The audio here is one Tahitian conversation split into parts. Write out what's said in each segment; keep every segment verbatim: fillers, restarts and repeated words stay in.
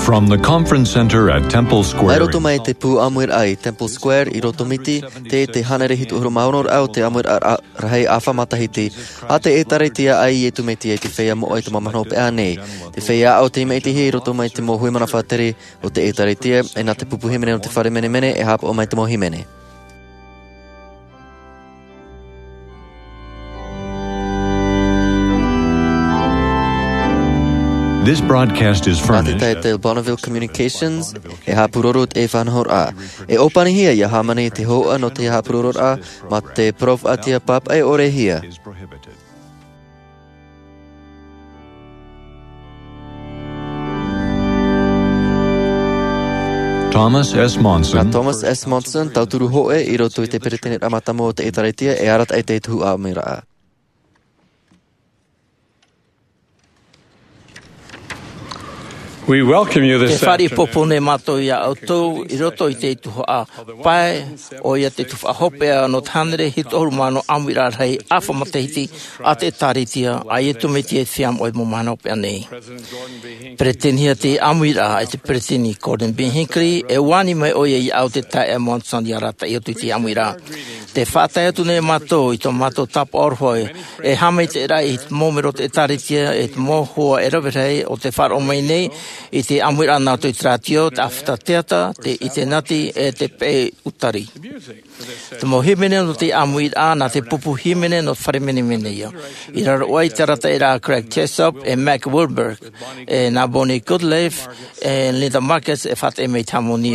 From the conference center at Temple Square. Mai roto mai te pū ʻāmuiraʻa i Temple Square i Roto Miti, te, te hānere hitu ʻahuru mā ono ra o te ʻāmuiraʻa rahi ʻāfa matahiti a te ʻĒkālesia a Iesu Mesia i te feiā moʻa i te mau mahana hopeʻa nei. Te feiā ʻāʻau tei maʻitihia i roto mai te mau hui mana faʻatere o te ʻĒkālesia, e nā te pupu hīmene o te fare menemene e haʻapaʻo mai te mau hīmene. This broadcast is furnished. Nā te taʻata Bonneville Communications e haʻapūroro te faʻanahoraʻa. E ʻōpanihia ia hāmani te hōhoʻa nō te haʻapūrororaʻa mā te parau faʻaʻiteʻa pāpaʻi ʻore hia. Thomas S. Monson. Nā Thomas S. Monson, tauturu hōʻē i roto i te peretiteniraʻa mātāmua o te ʻĒkālesia, e arataʻi i te tuhaʻa ʻāmuiraʻa. We welcome you this afternoon. Te fāriʻi pōpō nei mātou iā ʻoutou i roto i te tuhaʻa pae, ʻoia te tuhaʻa hopeʻa nō te hānere hitu ʻahuru mā ono ʻāmuiraʻa rahi ʻāfa matahiti a te ʻĒkālesia a Iesu Mesia i te feiā moʻa i te mau mahana hopeʻa nei. Peresidenihia te ʻāmuiraʻa e te peresideni Gordon B. Hinckley, e ani mai ʻoia iā ʻu te taeaʻe Monson ia arataʻi atu i te ʻāmuiraʻa. Te faʻatae atu nei mātou i tō mātou tāpaʻo aroha e haʻamaitaʻiraʻa i te mau melo o te ʻĒkālesia, e te mau hoa e rave rahi o te faʻaroʻo mai nei i te ʻāmuiraʻa nā roto i te rātio, te ʻāfata teata, te ʻinitēneti, e te peʻe ʻutari. Te mau hīmene nō te ʻāmuiraʻa, nā te pupu hīmene nō te fare menemene ia. I raro aʻe i te arataʻiraʻa a Craig Jessop, e Mac Wilberg, e nā Bonnie Goodliffe, e Linda Marcus, e faʻaʻite mai i te hāmani.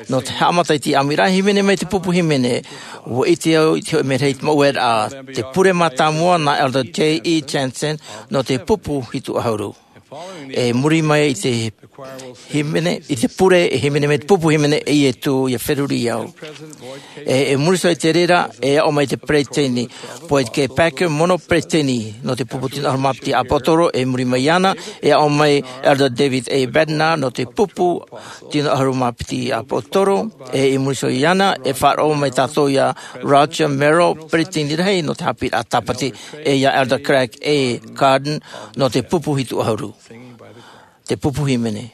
Nō te haʻamata i te ʻāmuiraʻa, hīmene mai te pupu hīmene, ʻua ʻite au i te hōʻē merahi i te mau ueraʻa, te pure mātāmua nā Elder J E Jensen, nō te pupu hitu ʻahuru. E muri mai i te hīmene, i te pure, e hīmene mai te pupu hīmene, e ʻite atu ia feruri au. E, e muri iho i te reira, e aʻo mai te peresideni Boyd K. Packer, mono peresideni nō te pupu tino ʻahuru mā piti ʻāpōsetolo, e muri mai iāna, e aʻo mai Elder David A. Bednar nō te pupu tino ʻahuru mā piti ʻāpōsetolo, e i muri iho iāna, e faʻaroʻo mai tātou iā Roger Merrill, peresideni rahi nō te haʻapiʻiraʻa Tāpati, e iā Elder Craig A. Carden nō te pupu hitu ʻahuru. Te pupu hīmene.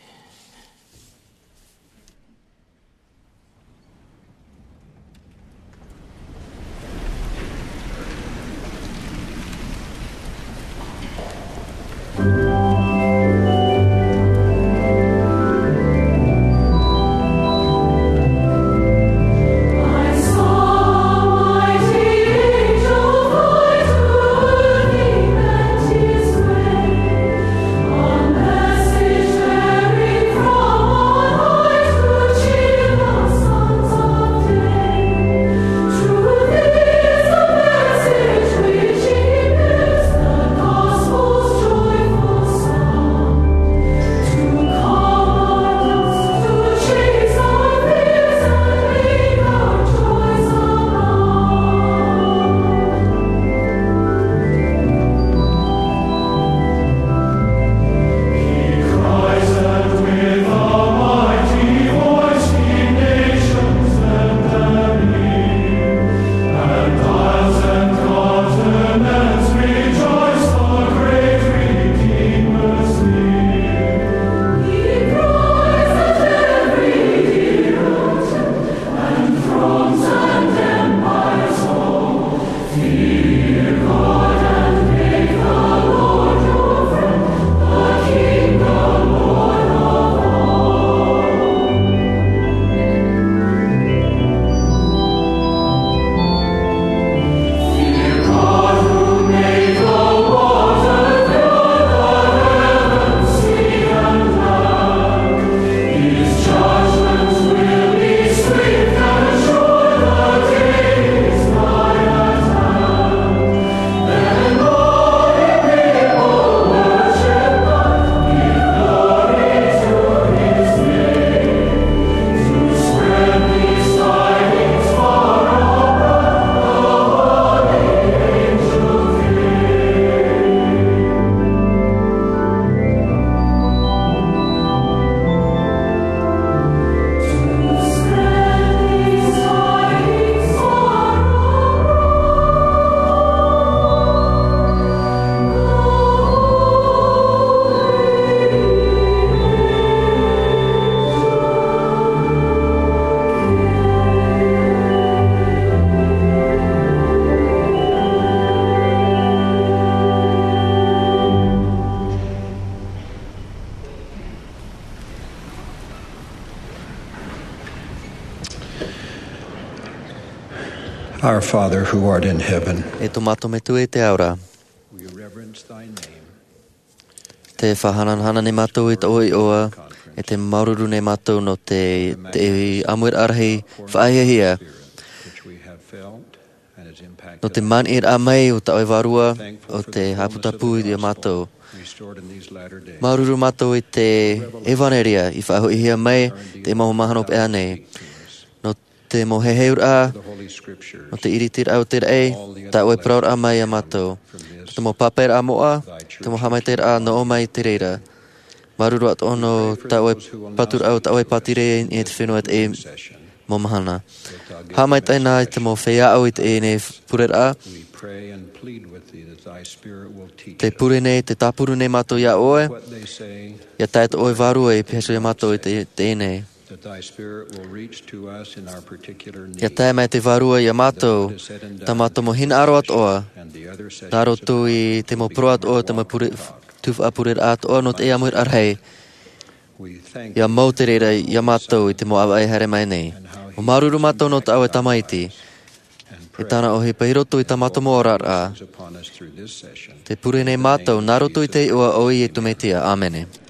Our Father who art in heaven, E tō mātou Metua i te ao ra, we reverence thy name. Te faʻahanahana nei mātou i tō ʻoe iʻoa, e te māuruuru nei mātou nō te, te ʻāmuiraʻa rahi faʻahiahia, which we have felt and has impacted nō te maniʻiraʻa mai o tā ʻoe Vārua, o te hāputapu ia mātou. Restored in these latter days. Māuruuru mātou i te ʻevanelia i faʻahoʻihia mai te mau mahana hopeʻa nei. Nō te mau heheuraʻa, nō te ʻiritiraʻa o te raʻi, tā ʻoe parauraʻa mai ia mātou. Te mau pāpaʻiraʻa moʻa, te mau haʻamaitaʻiraʻa nō ʻō mai i te reira. Māuruuru atoʻa nō tā ʻoe paturaʻa, tā ʻoe pātireia i te fenua i teie mau mahana. Haʻamaitaʻi na i te mau feiā ʻāʻau i teie nei pureraʻa. Te pure nei, te tāpuru nei mātou ia ʻoe, ia tae tō ʻoe Vārua i pīhaʻi ia mātou i te, teie nei. That thy spirit will reach to us in our particular need. Ia tae mai te Vārua ia mātou, tā mātou mau hinaʻaro atoʻa, nā roto i te mau parau atoʻa, te mau pure, tuhaʻa pureraʻa atoʻa nō te ʻāmuiraʻa rahi. Ia mau te reira ia mātou i te mau ʻāvaʻe haere mai nei. ʻUa māuruuru mātou nō tā ʻoe Tamaiti, e tāna ʻohipa i roto i tā mātou mau oraraʻa. Te pure nei mātou, nā roto i te iʻoa o Iesu Mesia. ʻĀmene.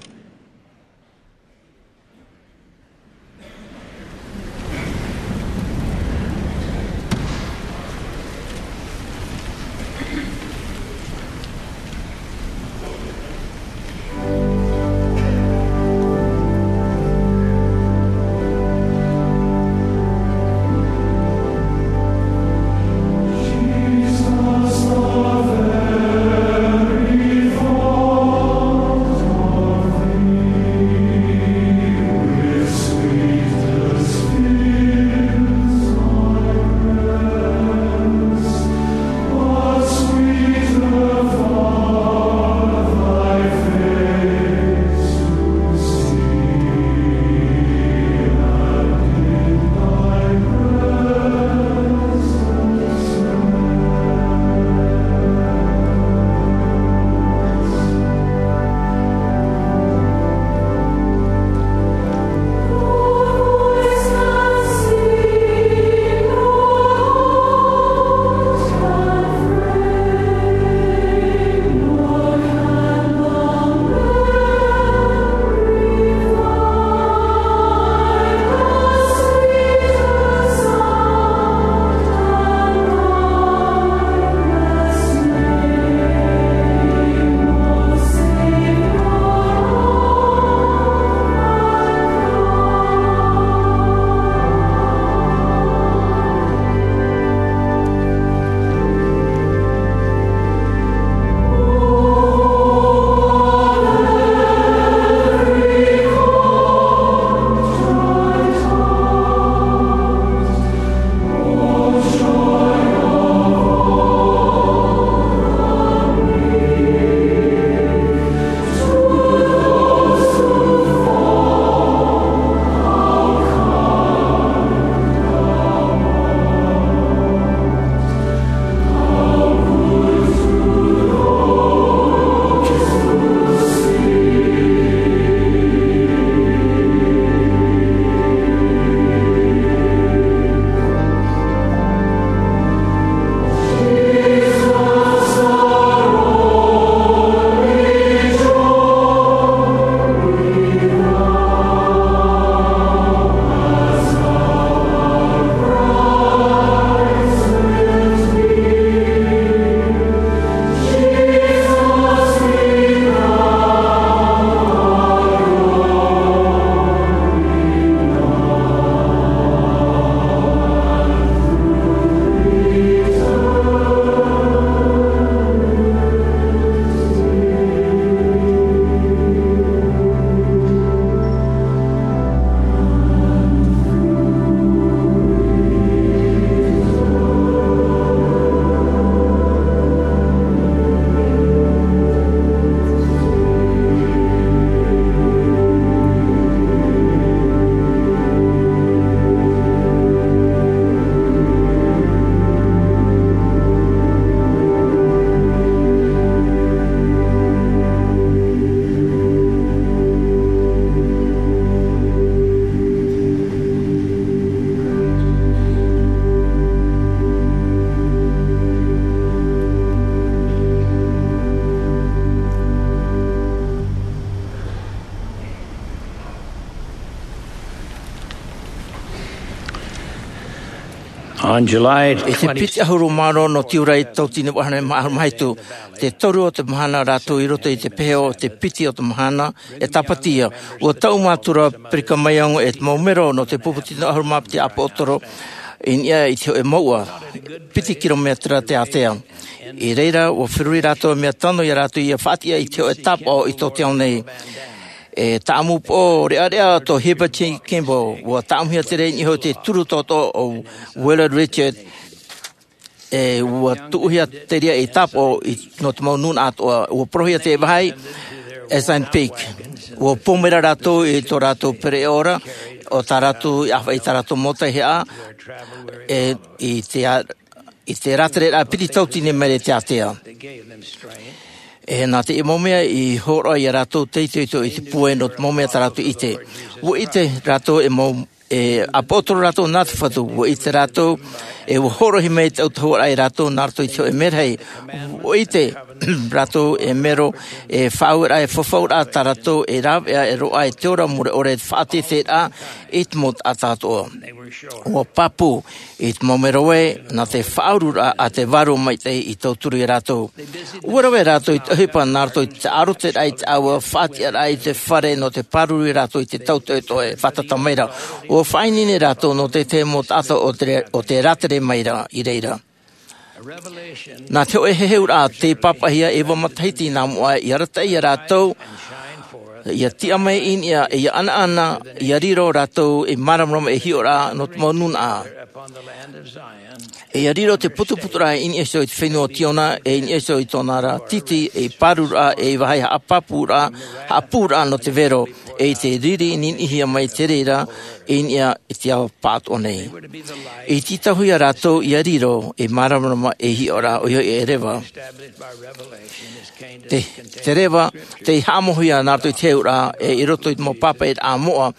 On July twenty. I te piti ʻahuru mā ono nō tiurai tauatini vaʻu ʻahuru mā hitu, te toru o te mahana rātou i roto i te pehe o te piti o te mahana e tāpati ia. Ua taʻu mātou ra Brigham Young e te mau mero nō te pupu tino ʻahuru mā piti ʻāpōsetolo i niʻa i te hōʻē mouʻa piti kilometera te ātea. I reira ua feruri rātou mea tano ia rātou ia faʻatiʻa i te hōʻē tāpaʻo i tō te ao nei. E tāʻamu pō reʻareʻa tō Heber J. Kimball, ua tāʻamuhia te reira i niʻa i te turu toto o Willard Richard. E ua tuʻuhia te reira i tāpaʻo i nō te mau nūnaʻa atoʻa. Ua porohia te vāhi Assunpink. Ua pōmera rātou i tō rātou pereʻoʻo ra o tā rātou i ʻāfaʻi i tā rātou mau taihaʻa e i te a- i te rātere rā piti tauatini maere te ātea. E nā te mau mea i hōroʻa ia rātou te itoito i te pūai nō te mau mea tā rātou i ʻite. Ua ʻite rātou e mau e ʻāpōsetolo rātou nā te Fatu. Ua ʻite rātou e ua hōroʻahia mai te ʻautahuʻaraʻa ia rātou nā roto i te hōʻē merahi. Ua ʻite rātou e mero e faʻaueraʻa e fafauraʻa tā rātou e rāveʻa e roaʻa i te ora mure ʻore e te faʻateteraʻa i te mau taʻata atoʻa. Ua pāpū i te mau mero ē nā te faʻaururaʻa a te Vārua Maitaʻi i tauturu ia rātou. Ua rave rātou i te ʻohipa nā roto i te ʻārotiraʻa i te ʻāua faʻatiʻaraʻa i te fare nō te pāruru ia rātou i te tautoʻetoʻe fātata mai ra. Ua faʻaineine rātou nō te tahi mau taʻata o te o te rātere mai ra i reira. Nā te hōʻē heheuraʻa tei pāpaʻihia e ua matahiti nā mua i arataʻi ia rātou ia tiʻa mai i niʻa e ia ʻanaʻana ia riro rātou i māramarama e hiʻoraʻa nō te mau nūnaʻa. E ia riro te putuputuraʻa i niʻa iho i te fenua o Tiona e i niʻa iho i tōna ra titi e i pāruraʻa e i vāhi haʻapāpūraʻa haʻapūraʻa nō te vero e i te riri niniʻihia mai te reira i niʻa i te ao pāʻatoʻa nei. I tītauhia rātou ia riro e māramarama e hiʻoraʻa ʻoia hoʻi e reva. Te te reva tei haʻamauhia nā roto i te heheuraʻa e i roto i te mau pāpaʻiraʻa moʻa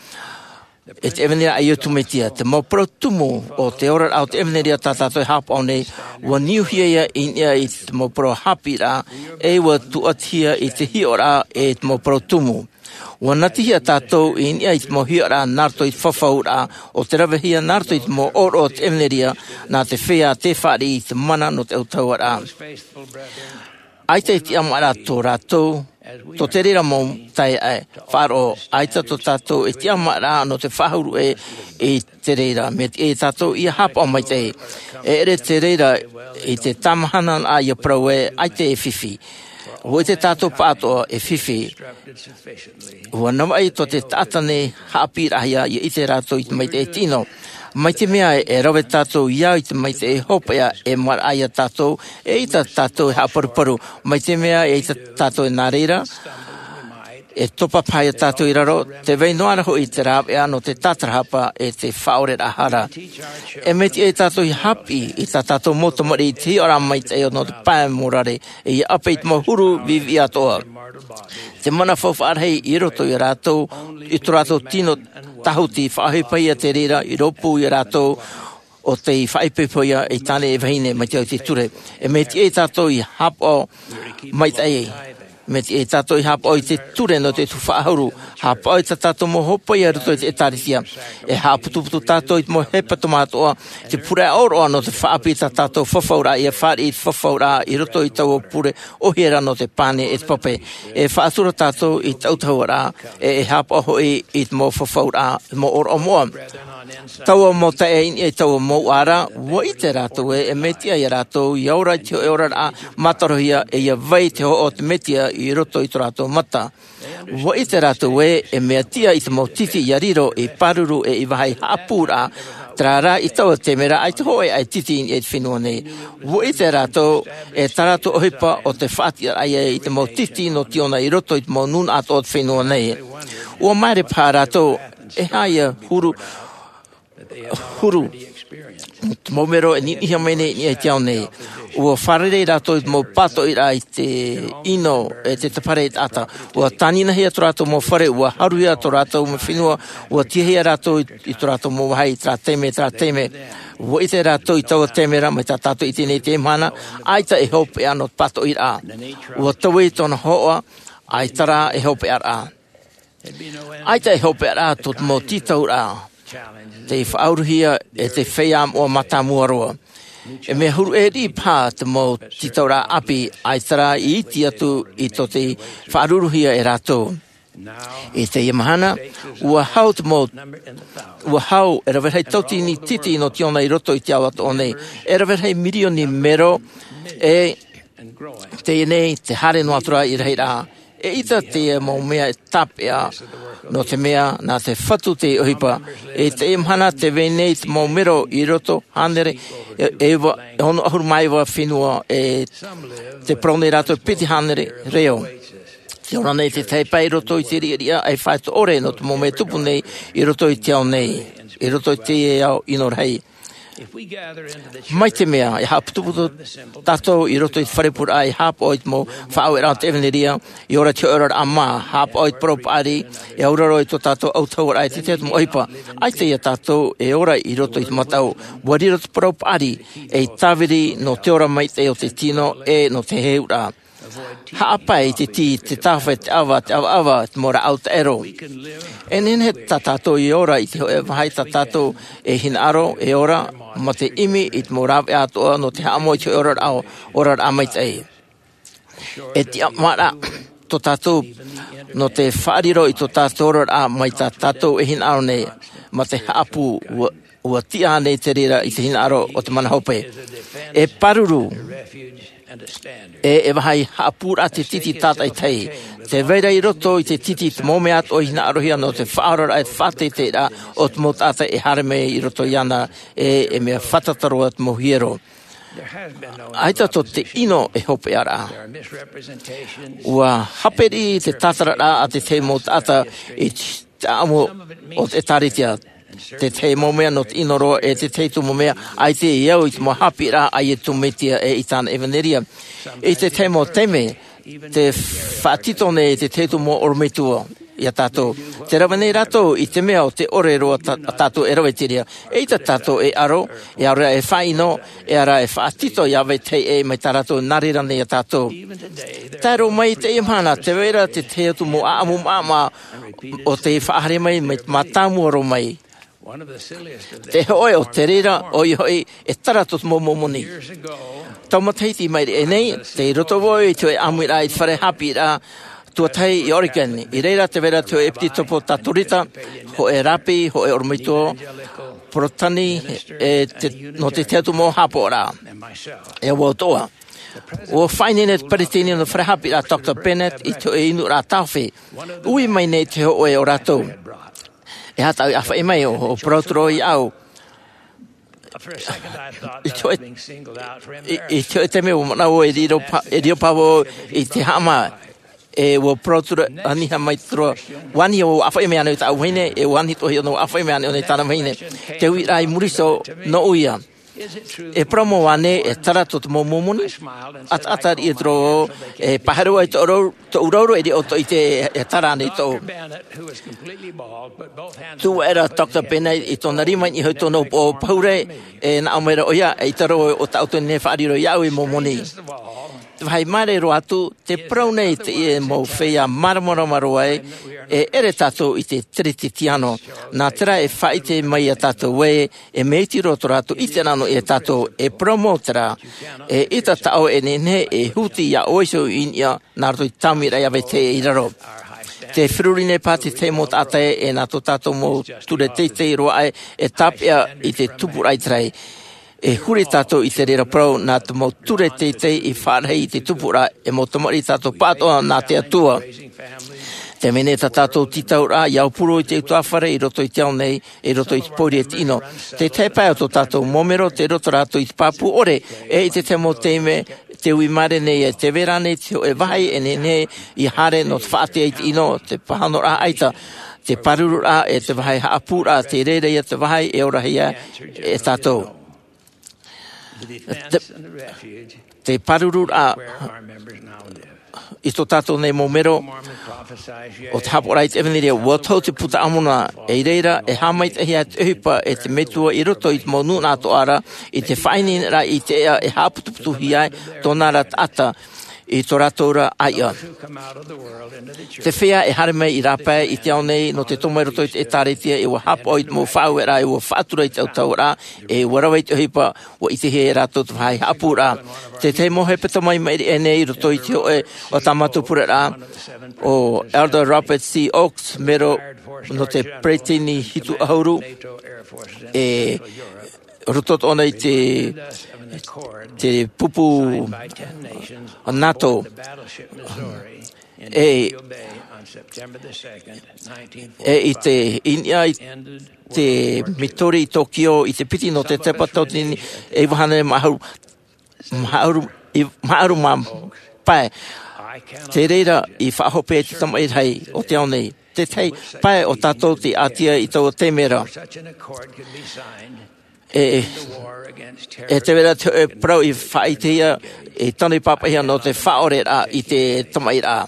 e te ʻevanelia a Iesu Mesia. Te mau parau tumu o te oraraʻa o te ʻevanelia tā tātou e haʻapaʻo nei ua niuhia ia i niʻa i te mau parau haʻapiʻiraʻa e ua tuʻatihia i te hiʻoraʻa e te mau parau tumu. Ua natihia tātou i niʻa i te mau hiʻoraʻa nā roto i te fafauraʻa o te ravehia nā roto i te mau ʻōroʻa o te ʻevanelia nā te feiā tei fāriʻi i te mana nō te ʻautahuʻaraʻa. ʻAita e tiʻamāraʻa tō rātou tō te reira mau taeaʻe faʻaroʻo ʻaita tō tātou e tiʻamāraʻa nō te faʻahuru ʻē i te reira mea tiʻa ia tātou ia haʻapaʻo maitaʻi. E ʻere te reira i te tāmahana nā ia parau ē ʻaita e fifi. Ua ʻite tātou pāʻatoʻa e fifi. Ua navaʻi tō te taʻata nei haʻapiʻiraʻahia ia ʻite rātou i te maitaʻi tino. Mai te mea e rave tātou i au i te maitaʻi hopeʻa e maraʻa ia tātou e ʻaita tātou e haʻaparuparu mai te mea e ʻaita tātou e nā reira e topa paha ia tātou i raro te vai noa ra hoʻi te rāveʻa nō te tātarahapa e te faʻaoreraʻa hara. E mea tiʻa ia tātou ia haʻapiʻi i tā tātou mau tamariʻi i te hiʻoraʻa maitaʻi nō te pae morare e ia ʻape i te mau huru viʻiviʻi atoʻa. Te mana faufaʻa rahi i roto ia rātou i tō rātou tino tāhuti faʻaʻohipahia te reira i rōpū ia rātou o tei faʻaipoipohia i tāne e vahine mai te au i te ture. E mea tiʻa ia tātou ia haʻapaʻo maitaʻi. Mea tiʻa ia tātou ia haʻapaʻo i te ture nō te tuhaʻa ʻahuru haʻapaʻo i tā tātou mau hopeʻa i roto i te ʻētārētia. E haʻaputuputu tātou i te mau hepetoma atoʻa te pure ʻōroʻa nō te faʻaʻapi i tā tātou fafauraʻa ia fāriʻi i te fafauraʻa i roto i taua pure ʻohie ra nō te pane e te pape. E faʻatura tātou i te ʻautahuʻaraʻa e e haʻapaʻo hoʻi i te mau fafauraʻa mau ʻōroʻa moʻa. Taua mau taeaʻe i niʻa i taua mau ʻara ua ʻite rātou ē e mea tiʻa ia rātou ia ora i te hōʻē oraraʻa mātarohia e ia vai i te hohoʻa o te mesia i roto i tō rātou mata. Ua ʻite rātou ē e mea tiʻa i te mau titi ia riro i pāruru e i vāhi haʻapūraʻa terā rā i taua taime ra ʻaita hōʻē ʻaititi i niʻa i te fenua nei. Ua ʻite rātou e tā rātou ʻohipa o te faʻatiʻaraʻa ia i te mau titi nō tiona i roto i te mau nūnaʻa atoʻa o te fenua nei. Ua maere paha rātou e haʻa ia huru huru te mau mero e niniʻihia mai nei i niʻa i te ao nei. Ua fārerei rātou i te mau pātoʻiraʻa i te ʻino e te tapare i taʻata. Ua tāninahia tō rātou mau fare ua haruhia tō rātou mau fenua. Ua tiʻahia rātou i tō rātou mau vāhi i terā taime terā taime. Ua ʻite rātou i taua taime ra mai tā tātou i teie nei mahana ʻaita e hopeʻa nō te pātoʻiraʻa. Ua taui tōna hōhoʻa ʻaita rā e hopeʻaraʻa. ʻAita e hopeʻaraʻa tō te mau tītauraʻa. Te faʻauruhia e te feiā moʻa mātāmua roa. E mea huru ʻē riʻi paha te mau tītauraʻa ʻāpī, ʻaita rā i iti atu i tō te faʻauruhia e rātou. I teie mahana, ua hau te mau, ua hau e rave rahi tauatini titi nō te ona i roto i te ao atoʻa nei, e rave rahi mirioni mero, e teie nei te haere noa atu ra i rahiraʻa. E ʻita te mau mea e tāpeʻa, nō te mea nā te Fatu te ʻohipa. I teie mahana tē vai nei te mau mero i roto hānere e, e iva, e ono ʻahuru mā iva fenua, e tē parau nei rātou piti hānere reo. Tē ora nei te tahi pae i roto i te riʻariʻa ʻaifāito ʻore nō te mau mea e tupu nei i roto i te ao nei, i roto i te ao ʻino rahi. Mai te mea e haʻaputuputu tātou i roto i te fare pūraʻa e haʻapaʻo i te mau faʻaueraʻa o te ʻevanelia, e ora i te hoʻe oraraʻa mā, haʻapaʻo i te parau paʻari, e auraro i tō tātou autahuʻaraʻa i te tahi atu mau ʻohipa. ʻAita ia tātou e ora i roto i te mataʻu, ua riro te parau paʻari ei tāviri nō te ora maitaʻi o te tino e nō te heheuraʻa. Haʻapae i te tī, te tāwhai, te ʻava, te ʻavaʻava, te mau rāʻau taʻero. E nehenehe tā tātou e ora i te hoʻe vāhi tā tātou e hinaʻaro e ora, mā te ʻimi i te mau rāveʻa atoʻa nō te haʻamoʻe i te hoʻe oraraʻa, oraraʻa maitaʻi. E tiʻamāraʻa tō tātou nō te faʻariro i tō tātou oraraʻa mai tā tātou e hinaʻaro nei, mā te haʻapū ua, ua tiʻa nei te reira i te hinaʻaro o te mana hope. E pāruru, e, e vāhi haʻapūraʻa te titi tātaʻitahi. Tē vai ra i roto i te titi te mau mea atoʻa i hinaʻarohia nō te faʻaoraraʻa e te faʻateiteiraʻa o te mau taʻata e haere mai i roto iāna, e, e mea fātata roa te mau hiero. ʻAita tō te ʻino e hopeʻa ra. Ua hape riʻi te tātararaʻa a te tahi mau taʻata i te ʻāʻamu o te ʻĒtārētia. Te tahi mau mea nō te ʻino roa, e te tahi atu mau mea ʻaita e au i te mau haʻapiʻiraʻa a Iesu Mesia e i tāna ʻevanelia. I te tahi mau taime, tē faʻatito nei te tahi atu mau ʻorometua iā tātou. Tē rave nei rātou i te mea ʻo tē ʻore roa tā, tātou e rave i te reira. ʻEita tātou e aro, e aro e faʻaʻino, e ara e faʻatito ia vetahi ʻē mai tā rātou nā reira nei iā tātou. Tae roa mai i teie mahana, tē vai ra te tahi atu mau ʻāʻamu māʻopoʻopo o tē faʻahaere mai, mai te mātāmua roa mai. Te hōʻē o te reira, ʻoia hoʻi, e tara tō te mau Mōmoni. Tau matahiti i maʻiri aʻe nei, tei roto vau i te hōʻē ʻāmuiraʻa i te fare haʻapiʻiraʻa tuatahi i Oregon. I reira tē vai ra te hōʻē ʻepisekopo Katorika, hōʻē rāpi, hōʻē ʻorometua Porotetani, e te, nō te tahi atu mau haʻapaʻoraʻa. E au atoʻa. ʻUa faʻaineine te peresideni nō te fare haʻapiʻiraʻa Doctor Bennett i te hōʻē inuraʻa tāofe. Ui mai nei te hōʻē o rātou. E aha tāʻu i ʻāfaʻi mai, ʻo, ʻo parau atu ra vau iāʻu. I te hōʻē, i, i te hōʻē taime ʻua manaʻo vau e riro pa-, e riro paha vau i te haʻamā. E ʻua parau atu ra, ani ha mai atu ra. ʻUa ani ʻo ʻāfaʻi mai ānei tāʻu vahine, e ʻua ani atoʻa hoʻi ʻōna ʻua ʻāfaʻi mai ānei ʻōna i tāna vahine. Te uiraʻa i muri iho nō ʻoia. E parau mau ānei, e tara tō te mau Mōmoni? ʻAtaʻata riʻi atu ra vau, e pāhono ai tō rau, tōʻu rauro e riro ʻoutou i te, e tara ānei tōʻu. Tuʻu aʻera Doctor Bennett i tōna rima i niʻa iho i tōna upoʻo pahure, e nā ʻō mai ra ʻoia, eʻita roa ʻo tāʻu tō nei faʻariro iāʻu ei Mōmoni. Te vāhi māere roa atu, tē parau nei teie mau feiā māramarama roa ē, e ʻere tātou i te Teretetiano. Nā terā e faʻaʻite mai iā tātou ē, e mea iti roa tō rātou ʻite nā niʻa iā tātou, e parau mau terā. ʻEita tā ʻoe e nehenehe e huti iā ʻoe iho i niʻa, nā roto i te tāmiraʻa ia vetahi ʻē i raro. Tē feruri nei paha te tahi mau taʻata ē, e nā tō tātou mau ture teitei roa ē, e tāpeʻa i te tupuraʻa ʻĪteraʻera. E huri tātou i te reira parau, nā te mau ture teitei i faʻarahi i te tupuraʻa, e mau tamariʻi tātou pāʻatoʻa nā te Atua. Tē vai nei tā tātou tītauraʻa, ʻia aupuru i te utuāfare i roto i te ao nei, i roto i te pōuri e te ʻino. Te tahi pae o tō tātou mau mero, tei roto rātou i te pāpū ʻore, e i te tahi mau taime, tē ui māere nei, e tē vai ra ānei te hōʻē vāhi e nehenehe ʻia haere nō te faʻaʻite i te ʻino, te pāhonoraʻa ʻaita, te pārururaʻa, e te vāhi haʻapūraʻa, tei reira ia te vāhi e orahia e tātou. Te, te pārururaʻa i tō tātou nei mau mero o te haʻapaʻoraʻa i te ʻEvanelia, ʻua tohu te Puta a Moromona, i reira, e haʻamaitaʻihia te ʻohipa e te Metua i roto i te mau nūnaʻa atoʻa ra, i te faʻaineineraʻa i te ʻēʻa e haʻaputuputuhia ai tōna ra taʻata. i tō rātou ra ʻāiʻa. Te feiā e haere mai i rāpae i te ao nei nō te tomo i roto i te ʻētāretia, e ua haʻapaʻo i te mau faʻaueraʻa, e ua faʻatura i te autahuʻaraʻa, e ua rave i te ʻohipa, ua ʻitehia e rātou te vāhi haʻapūraʻa. Te tahi mau hepetoma i maʻiri aʻe nei i roto i te hōʻē o tā mātou pureraʻa, ʻo Elder Robert C. Oaks, mero nō te peresideni hitu ʻahuru, e roto tōna i te, te pupu NATO. E, e i te, i niʻa i te Midori i Tokyo i te piti nō te tepa tauatini e iva hānere mā ʻahuru, mā ʻahuru, i, mā ʻahuru mā pae. Te reira i faʻahope ai te tamaʻi rahi o te ao nei. Te tahi pae o tātou te ʻātia i taua taime ra. E, e te vera te hōʻē parau i faʻaʻitehia, e tano i pāpaʻihia nō te faʻaʻoreraʻa i te tamaʻiraʻa.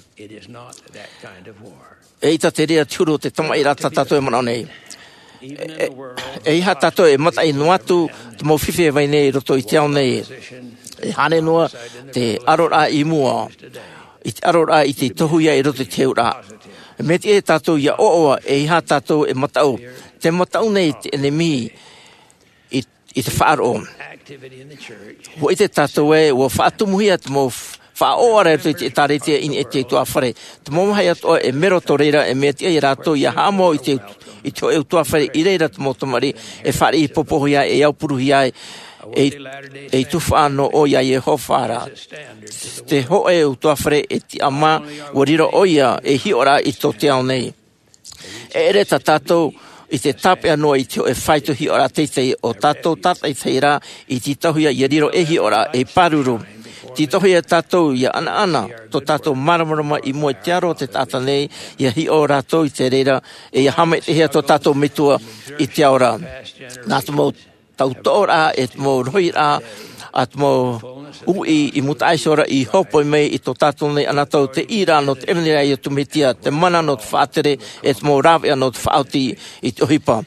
E ʻaita te reira te huru o te tamaʻiraʻa tā tātou e manaʻo nei. E, e, eiaha tātou e mataʻi noa atu te mau fifi e vai nei i roto i te ao nei. E hānere noa te ʻaroraʻa i mua, i te ʻaroraʻa i te tohu ia i roto i te heuraʻa. Mea tiʻa ia tātou ia ʻoaʻoa, eiaha tātou e mataʻu. Te mataʻu nei te ʻenemi i, i te faʻaroʻo. Ua ʻite tātou ē, ua faʻatumuhia te mau f-, faʻaʻoaʻoaraʻa i te ʻētāretia i niʻa i te utuāfare. Te mau vāhi atoʻa e mero tō reira, e mea tiʻa ia rātou ia haʻamau i te, i te hōʻē utuāfare i reira te mau tamariʻi e fāriʻi popohia, e aupuruhia ai, e, e tufaʻa noa ʻoe iā Iehova ra. Te hōʻē utuāfare e tiʻamā, ua riro ʻoia ei hiʻoraʻa i tō te ao nei. E ʻere tā tātou i te tāpeʻa noa i te hōʻē faito hiʻoraʻa teitei, ʻo tātou tātaʻitahi rā i tītauhia ia riro ei hiʻoraʻa ei pāruru. Tītauhia tātou ia ʻanaʻana tō tātou māramarama i mua i te aro o te taʻata nei, ia hiʻo rātou i te reira, e ia haʻamaitaʻihia tō tātou Metua i te ao ra. Nā te mau tautoʻoraʻa, e te mau rohiraʻa, a te mau uʻi i mūtaʻa iho ra i hōpoi mai i tō tātou nei anotau te ʻīraʻa nō te ʻevanelia a Iesu Mesia, te mana nō te faʻatere, e te mau rāveʻa nō te faʻaoti i te ʻohipa.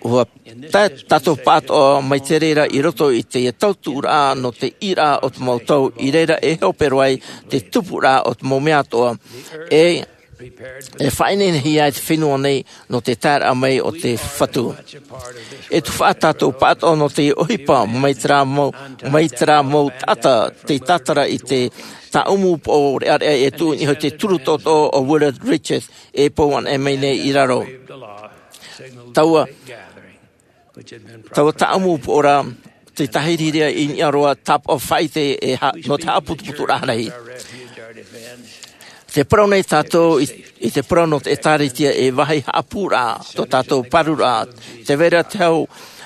Ua tae tātou pāʻatoʻa mai te reira i roto i te tautuʻuraʻa nō te ʻīraʻa o te mau tau, i reira e hope roa ai te tupuraʻa o te mau mea atoʻa. E e faʻaineinehia ai te fenua nei nō te taeraʻa mai o te Fatu. E tufaʻa tātou pāʻatoʻa nō te ʻohipa mai terā mau, mai terā mau taʻata tei tātara i te tāʻumu poʻo reʻareʻa e tuʻu i niʻa i te turu toʻotoʻo o Willard Richards e pou anaʻe mai nei i raro. Taua Taua tāʻumu poʻo ra, te tāhirihiriʻa i niʻa roa tāpaʻo faʻaʻite e ha-, nō te haʻaputuputuraʻa rahi. Tē parau nei tātou i, i te parau nō te ʻĒtārētia e vāhi haʻapūraʻa, tō tātou pārururaʻa, tē vai ra te hau,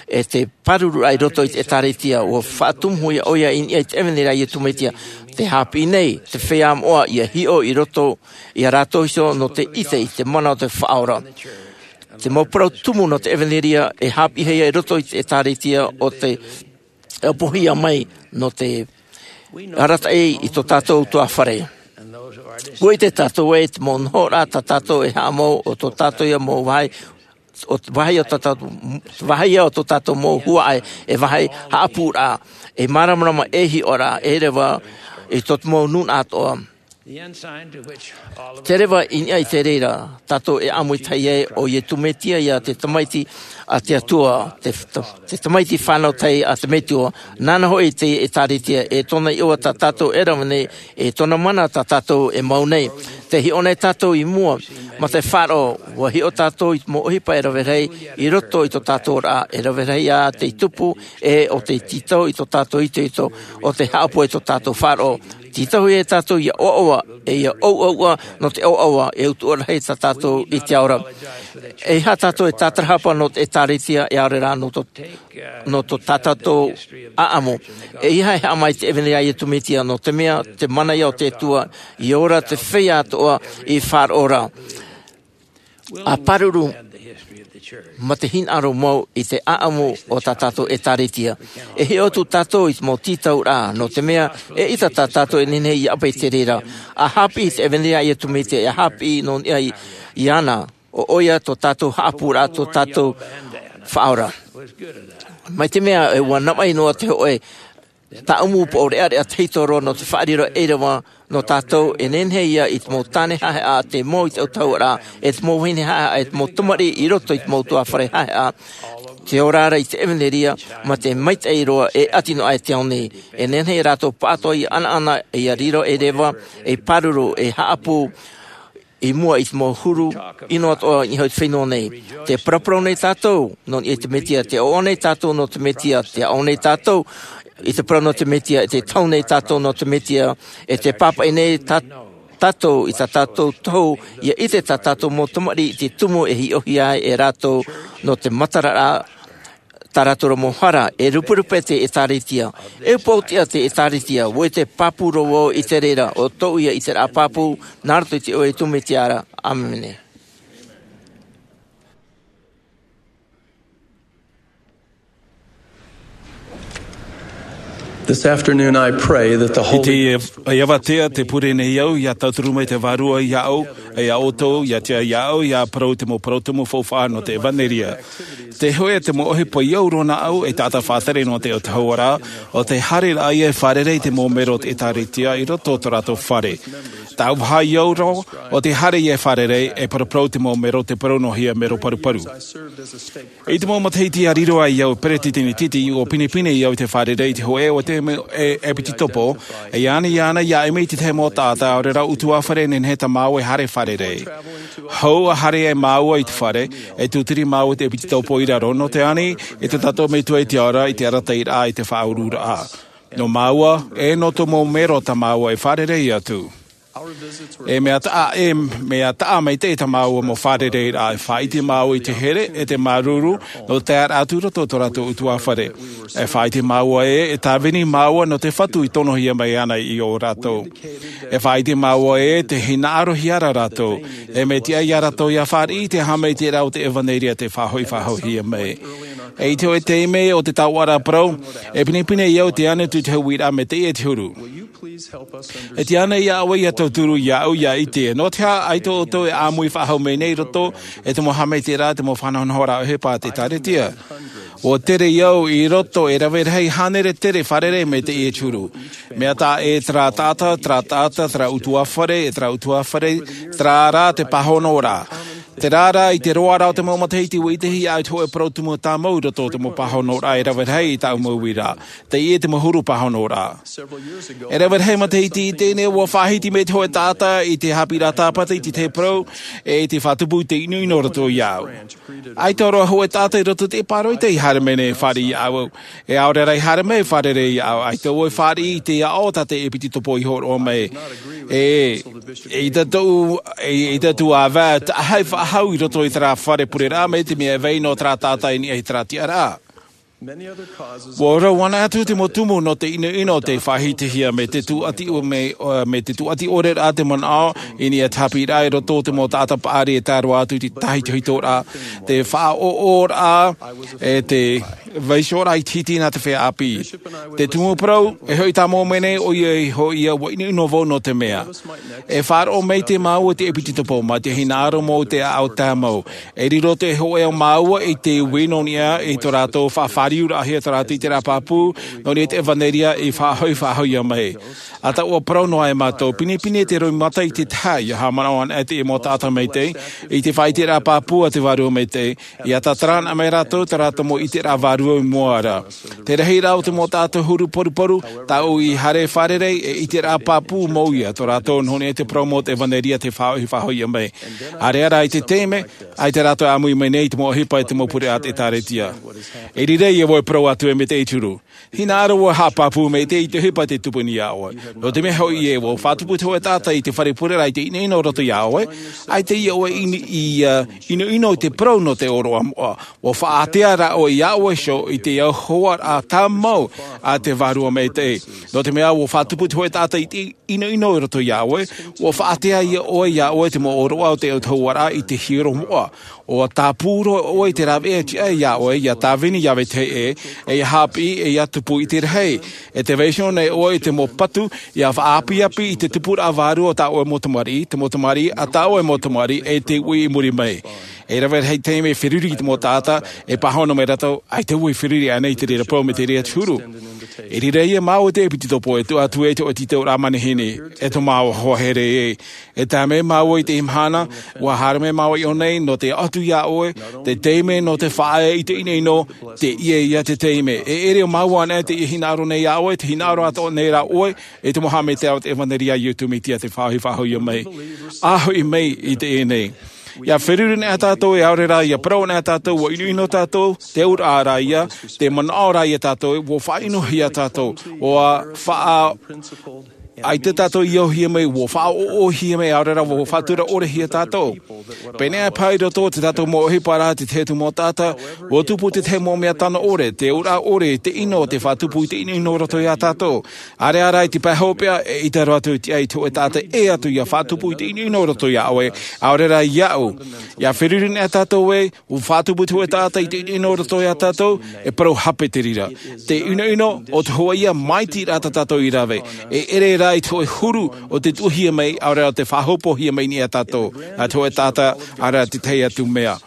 e te pārururaʻa i roto i te ʻĒtārētia, ʻua faʻatumuhia ʻoia i niʻa i te ʻevanelia a Iesu Mesia, tē haʻapiʻi nei, te feiā moʻa ia hiʻo i roto, ia rātou iho nō te ʻite i te mana o te Faʻaora. Te mau parau tumu nō te ʻevanelia e haʻapiʻihia i roto i te ʻĒtārētia ʻo te ʻapohia mai nō te arataʻi i tō tātou utuāfare. ʻUa ʻite tātou ē te mau nohoraʻa tā tātou e haʻamau ʻo tō tātou ia mau vāhi, ʻo te vāhi o tō tātou, vāhi ia o tō tātou mau huaʻai, e vāhi haʻapūraʻa, e māramarama e hiʻoraʻa, e reva i tō te mau nūnaʻa atoʻa. Te reva i niʻa i te reira, tātou e ʻāmui tahi ai ʻo Iesu Mesia ia te Tamaiti a te Atua, te, te Tamaiti fānau tahi a te Metua, nāna hoʻi te ʻĒtārētia, e tōna iʻoa tā tātou e rave nei, e tōna mana tā tātou e mau nei. Tē hiʻo nei tātou i mua, mā te faʻaroʻo, ʻua hiʻo tātou i te mau ʻohipa e rave rahi, i roto i tō tātou ra, e rave rahi ā tei tupu, e ʻo tei tītau i tō tātou itoito, ʻo tei haʻapohe i tō tātou faʻaroʻo. Tītauhia tātou ia ʻoaʻoa, e ia ʻouʻouʻa, nō te ʻoaʻoa, e utuʻa rahi tā tātou i te ao ra. ʻEiaha tātou e tātarahapa nō te ʻĒtārētia, e ʻaore rā nō tō, nō tō tā tātou ʻāʻamu. ʻEiaha e haʻamā i te ʻevanelia a Iesu Mesia, nō te mea, te mana ia o te Atua, i ora te feiā atoʻa i faʻaroʻo ra. ʻA pāruru mā te hinaʻaro mau i te ʻāʻamu o tā tātou ʻĒtārētia. E hiʻo atu tātou i te mau tītauraʻa, nō te mea, eʻita tā tātou e nehenehe ia ʻape i te reira. ʻA haʻapiʻi i te ʻevanelia a Iesu Mesia, e haʻapiʻi nō niʻa i, iāna, ʻo ʻoia tō tātou haʻapūraʻa, tō tātou Faʻaora. Mai te mea, e ʻua navaʻi noa te hōʻē Tāʻu mau poʻo reʻareʻa tahito roa nō te faʻariro ʻereʻa nō tātou e nehenehe ia i te mau tāne haʻehaʻa te mau i te autahuʻaraʻa e te mau vahine haʻehaʻa e te mau tamariʻi i roto i te mau tuāfare haʻehaʻa. Te ora ra i te ʻevanelia ma te maitaʻi roa e ʻati noa aʻe te ao nei. E nehenehe rātou pāʻatoʻa ia ʻanaʻana ia riro ʻereʻa, e pāruru, e haʻapū i mua i te mau huru ʻino atoʻa i niʻa i te fenua nei. Te paraparau nei tātou nō niʻa i te mesia, te ʻoaʻoa nei tātou nō te mesia, te aʻo nei tātou i te parau nō te mesia, e te tahu nei tātou nō te mesia, e te pāpaʻi nei tā- tātou i tā tātou tohu ia ʻite tā tātou mau tamariʻi i te tumu e hiʻohia ai e rātou nō te matararaʻa tā rātou mau hara. E ruperupe te ʻēkālesia, e upoʻotiʻa te ʻēkālesia, ʻua ʻite pāpū roa vau i te reira o tōʻu ia ʻiteraʻa pāpū. Nā roto i te iʻoa o tōʻu mesia ra. ʻĀmene. This afternoon, I pray that the I Holy teie, e avatea te pure nei au, ia tauturu mai te Vārua iāʻu, e iā ʻoutou, ia tia iāʻu, ia parau te mau parau tumu faufaʻa nō te ʻevanelia. Te hoʻe te mau ʻohipa i au roa nāʻu, e taʻata faʻatere nō te autahuʻaraʻa, ʻo te haereraʻa ia e fārerei i te mau melo o te ʻēkālesia i roto i tō rātou fare. Tāʻu vāhi i au roa, ʻo te haere ia e fārerei, e paraparau i te mau melo, te parau noa hia melo paruparu. I te mau matahiti a riro ai au peretiteni titi, ʻua pinepine au i te fārerei i te hoʻe o te me-, e, ʻepitetopo, e ani ana ia ʻimi i te tahi mau taʻata, ʻaore rā ʻutuāfare e nehenehe tā māua e haere fārerei. Hou ʻa haere ai māua i te fare, e tūturi māua i te ʻepitetopo i raro, nō te ani i tō tātou Metua i te ao ra, i te arataʻiraʻa, i te faʻaururaʻa. Nō māua, e nō tō mau melo tā māua e fārerei atu. E mea taʻa, e mea taʻa maitaʻi tā māua mau fārereiraʻa, e faʻaʻite māua i te here, e te māuruuru, nō te taeraʻa atu i roto i tō rātou ʻutuāfare. E faʻaʻite māua ē, e tāvini māua nō te Fatu i tonohia mai ana ia rātou. E faʻaʻite māua ē, tē hinaʻarohia ra rātou. E mea tiʻa ia rātou ia fāriʻi i te haʻamaitaʻiraʻa o te ʻevanelia, te faʻahoʻi faʻahouhia mai. E i te hōʻē taime o te taoʻa ra parau, e pinepine au te ani atu i te uiraʻa, mea teie te huru. E tiʻa ānei iā ʻoe ia tauturu iāʻu ia ʻite, nō te aha ʻaita ʻoutou e ʻāmui faʻahou mai nei i roto i te mau haʻamaitaʻiraʻa, te mau faʻanahonahoraʻa ʻohipa a te ʻĒkālesia? ʻUa tere au i roto, e rave rahi hānere tere fārerei mai teie te huru. Mea taʻa ē terā taʻata, terā taʻata, terā ʻutuāfare, e terā ʻutuāfare, terā rā te pāhonoraʻa. Terā rā, i te roaraʻa o te mau matahiti, ʻua ʻitehia ʻaita hōʻē parau tumu tāmau i roto i te mau pāhonoraʻa e rave rahi i tāʻu mau uiraʻa. Teie te mau huru pāhonoraʻa. E rave rahi matahiti i teie nei, ʻua faʻahiti mai te hōʻē taʻata i te haʻapiʻiraʻa tāpati i te tahi parau, e i te faʻatupu i te ʻinoʻino i roto iāʻu. ʻAita roa hōʻē taʻata i roto i te ʻīparo i te haere mai nei e fāriʻi iāʻu. E ʻaore rā i haere mai e fārerei iāʻu, ʻaita vau e fāriʻi i te aʻo tā te ʻepitetopo i hōroʻa mai. E, e ʻaita tōʻu, e, e ʻaita tōʻu ʻāvae, taʻa faʻahou i roto i terā fare pureraʻa, mai te mea e vai noa terā taʻata i niʻa i terā tiʻaraʻa. ʻUa ʻōrau anaʻe atu te mau tumu nō te ʻinoʻino tei faʻahitihia, mai te tūʻati ʻo-, mai, ʻo, mai te tūʻati ʻore rā te manaʻo i niʻa i te haʻapiʻiraʻa i roto i te mau taʻata paʻari e tae roa atu i te tahitohitoraʻa, te faʻaʻoʻoraʻa, e te vaiihoraʻa iti nā te feiā ʻāpī. Te tumu parau, e hoʻi tāmau mai nei, ʻoia hoʻi ʻua ʻinoʻino vau nō te mea. E faʻaroʻo maitaʻi māua i te ʻepitetopo, mā te hinaʻaro mau i te ʻāʻau tāmau. E riro te hōʻē o māua i te ui nō niʻa i tō rātou faʻafāriuraʻahia tō rātou ʻiteraʻa pāpū, nō niʻa i te ʻevanelia i faʻahoʻi faʻahouhia mai. ʻA taua parau noa e mātou, pinepine te roimata i te tahi, ʻia haʻamanaʻo anaʻe te mau taʻata maitaʻi, i te faʻaʻiteraʻa pāpū a te Vārua Maitaʻi, ʻia tātarahapa mai rātou, tā rātou mau ʻiteraʻa vārua i mua ra. Te rahiraʻa o te mau taʻata huru poruporu, tāʻu i haere fārerei, e ʻiteraʻa pāpū mau ia, tō rātou nō niʻa i te parau mau o te ʻevanelia tei faʻahoʻi faʻahouhia mai. ʻĀreʻa rā i te taime, ʻaita rātou e ʻāmui mai nei i te mau ʻohipa e te mau pure a te ʻĒkālesia. E riro ia vau e parau atu e mea teie te huru. Hinaʻaro vau e haʻapāpū maitaʻi i te ʻohipa tei tupu nei iā ʻoe. Nō te mea hoʻi ē, ʻua faʻatupu te hōʻē taʻata i te fare pureraʻa i te ʻinoʻino i roto iā ʻoe, ʻaita ia ʻoe i, i, ā, ʻinoʻino i te parau nō te ʻōroʻa moʻa. ʻUa faʻaātea rā ʻoe iā ʻoe iho i te auhoaraʻa tāmau a te Vārua Maitaʻi. Nō te mea ʻua faʻatupu te hōʻē taʻata i te ʻinoʻino i roto iā ʻoe, ʻua faʻaātea ia ʻoe, iā ʻoe te mau ʻōroʻa o te autahuʻaraʻa i te hiero moʻa. ʻUa tāpū roa ʻoe i te rāveʻa tiʻa iā ʻoe, ʻia tāvini iā vetahi ʻē, e ʻia haʻapiʻi, e ʻia tupu i te rahi. E tē vaiiho nei ʻoe i te mau patu, ʻia faʻaapiapi i te tupuraʻa vārua o tā ʻoe mau tamariʻi, te mau tamariʻi a tā ʻoe mau tamariʻi, e te ui i muri mai. E rave rahi te taime e feruri i te mau taʻata, e pāhono mai rātou, ʻaita vau e feruri ānei i te reira parau mai te reira te huru. I reira ia māua te ʻepitopo e tuʻu atu ai te ʻoe tītau rā manihini, e tō māua hoa here ē. E tae mai māua i te mahana, ua haere mai māua i ʻō nei, nō te ʻoatu iā ʻoe te taime nō te faʻaea i te ʻinoʻino, te ʻia ia te taime. E ʻere o māua anaʻe te hinaʻaro nei iā ʻoe, te hinaʻaro atoʻa nei rā ʻoe, e te mau haʻamaitaʻi o te ʻevanelia a Iesu Mesia te faʻaʻohipa hoʻi mai. ʻA hoʻi mai i teie nei. ʻIa feruri anaʻe tātou e ʻaore rā, ʻia parau anaʻe tātou, ʻua ʻinoʻino tātou, te auraʻa rā ia, te manaʻo rā ia tātou, ʻua faʻaʻinohia tātou, ʻua faʻa-, ʻaita tātou i ʻauhia mai, ʻua faʻaʻoʻohia mai, ʻaore rā, ʻua faʻatura ʻorehia tātou. Pēnei paha i roto i tā tātou mau ʻohipa rā, te tahi atu mau taʻata, ʻua tupu te tahi mau mea tano ʻore, te auraʻa ʻore, te ʻino, te faʻatupu i te ʻinoʻino roto iā tātou. ʻAreʻa rā i te pae hopeʻa, eʻita roa atu i te ʻai te hōʻē taʻata e ʻē atu ʻia faʻatupu i te ʻinoʻino roto iā ʻoe, ʻaore rā iāʻu. ʻIa feruri anaʻe tātou ē, ʻua faʻatupu te hōʻē taʻata i te ʻinoʻino roto iā tātou, e parau hape te reira. Te ʻinoʻino, ʻo te hōʻē ia māʻitiraʻa tā tātou i rave. E ʻere rā i te hōʻē huru o te tuʻuhia mai, ʻaore rā te faʻahopohia mai nei iā tātou. Nā te hōʻē taʻata, ʻaore rā te tahi atu mea.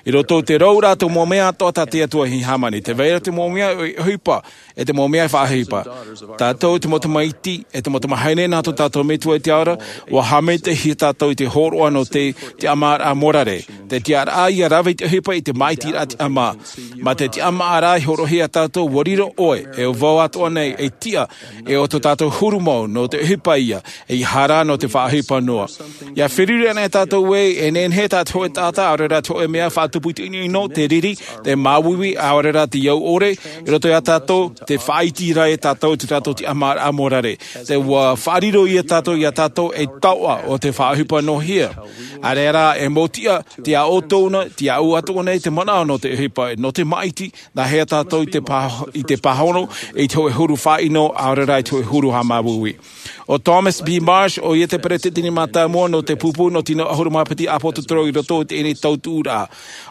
I roto i te rouraʻa o te mau mea atoʻa tā te Atua i hāmani, tē vai ra te mau mea ʻohipa, e te mau mea faʻaʻohipa. Tātou te mau tamaiti, e te mau tamahine nā tō tātou Metua i te ao ra, ʻua haʻamaitaʻihia tātou i te hōroʻa nō te, te tiʻamāraʻa morare. Te tiʻaraʻa ʻia rave i te ʻohipa i te māʻitiraʻa tiʻamā. Mā te tiʻamāraʻa i hōroʻahia iā tātou, ʻua riro ʻoe, e vau atoʻa nei, ei tiʻa, e ʻo tō tātou huru mau, nō te ʻohipa ia, ʻeiaha rā nō te faʻaʻohipa noa. ʻIa feruri anaʻe tātou ē, e nehenehe tā te hōʻē taʻata, ʻaore rā te hōʻē mea faʻatupu i te ʻinoʻino, te riri, te māuiui, ʻaore rā te au ʻore, i roto iā tātou, tē faʻaiti ra ia tātou i tō tātou tiʻamāraʻa morare. Tē ʻua faʻariro ia tātou, iā tātou ei taoʻa o te faʻaʻohipa noa hia. ʻAreʻa rā, e mau tiʻa, te aʻo tōna, te aʻo atoʻa nei te manaʻo nō te ʻohipa, nō te māʻiti, nā hea tātou i te pā-, i te pāhono, i te hōʻē huru faʻaʻino, ʻaore rā i te hōʻē huru haʻamāuiui. ʻO Thomas B. Marsh, ʻoia te peretiteni mātāmua nō te pupu nō te tino ʻahuru mā piti ʻāpōsetolo i roto i teie nei tautuʻuraʻa.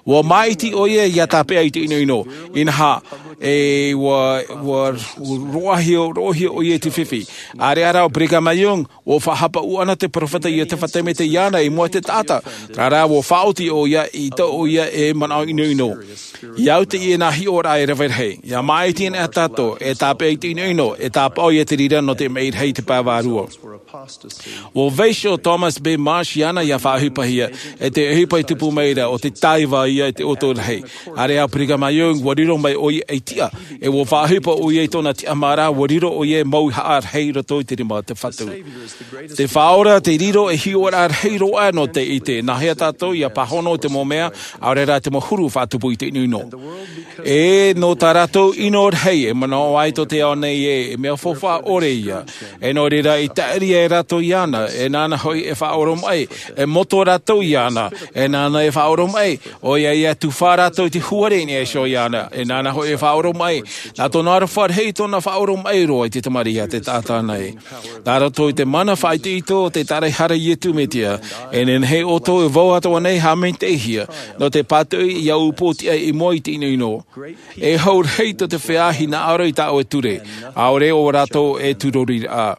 ʻUa māʻiti ʻoia ʻia tāpeʻa i te ʻinoʻino. Inaha, e ʻua, ʻua, ʻua roaʻahia, roaʻahia ʻoia i te fifi. ʻAreʻa rā ʻo Brigham Young, ʻua faʻahapa ʻoia na te peropheta Iosepha Semita iāna i mua i te taʻata. Terā rā ʻua faʻaoti ʻoia i tō ʻoia e manaʻo ʻinoʻino. ʻIa au teie nā hiʻoraʻa e rave rahi. ʻIa māʻiti anaʻe tātou, e tāpeʻa i te ʻinoʻino, e tāpaʻo ia te reira nō te maʻi rahi i te pae vārua. ʻUa vaiiho ʻo Thomas B. Marsh iāna ʻia faʻaʻohipahia, e te ʻohipa i tupu mai ra ʻo te taiva ia i te ʻoto rahi. ʻAreʻa ʻo Brigham Young, ʻua riro mai ʻoia ei tiʻa, e ʻua faʻaʻohipa ʻoia i tōna tiʻamāraʻa, ʻua riro ʻoia ei mauhaʻa rahi i roto i te rima o te Fatu. Te Faʻaora te riro ei hiʻoraʻa rahi roa nō te ʻite, nā hea tātou ʻia pāhono i te mau mea, ʻaore rā te mau huru faʻatupu i te ʻinoʻino. E nō tā rātou ʻino rahi, e manaʻo ai tō te ao nei ē, e mea faufaʻa ʻore ia. E nō reira i taʻiri ai rātou iāna, e nāna hoʻi e faʻaoromaʻi, e moto rātou iāna, e nāna e faʻaoromaʻi, ʻoia ia tufa rātou i te huare i niʻa iho iāna, e nāna hoʻi e faʻaoromaʻi, nā tōna aroha rahi tōna faʻaoromaʻi roa i te tamariʻi a te taʻata nei. Nā roto i te mana faʻaitoito o te tāraʻehara a Iesu Mesia, e nehenehe ʻoutou e vau atoʻa nei e haʻamaitaʻihia, nō te pātoʻi i ʻō upoʻotiʻa i mua i te ʻinoʻino. E hau rahi tō te feiā hinaʻaro i tā ʻoe ture, ʻaore ʻo rātou e tūrori ra.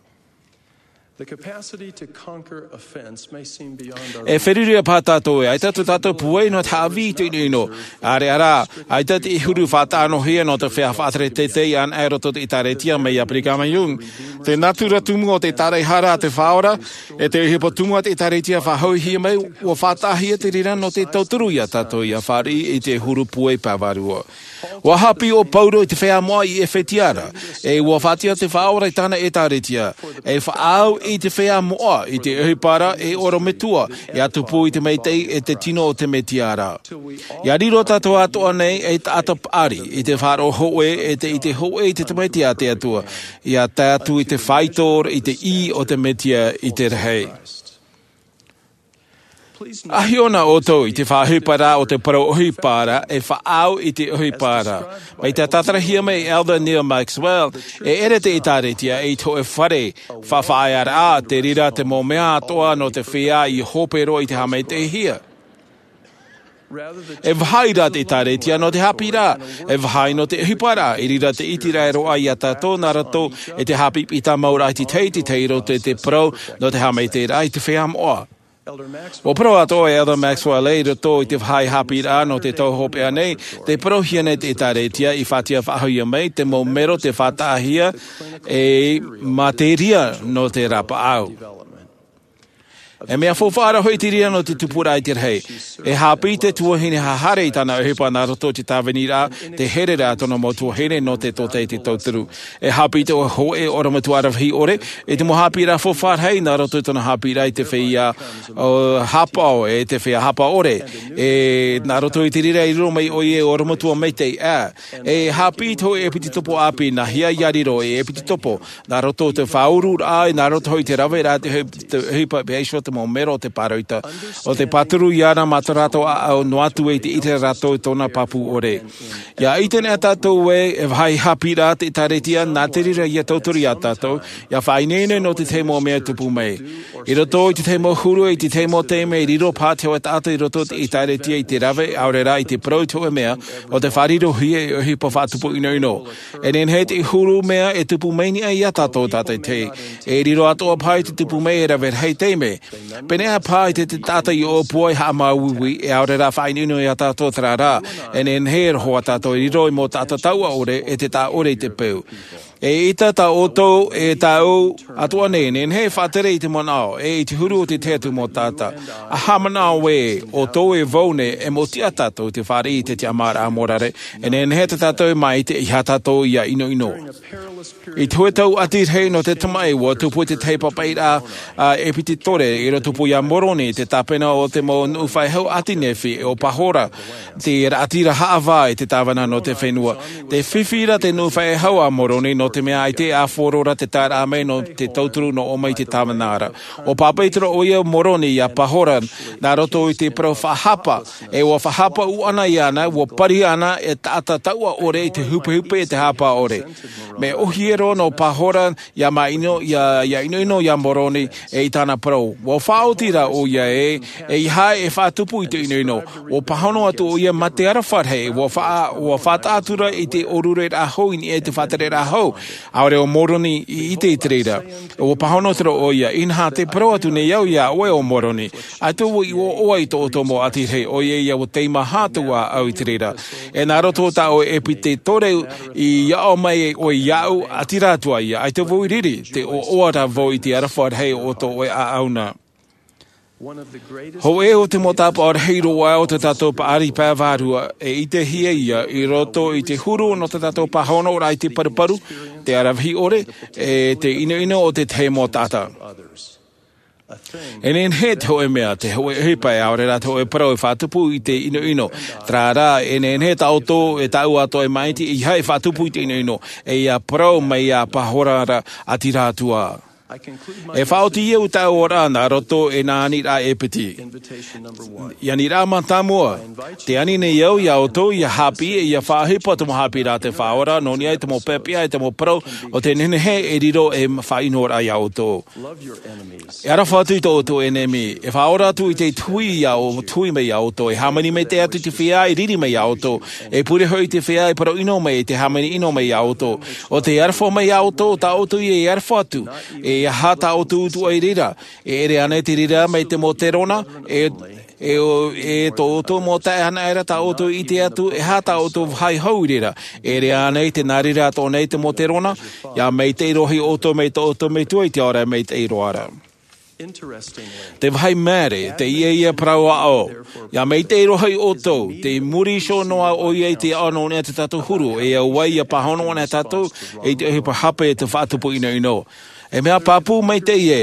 The capacity to conquer offense may seem beyond our E feruri paha tātou ē, ʻaita tō tātou pūai nō te haʻavī i te ʻinoʻino. ʻAreʻa rā, ʻaita te huru faʻatānohia nō te feiā faʻatere teitei anaʻe i roto i te ʻĒtārētia mai iā Brigham Young. Te nātura tumu o te tāraʻehara a te Faʻaora, e te ʻohipa tumu a te ʻĒtārētia faʻahoʻihia mai, ʻua faʻataʻahia te reira nō te tauturu iā tātou ʻia fāriʻi i te huru pūai pae vārua. ʻUa haʻapiʻi ʻo Pauro i te feiā moʻa i ʻEfetia ra, e ʻua faʻaʻite te Faʻaora i tāna ʻĒtārētia, e faʻaau i te feiā moʻa i te ʻohipa ra e ʻorometua, ʻia tupu i te maitaʻi e te tino o te Mesia ra. ʻIa riro tātou atoʻa nei ei taʻata paʻari i te faʻaroʻo hōʻē, e te ʻite hōʻē i te Tamaiti a te Atua, ʻia tae atu i te faito i te ʻī o te Mesia i te rahi. ʻA hiʻo na ʻoutou i te faʻaʻohipa ra o te parau ʻohipa ra, e faʻaau i te ʻohipa ra. Mai te tātarahia mai e Elder Neal Maxwell, e ʻere te ʻĒtārētia ei hōʻē fare faʻaʻāraʻa, te reira te mau mea atoʻa nō te feiā i hope roa i te haʻamaitaʻihia. E vāhi ra te ʻĒtārētia nō te haʻapiʻiraʻa, e vāhi nō te ʻohipa ra, i reira te ʻiteraʻa roa iā tātou nā roto i te haʻapiʻipiʻi tāmau ra i te tahi i te tahi i roto i te parau nō te haʻamaitaʻiraʻa i te feiā moʻa. Ua parau atoʻa e Elder Maxwell i roto i te faʻahaʻapiʻiraʻa nō te tau hopeʻa nei, tē parauhia nei te ʻĒtārētia i faʻatiʻa faʻahouhia mai te mau mero tē faʻataʻahia e mā te reira nō te rapaʻau. E mea faufaʻa ra hoʻi te reira nō te tupuraʻa i te rahi. E haʻapiʻi te tuahine haʻahare i tāna ʻohipa nā roto i te tāviniraʻa, te hereraʻa tōna mau tuahine nō te tōtaiete tauturu. E haʻapiʻi te hōʻē ʻorometua aravihi ʻore i te mau haʻapiʻiraʻa faufaʻa rahi nā roto i tōna haʻapiʻiraʻa i te feiā hāpaʻo, e te feiā hāpaʻo ʻore. E nā roto i te reira i riro mai ʻoia e ʻorometua maitaʻi ʻā. E haʻapiʻi te hōʻē ʻepitopo ʻāpī nā hea ia riro e ʻepitopo, nā roto i te faʻaururaʻa, nā roto hoʻi i te raveraʻa te ʻohipa, pea iho te mau mero o te pāroita, ʻo te pāturu iāna mā tō rātou ʻāʻau noa atu e te ʻite rātou i tōna pāpū ʻore. ʻIa ʻite nei tātou ē, e vāhi haʻapiʻiraʻa te ʻĒtārētia, nā te reira ʻia tauturu iā tātou, ʻia faʻaineine nō te tahi mau mea e tupu mai. I roto i te tahi mau huru, i te tahi mau taime, e riro paha te hōʻē taʻata i roto i te ʻĒtārētia i te rave, ʻaore rā i te parau i te hōʻē mea, ʻo tē faʻarirohia e ʻohipa faʻatupu ʻinoʻino. E nehenehe te huru mea e tupu mai nei iā tātou tātaʻitahi. E riro atoʻa paha i te tupu mai e rave rahi taime. Pēneiaʻe paha i te, te taʻata i ʻōpua e haʻamāuiui, e ʻaore rā faʻaʻinoʻino iā tātou terā rā. E nehenehe e roho ā tātou e riro i te mau taʻata taua ʻore, e te taʻa ʻore i te peu. E ʻita tā ʻoutou e tāʻu atoʻa nei, e nehenehe e faʻatere i te manaʻo, e i te huru o te tahi atu mau taʻata. ʻA haʻamanaʻo ē, ʻoutou e vau nei, e mau tiʻa tātou i te fāriʻi i te tiʻamāraʻa mōrare, e nehenehe tā tātou e maite e ʻeiaha tātou ʻia ʻinoʻino. I te hōʻē tau ʻati rahi nō te tamaʻi, ʻua tupu te tahi papaʻiraʻa a ʻEpitētore, i rotopū iā Moroni, te tāpena o te mau nuʻu faʻehau ʻāti Nephi, ʻo Pahora, te raʻatira haʻavā i te tāvana nō te fenua. Tē fifi ra te nuʻu faʻehau a Moroni, nō te mea ʻaita e ʻāfaro ra te taeraʻa mai nō te tauturu nō ʻō mai i te tāvana ra. ʻUa pāpaʻi atu ra ʻoia Moroni iā Pahora, nā roto i te parau faʻahapa, e ʻua faʻahapa ʻūʻana iāna, ʻua pari ana e taʻata taua ʻore i te hupehupe e te hāpaʻo ʻore. Mea ʻōhie roa nō Pahora, ʻia māʻino, ʻia, ʻia ʻinoʻino iā Moroni, e i tāna parau. ʻUa faʻaoti rā ʻoia ē, e ʻeiaha e faʻatupu i te ʻinoʻino. ʻUa pāhono atu ʻoia mā te aroha rahi, ʻua faʻa-, ʻua faʻataʻa atu ra i te ʻōrureraʻa hou i niʻa i te faʻatereraʻa hou. ʻAore ʻo Moroni i ʻite i te reira. ʻUa pāhono atu ra ʻoia, inaha tē parau atu nei au iā ʻoe ʻo Moroni. ʻAita vau i ʻoaʻoa i tō ʻoutou mau ʻati rahi, ʻoia ia ʻua teimaha atu ā au i te reira. E nā roto tā ʻoe ʻEpitētore i aʻo mai ʻoe iāʻu, ʻati rā atu ā ia, ʻaita vau i riri, tē ʻoaʻoa rā vau i te aroha rahi o tō ʻoe ʻāʻau na. Hōʻē o te mau tāpaʻo rahi roa o tā tātou paʻari pae vārua, e ʻitehia ia i roto i te huru nō tā tātou pāhonoraʻa i te paruparu, te aravihi ʻore, e te ʻinoʻino o te tahi mau taʻata. E nehenehe te hōʻē mea, te hōʻē ʻohipa, ʻaore rā te hōʻē parau e faʻatupu i te ʻinoʻino. Terā rā, e nehenehe tā ʻoutou, e tāʻu atoʻa e maʻiti, e ʻeiaha e faʻatupu i te ʻinoʻino, e ʻia parau mai iā Pahora ra, ʻati rā atu ā. E faʻaoti au tāʻu oraraʻa nā roto i nā aniraʻa e piti. I aniraʻa mātāmua, tē ani nei au iā ʻoutou ʻia haʻapiʻi, ʻia faʻaʻohipa te mau haʻapiʻiraʻa a te Faʻaora, nō niʻa i te mau pepeʻa, i te mau parau, ʻo tē nehenehe e riro ei faʻaʻinoraʻa iā ʻoutou. E aroha atu i tō ʻoutou ʻenemi, e faʻaora atu i te tuhi iā ʻou-, tuhi mai iā ʻoutou, e hāmani maitaʻi atu i te feiā e riri mai iā ʻoutou, e pure hoʻi i te feiā e parau ʻino mai, e te hāmani ʻino mai iā ʻoutou. ʻO tē aroha mai iā ʻoutou, tā ʻoutou ia e aroha atu, e aha tā ʻoutou utuʻa i reira, e ʻere ānei te reira mai te mau terona, e, e, e tō ʻoutou mau taeaʻe anaʻe ra tā ʻoutou i ʻite atu, e aha tā ʻoutou vāhi hou i reira, e ʻere ānei te nā reira atoʻa nei te mau terona, ʻia maitaʻi roa hoʻi ʻoutou mai tō ʻoutou Metua i te ao ra e maitaʻi roa ra. Te vāhi māere, teie ia parau aʻo. ʻIa maitaʻi roa hoʻi ʻoutou, tē muri iho noa ʻoia i te aʻo nō niʻa i tā tātou huru, e auaʻe ʻia pāhono ana tātou, i te ʻohipa hape e te faʻatupu ʻinoʻino. E mea pāpū maitaʻi ē,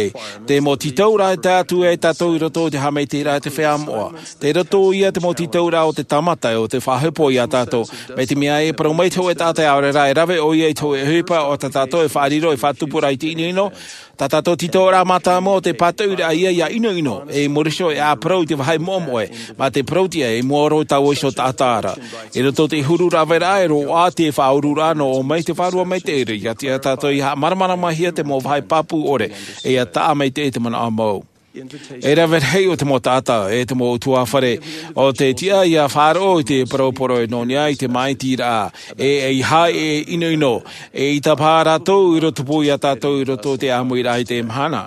te mau tītauraʻa e tae atu ai tātou i roto i te haʻamaitaʻiraʻa a te feiā moʻa. Tei roto ia te mau tītauraʻa o te tāmata, ʻo tē faʻaʻohipa iā tātou. Mai te mea e parau mai te hōʻē taʻata ʻaore rā e rave ʻoia i te hōʻē ʻohipa, ʻo tā tātou e faʻariro, e faʻatupu ra i te ʻinoʻino, tā tātou tītauraʻa mātāmua ʻo te pātoʻiraʻa ia ʻia ʻinoʻino, e muri iho e ʻāparau i te vāhi moʻemoʻe, mā te parauʻtiʻa i mua roa i taua iho taʻata ra. I roto i te huru raveraʻa e roaʻa te faʻaururaʻa nō ʻō mai te Vārua Maitaʻi ra, ʻia tiʻa tātou ʻia haʻamāramaramahia te mau vāhi pāpū ʻore, e ʻia taʻa maitaʻi te manaʻo mau. E rave rahi o te mau taʻata, e te mau ʻutuāfare, ʻo tē tiʻa ʻia faʻaroʻo i te parau poroʻi nō niʻa i te māʻitiraʻa, e, e ʻeiaha e ʻinoʻino, e ʻaita paha rātou i rotopū iā tātou i roto i te ʻāmuiraʻa i teie mahana.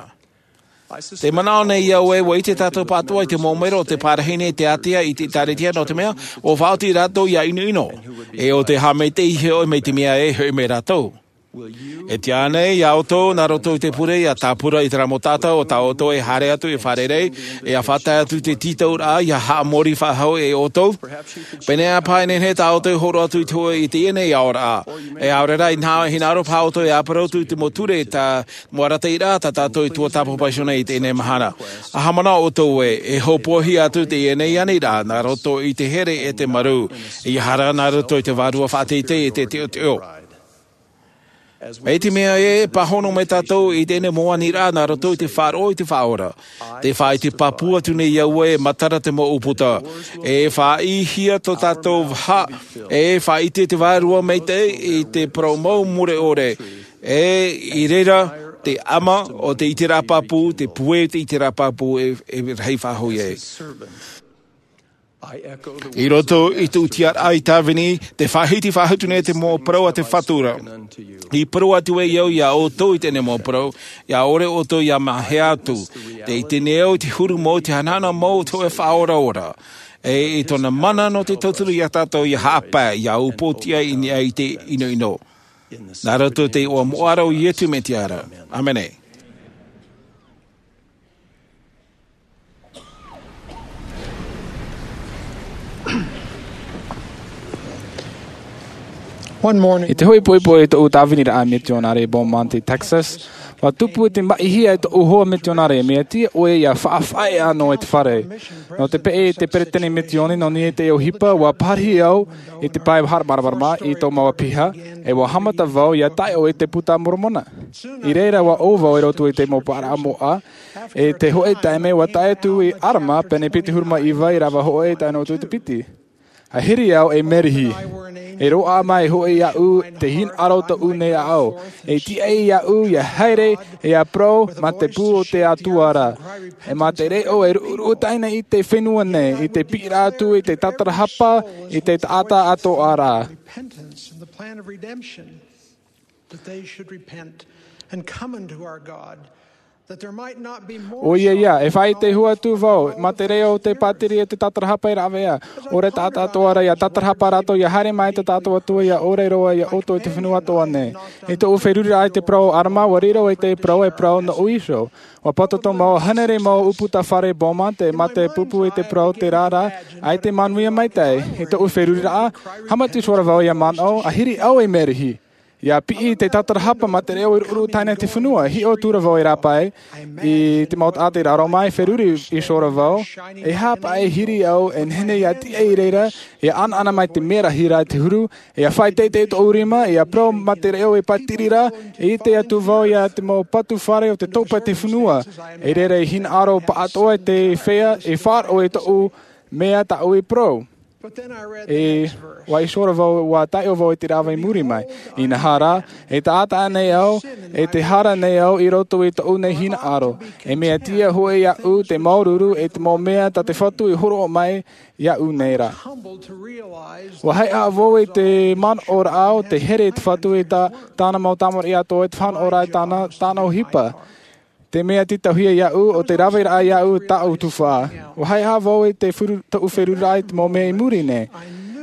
Te manaʻo nei au ē, ua ʻite tātou pāʻatoʻa i te mau mero o te parahi nei te ātea i te ʻĒkālesia, nō te mea, ʻua faʻaoti rātou ia ʻinoʻino. E ʻo te haʻamaitaʻi hoʻi mai te mea ē, hoʻi mai rātou. E tiʻa ānei ia ʻoutou, nā roto i te pure, ia tāpura i terā mau taʻata o tā ʻoutou e haere atu e fārerei, e ia faʻatae atu te tītauraʻa, ia haʻamori faʻahou e ʻoutou? Pēneiaʻe paha e nehenehe tā ʻoutou e hōroʻa atu i te hōʻē i teie nei aoraʻa. E ʻaore rā, ʻia hinaʻaro paha ʻoutou e ʻāparau atu i te mau ture, tā mau arataʻiraʻa tā tātou i tuatāpapa iho nei i teie nei mahana. ʻA haʻamanaʻo ʻoutou ē, e hopoiʻa atu teie nei aniraʻa, nā roto i te here e te marū, ʻeiaha rā nā roto i te vārua faʻateitei e te teʻoteʻo. E te mea ē, e pāhono mai tātou i teie nei mau aniraʻa nā roto i te faʻaroʻo i te Faʻaora. Tē faʻaʻite pāpū atu nei au ē, e matara te mau ʻūputa. E faʻaʻīhia tō tātou vaha, e faʻaʻite te Vārua Maitaʻi i te parau mau mure ʻore. E i reira te ʻama o te ʻiteraʻa pāpū, te puē o te ʻiteraʻa pāpū e, e rahi faʻahou ai. I roto i tōʻu tiʻaraʻa i Tāvini, tē faʻahiti faʻahou nei te mau parau a te Fatu ra. I parau atu ai au ia ʻoutou i teie nei mau parau, ʻia ʻore ʻoutou ia mahea atu. Tē ʻite nei au i te huru mau, te hanahana mau o te hōʻē Faʻaoraora. E i tōna mana nō te tauturu ia tātou ʻia haʻapae, ʻia upoʻotiʻa i niʻa i te ʻinoʻino. Nā roto i te iʻoa moʻa ra o Iesu Mesia ra. ʻĀmene. I te hoʻi poipoi i tōʻu tāviniraʻa mitionare i Beaumont, Texas, ʻua tupu i te maʻihia e tōʻu hoa mitionare, mea tiʻa ʻoe ʻia faʻaʻāfaʻi ʻānō i te fare. Nō te peʻe i te peretiteni misioni, nō niʻa i te ʻohipa, ʻua pārahi au i te pae haʻamāramarama i tō māua piha, e ʻua haʻamata vau ʻia taʻo i te Buka a Moromona. I reira ʻua ʻō vau i roto i te mau paʻaraʻa moʻa, e te hōʻē taime ʻua tae atu i Alama, pene piti ʻahuru mā iva, ʻīrava hōʻē tae noa atu i te piti. ʻA hiri au ei merihi. E roaʻa mai hoʻi iāʻu te hinaʻaro tōʻu nei ʻāʻau. E tiʻa iāʻu ʻia haere, e ʻia parau mā te pū o te Atua ra. E mā te reʻo e ruʻuruʻu taʻina i te fenua nei, i te piʻiraʻa atu, i te tatarahapa, i te taʻata atoʻa ra. Repentance and the plan of redemption, that they should repent and come unto our God, that there might not be more. ʻOia, ʻia, e faʻaʻite hua atu vau, mā te reʻo o te pātiri e te tatarahapa e rāveʻa. ʻOre taʻata atoʻa ra ʻia tatarahapa rātou, ʻia haere mai te taʻata Atua, ʻia ʻore roa iā ʻoutou i te fenua atoʻa nei. I tōʻu feruriraʻa i te parau o Alama, ʻua riro i te parau e parau nō ʻĪsau. ʻUa pātōtō mau, hānere mau ʻūputa fare Beaumont, e mā te pupu i te parau terā rā, ʻaita e manuia maitaʻi. I tōʻu feruriraʻa, haʻamata atu ra vau ʻia manaʻo, ʻa hiri au ei merihi. ʻIa piʻi te tatarahapa mā te reʻo e ruʻuruʻu taʻina i te fenua, hiʻo atu ra vau e rāpae, i te mau taʻata i raro mai, feruri iho ra vau, e aha paʻi e hiri au, e nehenehe ʻia tiʻa i reira, ʻia ʻanaʻana mai te merahi ra i te huru, ʻia faʻateitei tōʻu rima, ʻia parau mā te reʻo e pātiri ra, e ʻite atu vau ia te mau patu fare o te topa o te fenua, e reira e hinaʻaro pāʻatoʻa te feiā, e faʻaroʻo i tōʻu mea tāʻu i parau. E, ʻua iho ra vau, ʻua tae vau i te ʻīrava i muri mai. Inaha rā, e taʻata ānei au, e tē hara nei au i roto i tōʻu nei hinaʻaro. E mea tiʻa hoʻi iāʻu te māuruuru, e te mau mea tā te Fatu i hōroʻa mai iāʻu nei ra. ʻUa haʻehaʻa vau i te manaʻoraʻa o te here i te Fatu i tā, tāna mau tamariʻi atoʻa, i te faʻanahoraʻa i tāna, tāna ʻohipa. Te mea tītauhia iāʻu, ʻo te raveraʻa iāʻu tāʻu tuhaʻa. ʻUa haʻehaʻa vau i te feru-, tōʻu feruriraʻa i te mau mea i muri nei.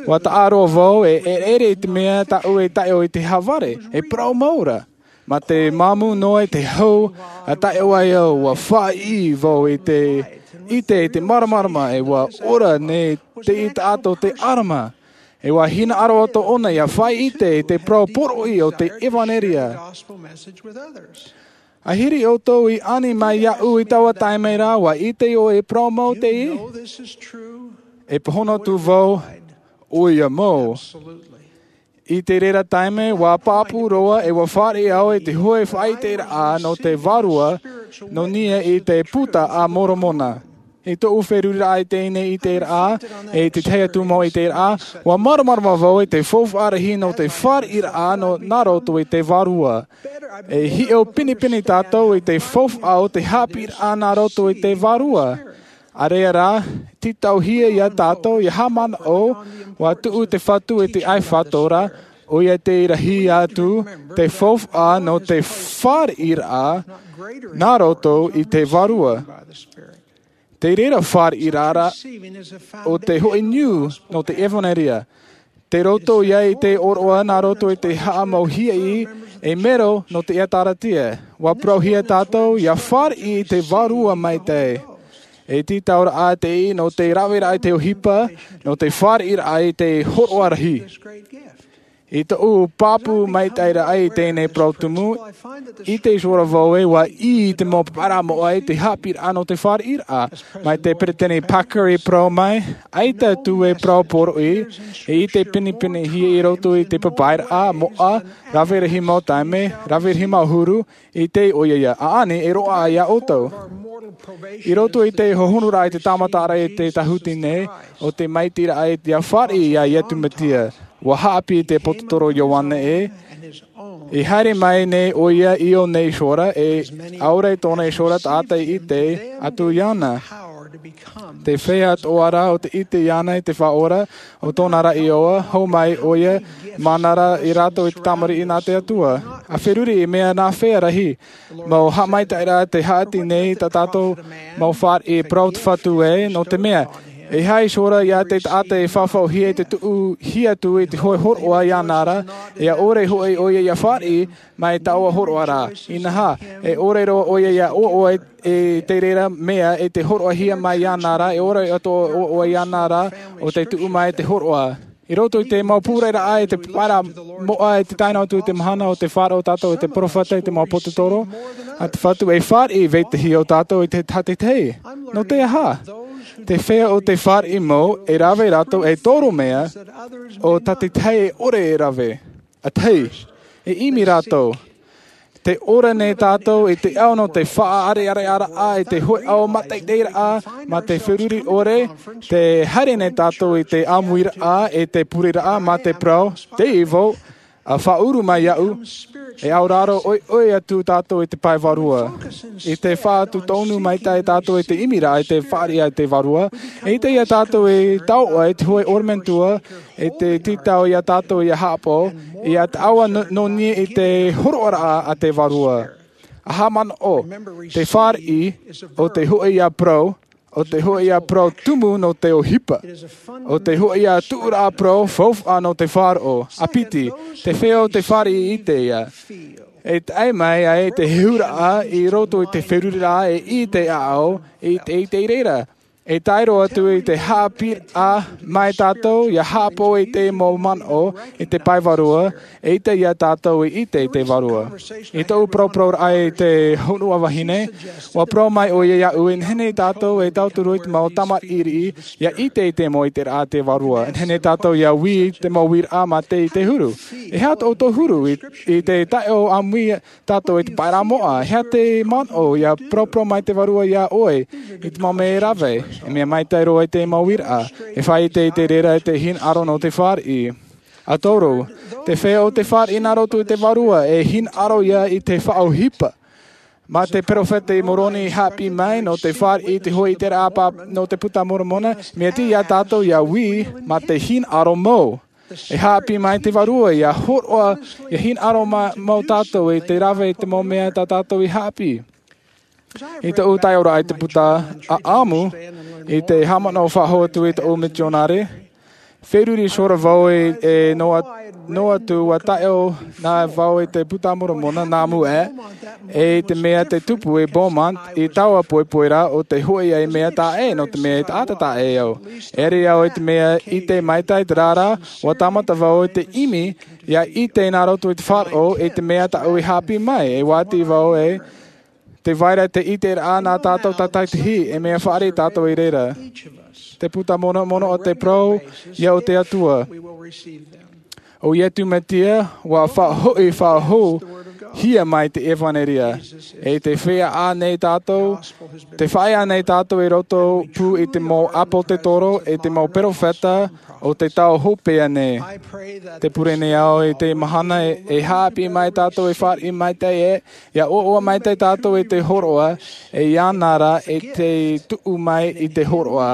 ʻUa taʻa roa vau e, e ʻereʻere i te mea tāʻu e taʻo i te haʻavare, e parau mau ra. Mā te māmū noa i te hau, ʻa taʻo ai au, ʻua faʻaʻī vau i te, ʻite i te māramarama, e ʻua ora nei te taʻata o te Alama. E ʻua hinaʻaro atoʻa ʻōna ʻia faʻaʻite i te parau poroʻi o te ʻevanelia. ʻA hiri ʻoutou i ani mai iāʻu i taua taime ra, ʻua ʻite ʻoe e parau mau teie? E pāhono atu vau, ʻoia mau. I te reira taime, ʻua pāpū roa e ʻua fāriʻi au i te hōʻē faʻaʻiteraʻa nō te Vārua, nō niʻa i te Buka a Moromona. I tōʻu feruriraʻa i teie nei ʻiteraʻa, e i te tahi atu mau ʻiteraʻa, ʻua māramarama vau i te faufaʻa rahi nō te fāriʻiraʻa nō, nā roto i te Vārua. E hiʻo pinepine tātou i te faufaʻa o te haʻapiʻiraʻa nā roto i te Vārua. ʻA reira rā, tītauhia ia tātou ʻia haʻamanaʻo, ʻua tuʻu te Fatu i te ʻāifato ra, ʻOia te rahi atu te faufaʻa nō te fāriʻiraʻa nā roto i te Vārua. Te reira fāriʻiraʻa o te hoʻi niu nō te ʻevanelia. Te roto ia i te ʻōroʻa nā roto i te haʻamauhia i e mero nō te ʻētārētia. Ua parauhia tātou ia fāriʻi i te Vārua maitaʻi. E tītauraʻa te ʻī nō te raveraʻa i te ʻohipa, nō te fāriʻiraʻa i te hōroʻa rahi. I tōʻu pāpū maitaʻi raʻa i teie nei parau tumu, i te iho ra vau e ua ʻī i te mau papaʻiraʻa moʻa i te haʻapiʻiraʻa nō te fāriʻiraʻa. Mai te peresideni Packer i parau mai, ʻaita atu e parau poroʻi, e i te pinepinehia i roto i te papaʻiraʻa moʻa, rave rahi mau taime, rave rahi mau huru, i te ʻoia ia ʻaʻani e roaʻa ia ʻoutou. I roto i te hohonuraʻa i te tāmataraʻa i te tāhuti nei, o te maitaʻiraʻa i te fāriʻi ia Iesu Mesia. Ua haʻapiʻi te ʻāpōsetolo Ioane ē, i haere mai nei ʻoia i ʻō nei iho ra, e ʻaore tōna iho ra taʻata i ʻite atu iāna. Te feiā atoʻa ra o te ʻite iāna i te Faʻaora, o tōna ra ʻoia, hou mai ʻoia, māna ra ia rātou i te tamariʻi nā te Atua. A feruri i mea nā fea rahi, mau haʻamaitaʻiraʻa te haʻati nei tā tātou mau fāriʻi e parau te Fatu ē, nō te mea, e aha iho ra ia te taʻata e fafauhia i te tuʻuhia atu i te hoʻi hōroʻa iāna ra, e ʻaore hoʻi ʻoia ia fāriʻi mai taua hōroʻa ra. Inaha, e ʻore roa ʻoia ia ʻoaʻoa i te reira mea e te hōroʻahia mai iāna ra, e ʻore atoʻa ʻoaʻoa iāna ra, o te tuʻu mai te hōroʻa. I roto i te mau pūraʻiraʻa i te papaʻiraʻa moʻa i te tae noa atu i te mahana o te faʻaroʻo tātou i te peropheta i te mau ʻāpōsetolo a te Fatu e fāriʻi vetahi o tātou i te tahi tahi. Nō te aha? Te feiā o te fāriʻi mau e rave rātou e toro mea o tā te tahi e ʻore e rave. A tahi, e ʻimi rātou. Te ora nei tātou i te ao nō te faʻaʻareʻareʻaraʻa i te hoʻi ao mātaʻitaʻiraʻa mā te feruri ʻore, te haere nei tātou i te ʻāmuiraʻa e te pureraʻa mā te parau, te ivo, a faʻauru mai iaʻu, e auraro ʻoiʻoi atu tātou i te pae vārua. I te faʻatūtonu maitaʻi tātou i te ʻimiraʻa i te fāriʻi i te Vārua, e ʻite ia tātou e taoʻa i te hoʻi ʻorometua, e te tītau ia tātou ia haʻapaʻo, ia taoʻa nō niʻa i te hōroʻaraʻa a te Vārua. Aha manaʻo, te fāriʻi, o te hoʻi ia parau, o te hoʻi ia parau tumu nō te ʻohipa, o te hoʻi ia tuʻuraʻa parau faufaʻa nō te faʻaroʻo, a piti, te feiā o te fāriʻi i ʻite ia. E tae mai ai te hehuraʻa i roto i te feruriraʻa e ʻite ʻāʻau, i te ʻite i reira. E tae roa atu i te haʻapiʻiraʻa mai tātou, ia haʻapaʻo i te mau manaʻo, i te pae vārua, e ʻite ia tātou i ʻite i te Vārua. I tōʻu parauparauraʻa i te hōʻē vahine, ua parau mai ʻoia iaʻu, e nehenehe tātou e tauturu i te mau tamariʻi, ia ʻite i te mau ʻiteraʻa a te Vārua. E nehenehe tātou ia ui i te mau uiraʻa mā te, i te huru. E aha tō ʻoutou huru i, i te taeaʻe ʻāmui tātou i te pae moʻa, e aha te manaʻo ia paraparau mai te Vārua iā ʻoe, i te mau mea e rave, e mea maitaʻi roa i te mau uiraʻa, e faʻaʻite i te reira i te hinaʻaro nō te fāriʻi. A toru, te feiā o te fāriʻi nā roto i te Vārua, e hinaʻaro ia i te faʻaʻohipa. Mā te peropheta i Moroni i haʻapiʻi mai, nō te fāriʻi i te hoʻi ʻiteraʻa pāpū nō te Puta Moromona, mea tiʻa ia tātou ia ui, mā te hinaʻaro mau. E haʻapiʻi mai te Vārua, ia hōroʻa, ia hinaʻaro ma-, mau tātou i te rave i te mau mea tā tātou i haʻapiʻi. I tōʻu taiʻoraʻa i te puta ʻāʻamu, i te haʻamanaʻo faʻahou atu i tōʻu mitionare, feruri iho ra vau e, e noa, noa atu ua taiʻo na vau i te Puta Moromona nā mua, e i te mea tē tupu i Beaumont, i taua poipoi ra o te hoʻi ai mea taʻa ʻē, nō te mea e taʻata taʻa ʻē au. E ʻere au i te mea ʻite maitaʻi te reira, ua tāmata vau i te ʻimi, ia ʻite nā roto i te faʻaroʻo, i te mea tāʻu i haʻapiʻi mai, e ua ʻite vau e, tē vai ra te ʻiteraʻa nā tātou tātaʻitahi, e mea fāriʻi tātou i reira. Te Puta Moromona, Moromona o te parau, ia o te Atua. ʻO Iesu Mesia, ua faʻahoʻi faʻahou, hia mai te ʻevanelia. E tē feiā nei tātou, tē feiā nei tātou i roto pū i te mau ʻāpōsetolo, i te mau peropheta, o te tau hopeʻa nei. Tē pure nei au i te mahana e, e haʻapiʻi mai tātou e fāriʻi maitaʻi e, ia ʻoaʻoa maitaʻi tātou i te hōroʻa, e iāna ra e tē tuʻu mai i te hōroʻa.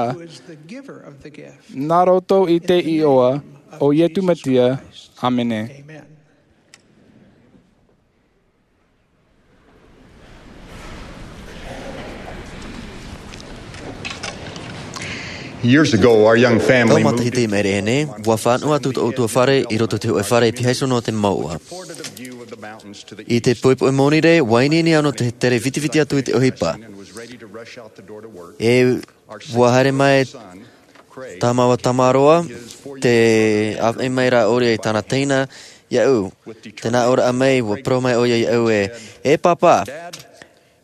Nā roto i te iʻoa, ʻO Iesu Mesia, ʻāmene. Years ago, our young family Tau moved matahiti i maʻiri aʻe nei, ʻua fānaʻo atu tōʻu ʻutuāfare i roto i te hōʻē fare i pihaʻi iho nō te mouʻa. I te poʻipoʻi Monirē, ʻua ineine au nō te tere vitiviti atu i te ʻohipa. E ʻua haere mai tā māua tamaroa, tē ʻāvaʻe mai rā ʻōria i tāna teina iāʻu. Tē nā ʻō ra mai, ʻua parau mai ʻoia iāʻu ē, E Pāpā,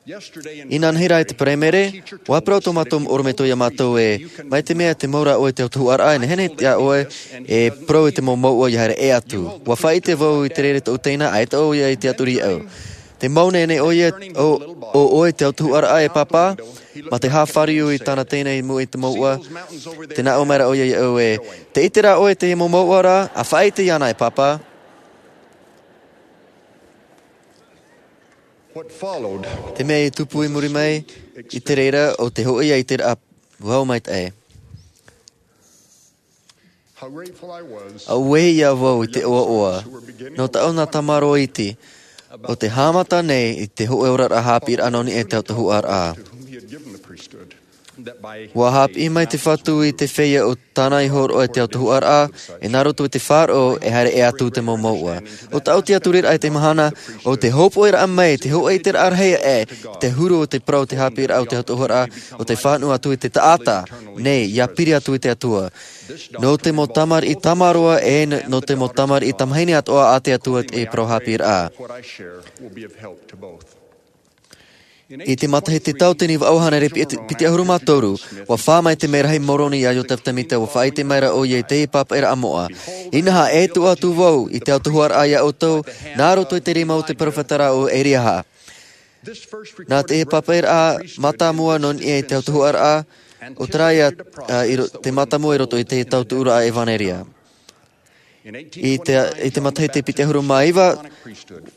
inanahi rā i te Paraimere, ʻua parau tō mātou ʻorometua iā mātou ē, mai te mea tē mau ra ʻoe i te autahuʻaraʻa, e nehenehe iā ʻoe e parau i te mau mouʻa ʻia haere ʻē atu. ʻUa faʻaʻite vau i te reira tōʻu teina, ʻaita ʻoia i tiʻaturi iāʻu. Tē mau nei ʻoia, ʻo, ʻo ʻoe i te autahuʻaraʻa, e Pāpā? Mā te haʻafāriu i tāna teina i mua i te mouʻa, tē nā ʻō mai ra ʻoia iāʻu ē, Tē ʻite ra ʻoe i te mau mouʻa ra, ʻa faʻaʻite iāna, e Pāpā. Te mea i tupu i muri mai i te reira, ʻo te hōʻē ʻiteraʻa vau maitaʻi. ʻUa ʻite vau i te ʻoaʻoa nō tāʻu nā tamaroa iti, ʻo tē haʻamata nei i te hōʻē oraraʻa haʻapiʻiraʻa nō niʻa i te autahuʻaraʻa. ʻUa haʻapiʻi mai te Fatu i te feiā ʻo tāna i hōroʻa i te autahuʻaraʻa, e nā roto i te faʻaroʻo e haere ʻē atu te mau mouʻa. ʻO tāʻu tiʻaturiraʻa i te mahana, ʻo te hōpoʻiraʻa mai te hōʻē ʻiteraʻa rahi aʻe i te huru o te parau o te haʻapiʻiraʻa o te autahuʻaraʻa, ʻo te fānaʻo atu i te taʻata nei, ʻia piri atu i te Atua. Nō te mau tamariʻi tamaroa, e n-, nō te mau tamariʻi tamahine atoʻa a te Atua te parau haʻapiʻiraʻa. I te matahiti tau tini vaʻu hānere piti-, piti ʻahuru mā toru, ʻua fā mai te merahi Moroni iā Iotefa Tēmita, ʻua faʻaʻite mai ra ʻoia i te pāpaʻiraʻa moʻa. Inaha, e tuʻu atu vau i te autahuʻaraʻa iā ʻoutou, nā roto i te rima o te peropheta ra ʻo Eriaha. Nā te pāpaʻiraʻa mātāmua nō niʻa i te autahuʻaraʻa, ʻo terā ia, ā, i ro-, te mātāmua i roto i te tautuʻuraʻa ʻevaneria. I te, i te matahiti piti ʻahuru mā iva,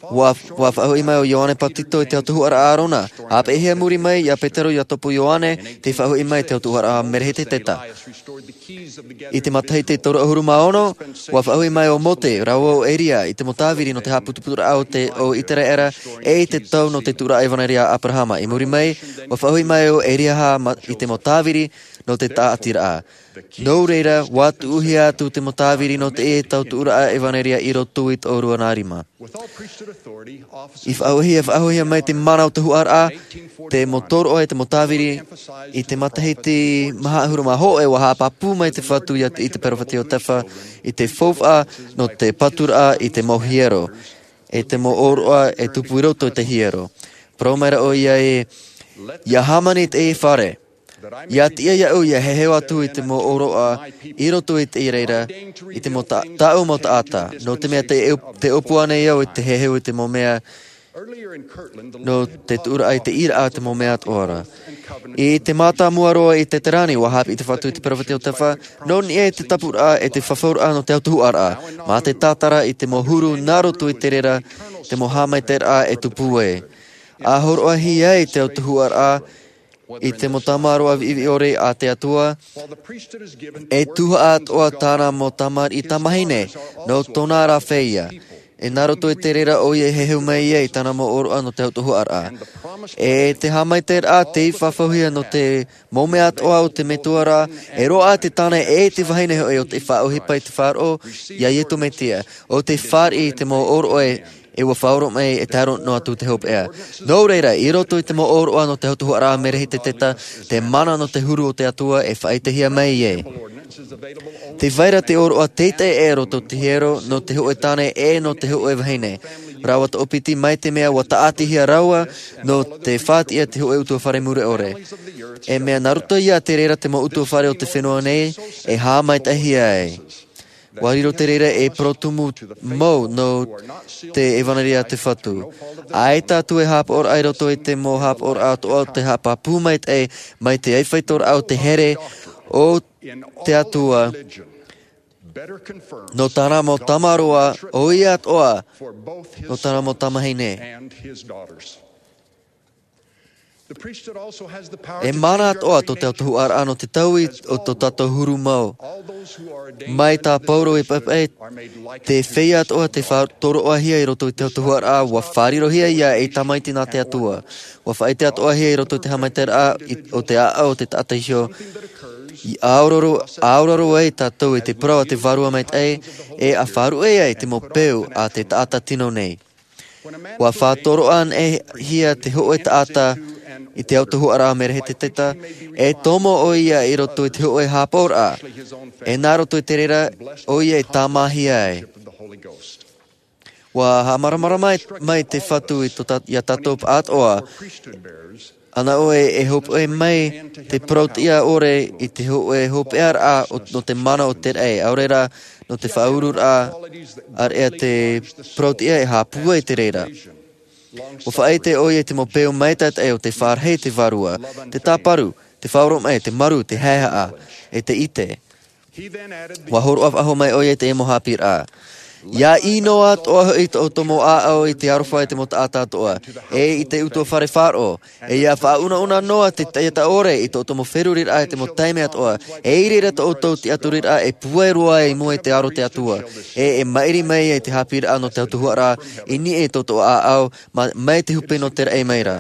ʻua, ʻua faʻahoʻi mai ʻo Ioane Pātito i te autahuʻaraʻa Arona. Haʻapeʻehia muri mai iā Petero, Iakobo, Ioane, tei faʻahoʻi mai i te autahuʻaraʻa Merehiteteta. I te matahiti toru ʻahuru mā ono, ʻua faʻahoʻi mai ʻo Mōte, rāua ʻo Eria, i te mau tāviri nō te haʻaputuputuraʻa o te, o Iteraera, e i te tau nō te tuʻuraʻa ʻevaneria a Aperahama. I muri mai, ʻua faʻahoʻi mai ʻo Eriaha ma-, i te mau tāviri nō te tāʻatiraʻa. Nō reira, ʻua tuʻuhia atu te mau tāviri nō te tautuʻuraʻa ʻevaneria i roto i te ʻōrua nā rima. I faʻahoʻihia, faʻahoʻihia mai te mana o te autahuʻaraʻa, te mau tōroʻa e te mau tāviri, i te matahiti maha ʻahuru mā hōʻē ʻua haʻapāpū mai te Fatu iā te, i te peropheta Iotefa, i te faufaʻa nō te paturaʻa i te mau hiero, e te mau ʻōroʻa e tupu i roto i te hiero. Parau mai ra ʻoia ē, ʻIa hāmani te fare. ʻIa tiʻa iāʻu ʻia heheu atu i te mau ʻōroʻa i roto i te reira, i te mau ta-, tāʻu mau taʻata, nō te mea tē, tē ʻōpua nei au i te heheu i te mau mea, nō te tuʻuraʻa i te ʻīraʻa te mau mea atoʻa ra. I te mātāmua roa i te terā nei, ʻua haʻapiʻi te Fatu i te peropheta Iotefa, nō niʻa i te tāpuraʻa e te fafauraʻa nō te autahuʻaraʻa, mā te tātara i te mau huru nā roto i te reira, te mau haʻamaitaʻiraʻa e tupu ai. ʻA hōroʻahia ai te autahuʻaraʻa, i te mau tamaroa viʻiviʻi ʻore a te Atua, e tuhaʻa atoʻa tāna mau tamariʻi tamahine, nō tōna ra feiā. E nā roto i te reira ʻoia e heheu mai ai tāna mau ʻōroʻa nō te autahuʻaraʻa. E te haʻamaitaʻiraʻa tei faʻahoʻihia nō te mau mea atoʻa o te metua ra, e roaʻa te tāne e te vahine hoʻi ʻo tei faʻaʻohipa i te faʻaroʻo iā Iesu Mesia, ʻo tei fāriʻi i te mau ʻōroʻa e ʻua faʻaroʻo mai e tae roa noa atu te hopeʻa. Nō reira, i roto i te mau ʻōroʻa nō te autahuʻaraʻa Merehiteteta, te mana nō te huru o te Atua e faʻaʻitehia mai ai. Tē vai ra te ʻōroʻa teitei e roto i te hiero, nō te hōʻē tāne e nō te hōʻē vahine. Rāua toʻopiti mai te mea ʻua tāʻatihia rāua, nō te faʻatiʻa te hōʻē ʻutuāfare mure ʻore. E mea nā roto iā te reira te mau ʻutuāfare o te fenua nei, e haʻamaitaʻihia ai. ʻUa riro te reira ei parau tumu mau nō te ʻevaneria a te Fatu. ʻAita atu e haʻapaʻoraʻa i roto i te mau haʻapaʻoraʻa atoʻa o te haʻapāpū maitaʻi mai te ʻaifaitoraʻa o te here o te Atua, nō tāna mau tamaroa, ʻoia atoʻa, nō tāna mau tamahine. E mana atoʻa tō te autahuʻaraʻa nō te taui o tō tātou huru mau. Mai tā Paulo i paʻepaʻe, te feiā atoʻa te faʻatoroʻahia i roto i te autahuʻaraʻa, ʻua faʻarirohia ia ei tamaiti nā te Atua. ʻUa faʻaʻite atoʻahia i roto i te haʻamaitaʻiraʻa i, o te ʻāʻau o te taʻata iho. I ʻaororo, ʻaororo ai tātou i te parau a te Vārua Maitaʻi, e ʻa faʻaruʻe ai te mau peu a te taʻata tino nei. ʻUa faʻatoroʻa anaʻe hia te hōʻē taʻata i te autahuʻaraʻa Mereheteteta, e tomo ʻoia i roto i te hōʻē haʻapaʻoraʻa, e nā roto i te reira ʻoia e tāmāhia ai. ʻUa haʻamāramarama mai, mai te Fatu i tō tā-, ia tātou atoʻa, ʻana ʻoe e hopeʻa mai te parau-tiʻa ʻore i te hōʻē hopeʻaraʻa o, nō te mana o te raʻi, ʻaore rā nō te faʻaururaʻa, ʻāreʻa te parau-tiʻa e haʻapūai i te reira. ʻUa faʻaʻite ʻoia i te mau peu maitaʻi o te faʻarahi i te Vārua, te tāparu, te faʻaoromaʻi, te maru, te haʻehaʻa, e te ʻite. ʻUa hōroʻa faʻahou mai ʻoia i te mau haʻapiʻiraʻa. ʻIa ʻino atoʻa hoʻi tō ʻoutou mau ʻāʻau i te aroha i te mau taʻata atoʻa, e i te ʻutuāfare faʻaroʻo, e ʻia faʻaunauna noa te taʻata ʻore i tō ʻoutou mau feruriraʻa i te mau taime atoʻa, e i reira tō ʻoutou tiʻaturiraʻa e pūai roa i mua i te aro o te Atua, e, e maʻiri mai ai te haʻapiʻiraʻa nō te autahuʻaraʻa i niʻa i tō ʻoutou ʻāʻau, ma-, mai te hupe nō te raʻi mai ra.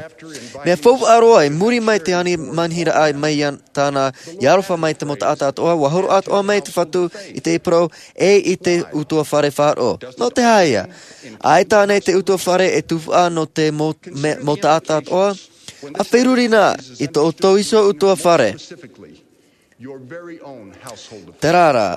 Mea faufaʻa roa, i muri mai te ani manihiraʻa mai ia tāna, ʻia aroha mai te mau taʻata atoʻa, ʻua hōroʻa atoʻa mai te Fatu i te parau, e i te ʻutuāfare faʻaroʻo. Nō te aha ïa? ʻAita ānei te ʻutuāfare e tufaʻa nō te mau, me-, mau taʻata atoʻa? ʻA feruri na i tō ʻoutou iho ʻutuāfare. Terā rā,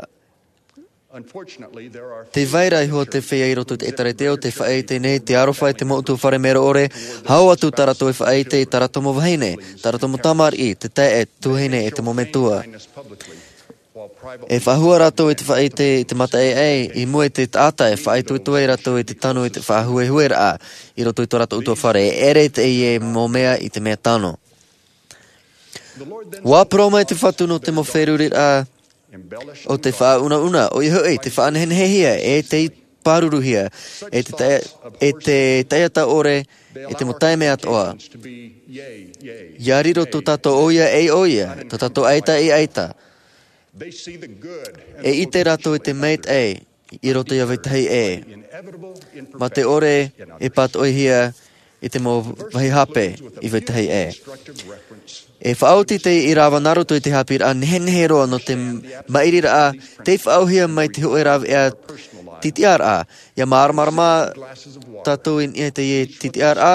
tē vai ra iho te feiā i roto i te ʻĒtārētia ʻo tē faʻaʻite nei te aroha i te mau ʻutuāfare mero ʻore, hau atu tā rātou e faʻaʻite i tā rātou mau vahine, tā rātou mau tamariʻi, te taeaʻe, tuahine, e te mau metua. E faʻahua rātou i te faʻaʻite i te mataʻeʻae, i mua i te taʻata e faʻaitoito ai rātou i te tano i te faʻahuehueraʻa i roto i tō rātou ʻutuāfare, e ʻere teie mau mea i te mea tano. ʻUa parau mai te Fatu nō te mau feruriraʻa o te faʻaunauna, ʻoia hoʻi, te faʻanehenehehia, e te pāruruhia, e te taʻa-, e te taʻata ʻore, e te mau taime atoʻa. ʻIa riro tō tātou ʻoia ei ʻoia, tō tātou ʻaita ei ʻaita. E ʻite rātou i te maitaʻi i roto ia vetahi ʻē. Mā te ʻore e pātoʻihia i te mau vāhi hape i vetahi ʻē. E faʻaoti teie ʻīrava nā roto i te haʻapiʻiraʻa nehenehe roa nō te maʻiriraʻa, tei faʻaauhia mai te hōʻē rāveʻa titiʻaraʻa. ʻIa māramarama tātou i niʻa i teie titiʻaraʻa,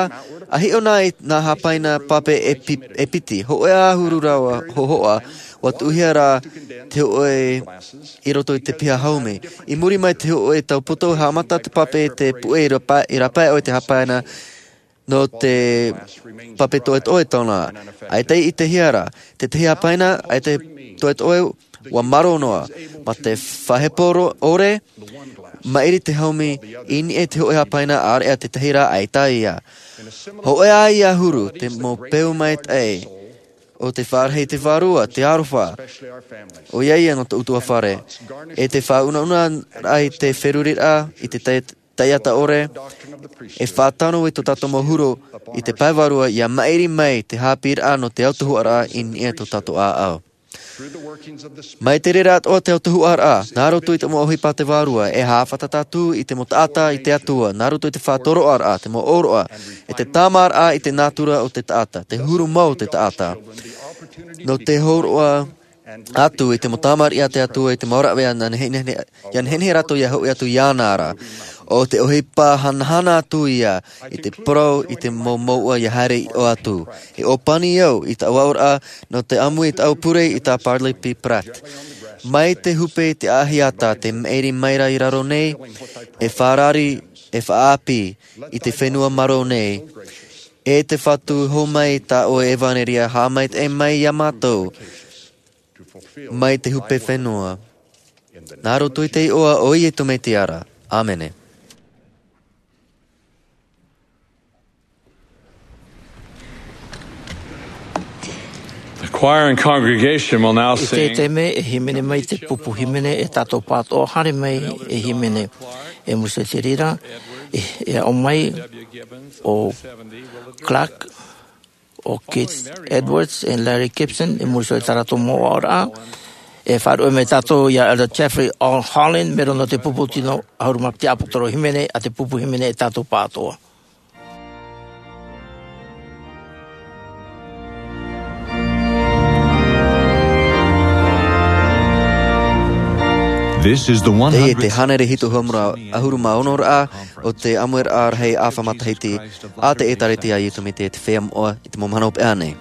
ʻa hiʻo na i nā hāpaina pape e pi-, e piti, hōʻē ʻahuru rāua hōhoʻa, ʻua tuʻuhia rā te hōʻē i roto i te piha haumi. I muri mai te hōʻē taupoto, haʻamata te pape i te puʻe i rapa-, i rāpae ʻoe te hāpaina, nō te pape toʻetoʻe tōna. ʻAita i ʻitehia ra, te tahi hāpaina, ʻaita toʻetoʻe, ʻua maro noa. Mā te faʻahepo ro-, ʻore, maʻiri te haumi, i niʻa i te hōʻē hāpaina, ʻāreʻa te tahi rā, ʻaita ïa. Hōʻē ā ïa ʻahuru, te mau peu maitaʻi, ʻo te faʻarahi i te Vārua, te aroha, ʻoia ïa nō tō ʻutuāfare, e te faʻaunauna ai te feruriraʻa, i te tai-, taʻata ʻore, e faʻatano i tō tātou mau huru i te pae vārua, ʻia maʻiri mai te haʻapiʻiraʻa nō te autahuʻaraʻa i niʻa i tō tātou ʻāʻau. Mai te reira atoʻa te autahuʻaraʻa, nā roto i te mau ʻohipa a te Vārua, e haʻafātata atu i te mau taʻata i te Atua, nā roto i te faʻatoroʻaraʻa, te mau ʻōroʻa, e te tāmāraʻa i te nātura o te taʻata, te huru mau o te taʻata. Nō te hōroʻa atu i te mau tamariʻi a te Atua i te mau rāveʻa, ʻia nehenehe, ʻia nehenehe rātou ʻia hoʻi atu iāna ra. ʻO te ʻohipa hanahana atu ïa i te parau i te mau mouʻa ʻia haere i ʻō atu. E ʻōpani au i tāʻu aʻoraʻa nō te ʻāmui i tāʻu pure i tā Parley P. Pratt. Mai te hupe i te ʻāhiata te maʻiri mai ra i raro nei, e farari, e faʻaʻāpī i te fenua marō nei. E te Fatu, hōmai tā ʻoe ʻevanelia, haʻamaitaʻi mai iā mātou mai te hupe fenua. Nā roto i te iʻoa o Iesu Mesia ra. ʻĀmene. The choir and congregation will now sing. I teie taime e hīmene mai te pupu hīmene, e tātou pātoʻa haere mai e hīmene. E musu te reira, e, e aʻo mai ʻo Clark. ʻo Keith Edwards e Larry Gibson, i muri iho i tā rātou mau oraraʻa. E faʻaruʻe mai tātou ia Elder Jeffrey R. Holland, mero nō te pupu tino ʻahuru mā piti ʻāpōsetolo hīmene, ʻa te pupu hīmene e tātou pāʻatoʻa. This is the Teie te one hundred hānere hitu ʻahuru mā ono ra o te ʻāmuiraʻa rahi ʻāfa matahiti a te ʻĒtārētia a Iesu Mesia te Feiā Moʻa i te mau mahana hopeʻa nei.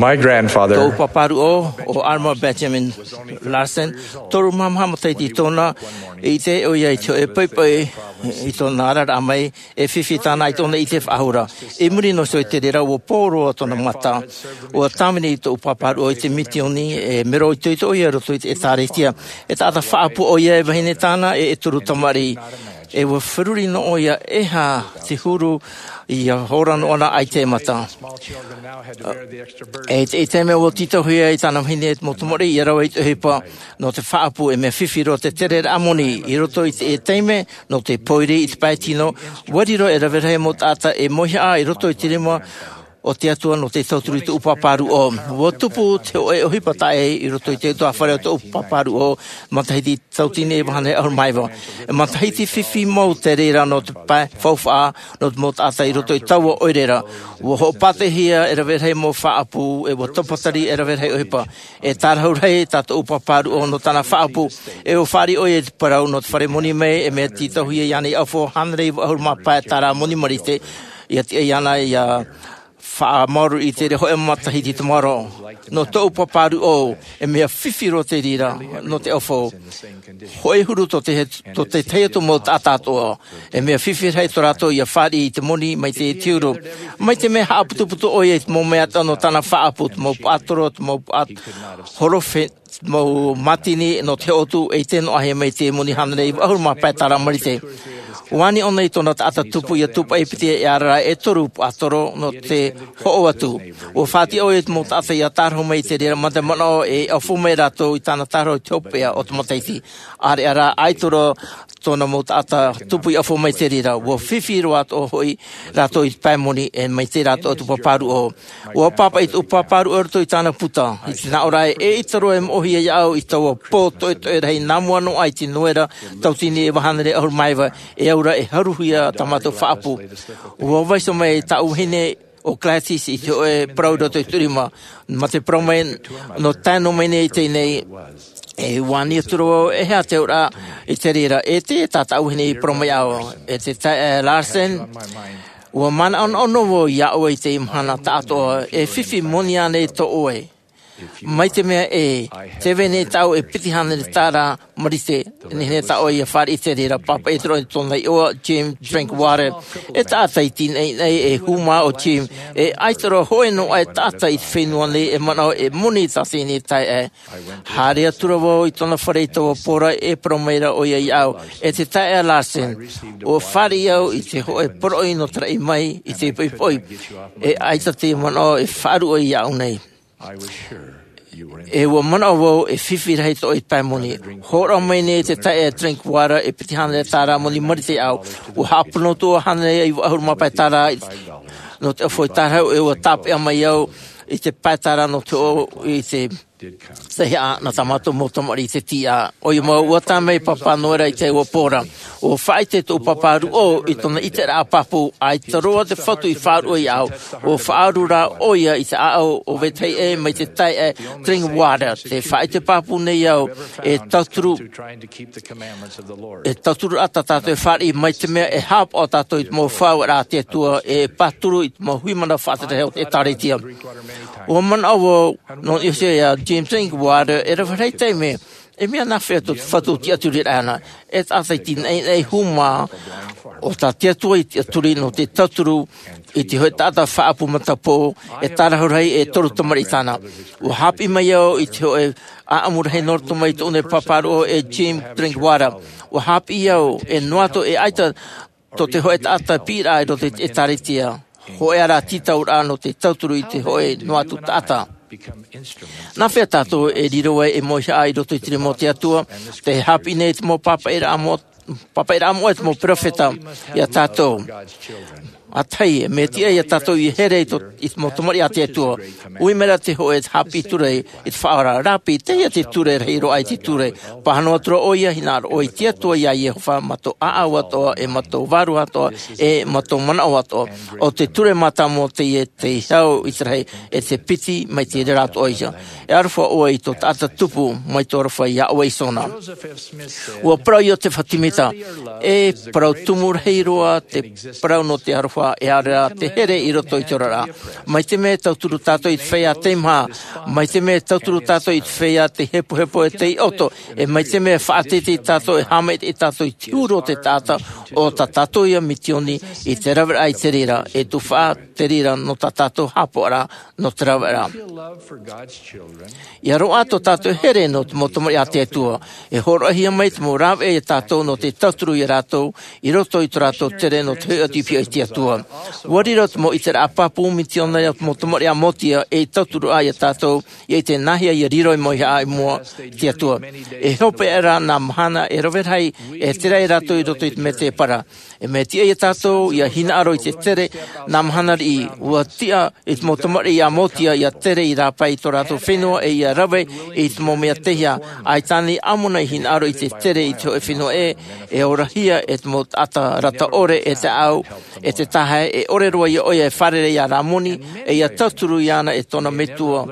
My grandfather. Tōʻu pāpāruʻo, ʻo Alma Benjamin Larsen, toru mā maha matahiti tōna, i ʻite ʻoia i te hōʻē poʻipoʻi i tōna araraʻa mai, e fifi tāna i tōna ʻite faʻahou ra. I muri noa iho i te reira, ʻua pō roa tōna mata. ʻUa tāvini tōʻu pāpāruʻo i te mitioni, e mero itoito ʻoia i roto i te ʻĒtārētia. E taʻata faʻaʻapu ʻoia e vahine tāna, e, e toru tamariʻi. E ʻua feruri noa ʻoia, e aha te huru, ʻia hora noa ra ʻaita e mata. E te, i te mea ʻua tītauhia e tāna vahine te mau tamariʻi ʻia rave i te ʻohipa nō te faʻaʻapu, e mea fifi roa te tereraʻa moni i roto i te, i te taime nō te pōiri i te pae tino, ʻua riro e rave rahi mau taʻata e mauihaʻa i roto i te rima o te Atua nō te tauturu i tōʻu pāpāruʻo. ʻUa tupu te hōʻē ʻohipa taʻa ʻē i roto i te ʻutuāfare o tōʻu pāpāruʻo, matahiti tauatini e vaha ʻahuru mā iva. E matahiti fifi mau te reira nō te pae faufaʻa nō te mau taʻata i roto i taua ʻoire ra. ʻUa hoʻopātehia e rave rahi mau faʻaʻapu, e ʻua tāpatari e rave rahi ʻohipa. E tārahu rahi tā tōʻu pāpāruʻo nō tāna faʻaʻapu, e ʻua fāriʻi ʻoia i te parau nō te fare moni mai, e mea tītauhia iāna i ʻaufau hānere iva ʻahuru mā pae tārā moni marite, ʻia tiʻa iāna ʻia faʻamaoro i te reira hōʻē matahiti tamaroa. Nō tōʻu pāpāruʻo, e mea fifi roa te reira nō te ʻaufau. Hōʻē huru tō te, tō te tahi atu mau taʻata atoʻa. E mea fifi rahi tō rātou ʻia fāriʻi i te moni mai te, te huru. Mai te mea haʻaputuputu ʻoia i te mau mea atoʻa nō tāna faʻaʻapu, te mau paʻatoro, te mau paʻat-, horofe, mau mātini nō te hotu, e ʻite noa ʻoia mai te moni hānere iva ʻahuru mā pae tārā marite. Ua ani ʻōna i tōna taʻata tupu ia tūpaʻi piti e ara e toru paʻatoro nō te hoʻo atu. Ua faʻatiʻa ʻoia i te mau taʻata ia tārahu mai i te reira mā te manaʻo e ʻaufau mai rātou i tāna tārahu i te hopeʻa o te matahiti. ʻAreʻa rā ʻaita roa tōna mau taʻata tupu i ʻaufau mai i te reira. Ua fifi roa atoʻa hoʻi rātou i te pae moni e mai te rātou atu pāpāruʻo. Ua pāpaʻi tōʻu pāpāruʻo i roto i tāna puta i te nāʻō ra e ʻaita roa e moʻohia iāʻu i taua pō toʻetoʻe rahi nā mua noa i te noera tautini e vahanere ʻahuru mā iva e aura e haruhia tā mātou faʻaʻapu. Ua vaiiho mai tāʻu vahine o Gladys i te hoʻe parau i roto i tōʻu rima mā te parau mai nō tae noa mai nei i teie nei. E ua ani atu ra vau e hea te auraʻa i te reira e te tā tāʻu vahine i parau mai iāʻu e te taeaʻe Larsen. Ua manaʻonaʻo noa vau iā ʻoe i teie mahana taʻatoʻa e fifi moni ānei tō ʻoe. Mai te mea e te vai nei tāʻu e piti hānere tāra marite nei nei tā ʻoe ia fāriʻi i te reira pāpaʻi atu roa i tōna iʻoa Jim Drinkwater. E taʻata iti naʻinaʻi e hūmā o Jim e ʻaita roa hoʻi noa e taʻata i te fenua nei e manaʻo e moni i tā teie nei taeaʻe. Haere atu ra vau i tōna fare i taua pō ra e parau mai ra ʻoia iāʻu e te taeaʻe Larsen, ua fāriʻi au i te hoʻe poroʻi nō te raʻi mai i te poʻipoʻi. E ʻaita te manaʻo e faʻaruʻe iāʻu nei. E ua manaʻo vau e fifi rahi tōʻoe i te pae moni. Hōroʻa mai nei te taeaʻe Drinkwater e piti hānere tāra moni marite iāʻu. Ua haʻapūpū atu ʻoia hānere iva ʻahuru mā pae tāra nō te ʻaufau tārahu e ua tāpeʻa mai au i te pae tāra nō te hoʻo i te tahi aʻa nā tā mātou mau tamariʻi i te tīaʻa. ʻOia mau ua tae mai pāpā noera i taua pō ra. Ua faʻaʻite tōʻu pāpāruʻo i tōna ʻiteraʻa pāpū ʻaita roa te fatu i faʻaruʻe iāʻu. Ua faʻaʻaru rā ʻoia i te ʻāʻau o vetahi ʻē mai te taeaʻe Drinkwater te faʻaʻite pāpū nei au e tauturu e tauturu ʻata tātou e fāriʻi mai te mea e haʻapaʻo tātou i te mau faʻaueraʻa a te Atua e pāturu i te mau hui mana faʻatereraʻa o te ʻēkālesia. Ua manaʻo vau nō niʻa iho iā Jim Drinkwater e rave rahi taime e mea nāfea tō te fatu tiʻaturiraʻa e taʻata iti naʻinaʻi hūmā o tā te Atua i tiʻaturi nō te tauturu i te hoʻe taʻata faʻaʻapu matapō e tārahu rahi e toru tamariʻi tāna. Ua haʻapiʻi mai au i te hoʻe ʻaʻamu rahi nō roto mai i tōʻu nei pāpāruʻo e Jim Drinkwater. Ua haʻapiʻi au e noa atu e ʻaita tō te hoʻe taʻata piʻiraʻa i roto i te ʻēkālesia. Hoʻi ara tītauraʻa nō te tauturu i te hoʻe noa atu taʻata. Nāfea tātou e riro ai e moihaʻa i roto i te rima o te Atua? Te haʻapiʻi nei te mau pāpaʻiraʻa moʻa te mau peropheta iā tātou. ʻA tahi mea tiʻa iā tātou ia here i te mau tamariʻi a te Atua. ʻUi mai ra te hoʻe haʻapiʻi ture i te faʻaora rāpī teie te ture rahi roa i te ture. Pāhono atu ra ʻoia hinaʻaro ʻoe i te Atua iā iehova mā tō ʻāʻau atoʻa e mā tō vārua atoʻa e mā tō manaʻo atoʻa. ʻO te ture mātāmua teie te hau i te rahi e te piti mai te reira atoʻa ia. E aroha ʻoe i tō taʻata tupu mai tō aroha iā ʻoe iho na. Ua parau iosepha semita, e parau tumu rahi roa te parau nō te aroha e ʻaore rā te here i roto i te oraraʻa. Mai te mea e tauturu tātou i te feiā teimaha, mai te mea e tauturu tātou i te feiā te hepohepo e tei ʻoto, e mai te mea e faʻateitei tātou e haʻamaitaʻi tātou i te huru o te taʻata, ʻo tā tātou ia mitioni i te raveraʻa i te reira e tufaʻa te reira nō tā tātou haʻapaʻoraʻa nō te raveraʻa. Ia roaʻa tō tātou here nō te mau tamariʻi a te Atua. E hōroʻahia mai te mau rāveʻa iā tātou nō te tauturu iā rātou i roto i tō rātou tere nō te hoʻi atu i piʻo i te Atua. Ua riro te mau ʻiteraʻa pāpū mitioni a te mau tamariʻi a motia e tauturu ai iā tātou ia ʻite nāhea ia riro i moihaʻa i mua i te Atua. E hopeʻa rā nā mahana e rave rahi e tere ai rātou i roto i te mētēpara. E mea tiʻa iā tātou ia hinaʻaro i te tere nā mahana riʻi. Ua tiʻa i te mau tamariʻi a motia ia tere i rāpae i tō rātou fenua e ia rave i te mau mea teiaha. ʻAita nei ʻamuna i hinaʻaro i te tere i te hoʻe fenua ʻē e orahia e te mau taʻata rata ʻore e te ʻāʻau e te tahae e ʻore roa iā ʻoia e fārerei iā rāmoni e ia tauturu iāna e tōna metua.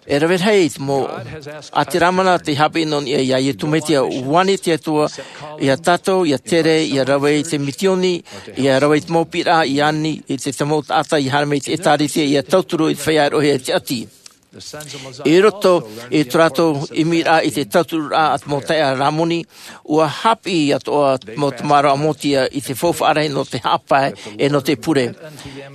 E rave rahi i te mau ʻāti rāmana te haʻapiʻi nō niʻa iā iesu mesia. Ua ani te Atua iā tātou ia tere ia rave i te mitioni ia rave i te mau piʻiraʻa ia ani i te mau taʻata ia haere mai i te ʻēkālesia ia tauturu i te feiā e roʻohia e te ʻati. I roto i tō rātou ʻimiraʻa i te tauturuʻraʻa a te mau taeaʻe a Lamoni, ua haʻapiʻi atoʻa te mau tamaroa a Motia i te faufaʻa rahi nō te haʻapae ʻe nō te pure.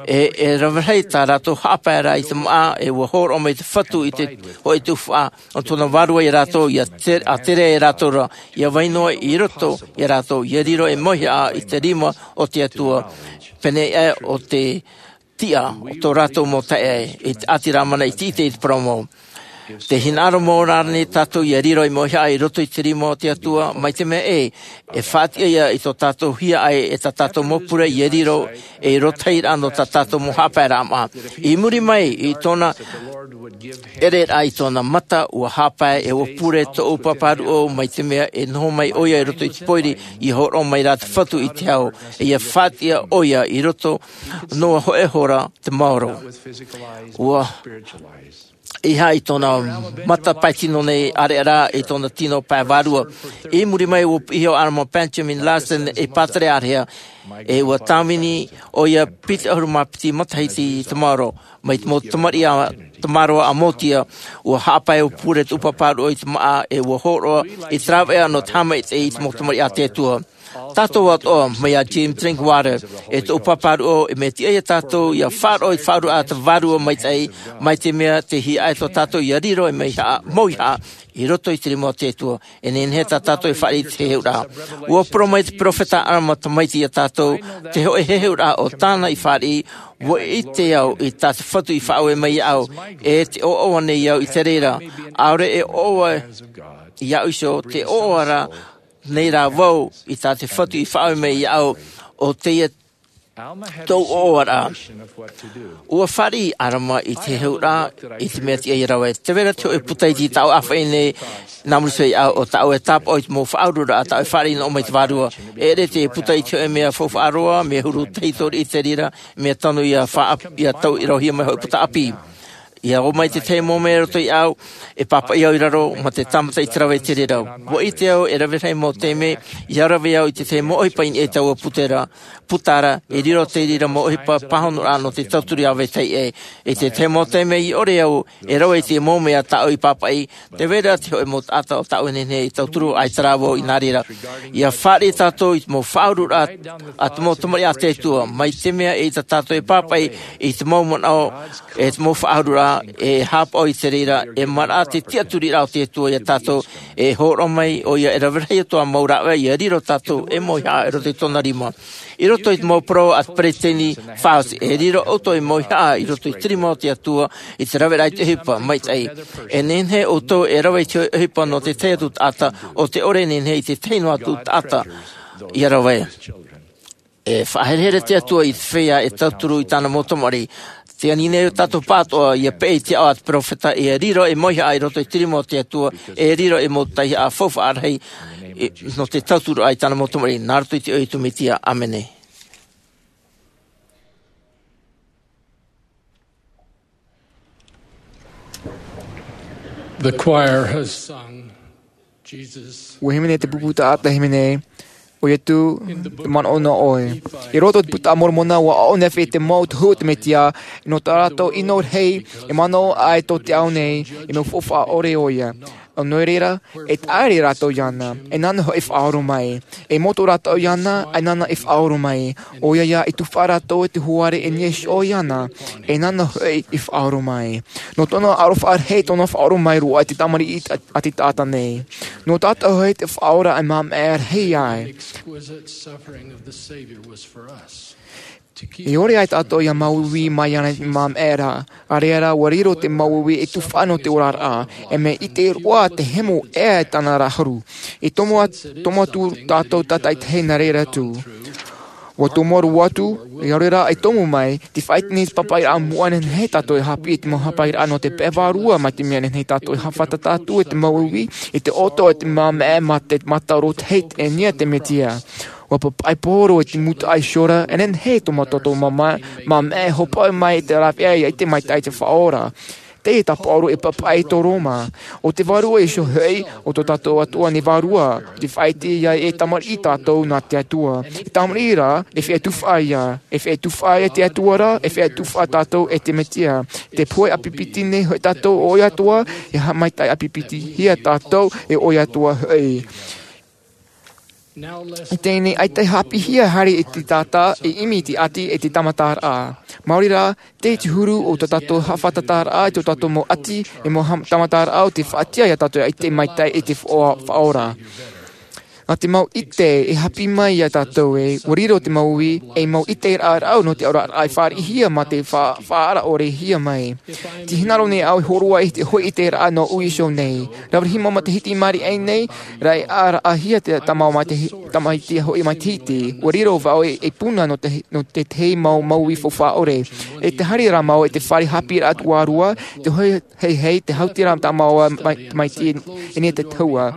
ʻE e rave rahi tā rātou haʻapaeraʻa i te māʻa, ʻe ua hōroʻa mai te Fatu i te hōʻē tuhaʻa o tōna vārua ia rātou, ia te-, ʻa tere ia rātou ra, ia vai noa i roto ia rātou, ia riro ei mauhaʻa i te rima o te Atua, pēneiaʻe o te tiʻa o tō rātou mau taeaʻe, i te ʻāti Rāmana i te ʻite i te parau mau. Tē hinaʻaro mau ra nei tātou ia riro ei mauhaʻa i roto i te rima o te Atua, mai te mea ē, e faʻatiʻa ia i tō tātou hiaʻai ʻe tā tātou mau pure ia riro ei rotahiraʻa nō tā tātou mau haʻapaeraʻa māʻa. I muri mai i tōna ʻereraʻa i tōna mata, ua haʻapae ʻe ua pure tōʻu pāpāruʻo, mai te mea e noho mai ʻoia i roto i te pōiri, ia hōroʻa mai rā te Fatu i te ao, ʻe ia faʻatiʻa ʻoia i roto noa hoʻi iho ra te maoro. Ua ʻeiaha i tōna mata pae tino nei ʻāreʻa rā, i tōna tino pae vārua. I muri mai ua piʻi iho Alma Benjamin Larsen ei pātere āreʻa, ʻe ua tāvini ʻoia piti ʻahuru mā piti matahiti i te maoro. Mai te mau tamariʻi a, tamaroa a Motia, ua haʻapae ʻe ua pure tōʻu pāpāruʻo i te māʻa, ʻe ua hōroʻa i te rāveʻa nō te haʻamaitaʻi i te mau tamariʻi a te Atua. Tātou atoʻa, mai iā Jim Drinkwater, ʻe tōʻu pāpāruʻo, e mea tiʻa ia tātou ia faʻaroʻo i te faʻaururaʻa a te Vārua Maitaʻi, mai te mea tē hiaʻai tō tātou ia riro ei mauhaʻa, mauhaʻa i roto i te rima o te Atua. E nehenehe tā tātou e fāriʻi i te heheuraʻa. Ua parau mai te peropheta Alama tamaiti ia tātou, te hōʻē heheuraʻa o tāna i fāriʻi, ua ʻite au i tā te Fatu i faʻaue mai iāʻu, ʻe tē ʻoaʻoa nei au i te reira. ʻAore e ʻoaʻoa iāʻu iho, tē ʻoaʻoa ra nei rā vau i tā te Fatu i faʻaue mai iāʻu, ʻo teie tōʻu ʻoaʻoaraʻa. Ua fāriʻi Alama i te heheuraʻa, i te mea tiʻa ia rave. Tē vai ra te hōʻē puta iti tāʻu e ʻāfaʻi nei, nā muri iho iāʻu, ʻo tāʻu e tāpaʻo i te mau faʻaururaʻa tāʻu e fāriʻi nō ʻō mai te Vārua. E ʻere te puta iti hōʻē mea faufaʻa roa, mea huru tahi ʻori i te reira, mea tano ia faʻa-, ia tauʻirohia mai hōʻē puta ʻāpī. ʻIa ō mai te tahi mau mea i roto iāʻu, e pāpaʻi au i raro, mā te tāmata i te rave i te reira. Ua ʻite au, e rave rahi mau taime, ʻia rave au i te tahi mau ʻohipa i niʻa i taua puta ra, puta ra, e riro te reira mau ʻohipa pāhonoraʻa nō te tauturu ʻāvae ʻē. I te tahi mau taime ʻia ʻore au, e rave i te mau mea tāʻu i pāpaʻi, tē vai ra te hōʻē mau taʻata ʻo tāʻu e nehenehe e tauturu, ʻaita rā vau i nā reira. ʻIa fāriʻi tātou i te mau faʻaururaʻa a te mau tamariʻi a te Atua, mai te mea e ʻaita tātou e pāpaʻi i te mau manaʻo, ʻe te mau faʻaururaʻa, e haʻapaʻo i te reira, e maraʻa te tiʻaturiraʻa o te Atua ia tātou, e hōroʻa mai ʻoia e rave rahi atoʻa mau rāveʻa ia riro tātou ei mauhaʻa i roto i tōna rima. I roto i te mau parau a te peresideni Faust, e riro ʻoutou ei mauhaʻa i roto i te rima o te Atua, i te raveraʻa i te ʻohipa maitaʻi. E nehenehe ʻoutou e rave i te ʻohipa nō te tahi atu taʻata, ʻo te ʻore e nehenehe i te tahi noa atu taʻata ʻia rave. E faʻaherehere te Atua i te feiā e tauturu i tāna mau tamariʻi. Tē ani nei tātou pāʻatoʻa ʻia peʻe i te aʻo a te peropheta, e riro ei mauhaʻa i roto i te rima o te Atua, e riro ei mau tauihaʻa faufaʻa rahi, e, nō te tauturu i tāna mau tamariʻi, nā roto i te iʻoa o Iesu Mesia. ʻĀmene. The choir has sung, Jesus. Ua hīmene te pupu taʻata hīmene, ʻo Iesu, te manaʻo nō ʻoe. I roto i te Buka a Moromona, ua ʻō nei e te mau tohu o te Mesia, nō tā rātou ʻino rahi, e manaʻo ai tō te ao nei, e mau faufaʻa ʻore ʻoia. ʻO nō reira, e taʻa ʻē rātou iāna, e nāna hoʻi e faʻaora mai. E moto rātou iāna, e nāna e faʻaora mai. ʻOia ïa, i tufa rātou i te hoare e niʻa iho iāna, e nāna hoʻi e faʻaora mai. Nō tōna aroha rahi, tōna faʻaora mai roa i te tamariʻi a, a te taʻata nei. Nō tātou hoʻi te faʻaora e māʻa rahi ai. E ʻore ai tātou ʻia māuiui mai iāna i te māʻa ra, ʻaore rā, ʻua riro te māuiui e tufa nō te oraraʻa, e mea ʻite roa te hemo ʻē i tāna ra haru. E tomo atu, tomo atu tātou tātaʻitahi nā reira atu. ʻUa tomo roa atu, ʻaore rā, e tomo mai, te faʻaite nei te pāpaʻiraʻa moʻa e nehenehe tātou e haʻapiʻi i te mau pāpaʻiraʻa nō te pae vārua, mai te mea e nehenehe tātou e haʻafātata atu i te māuiui, i te ʻoto, i te māʻa, mā te, mā te tāʻu roto hei, e niʻa i te Mesia. ʻUa pāpaʻi Paulo i te mūtoʻi iho ra, e nehenehe tō mātou, tō mātou māʻa, māʻa e hopoiʻa mai i te rāveʻa ʻia ʻite maitaʻi i te Faʻaora. Te tāpaʻo e pāpaʻi tō Roma. ʻO te Vārua Iesu hoʻi, ʻo tō tātou Atua nei Vārua, ʻo te faʻaʻite ia e tamariʻi tātou nā te Atua. E tamariʻi rā, e feiā tufaʻa ia. E feiā tufaʻa ia te Atua ra, e feiā tufaʻa tātou e te Mesia. Te pohe ʻāpipiti nei hoʻi tātou ʻo ia Atua, e haʻamaitaʻi ʻāpipitihia tātou e ʻo ia Atua hoʻi. I teie nei, ʻaita e haʻapiʻihia haere i te taʻata, e ʻimi i te ʻati, e te tāmataraʻa. Maori rā, tē te huru o tō tātou haʻafātataraʻa, i tō tātou mau ʻati, e mau ha-, tāmataraʻa, ʻo te faʻatiʻa ia tātou e ʻite maitaʻi i te faʻa-, faʻaora. Nā te mau ʻite e haʻapiʻi mai ia tātou ē, ʻua riro te mau uʻi, ei mau ʻiteraʻa rāʻau nō te oraraʻa e fāriʻihia mā te fa-, faʻaara ʻore hia mai. Tē hinaʻaro nei au e hōroʻa i te hōʻē ʻiteraʻa nō Iesu nei. Rave rahi mau matahiti i maʻiri aʻe nei, rā e ʻāraʻahia te tamaiti, tamaiti hoʻi matahiti. ʻUa riro vau e, e puna nō te, nō te tahi mau, mau uʻi faufaʻa ʻore. E tē haere ra mau i te fare haʻapiʻiraʻa tuarua, te hōʻē, hei, hei, te hautiraʻa tāmau mai, tamaiti i niʻa i te tahua.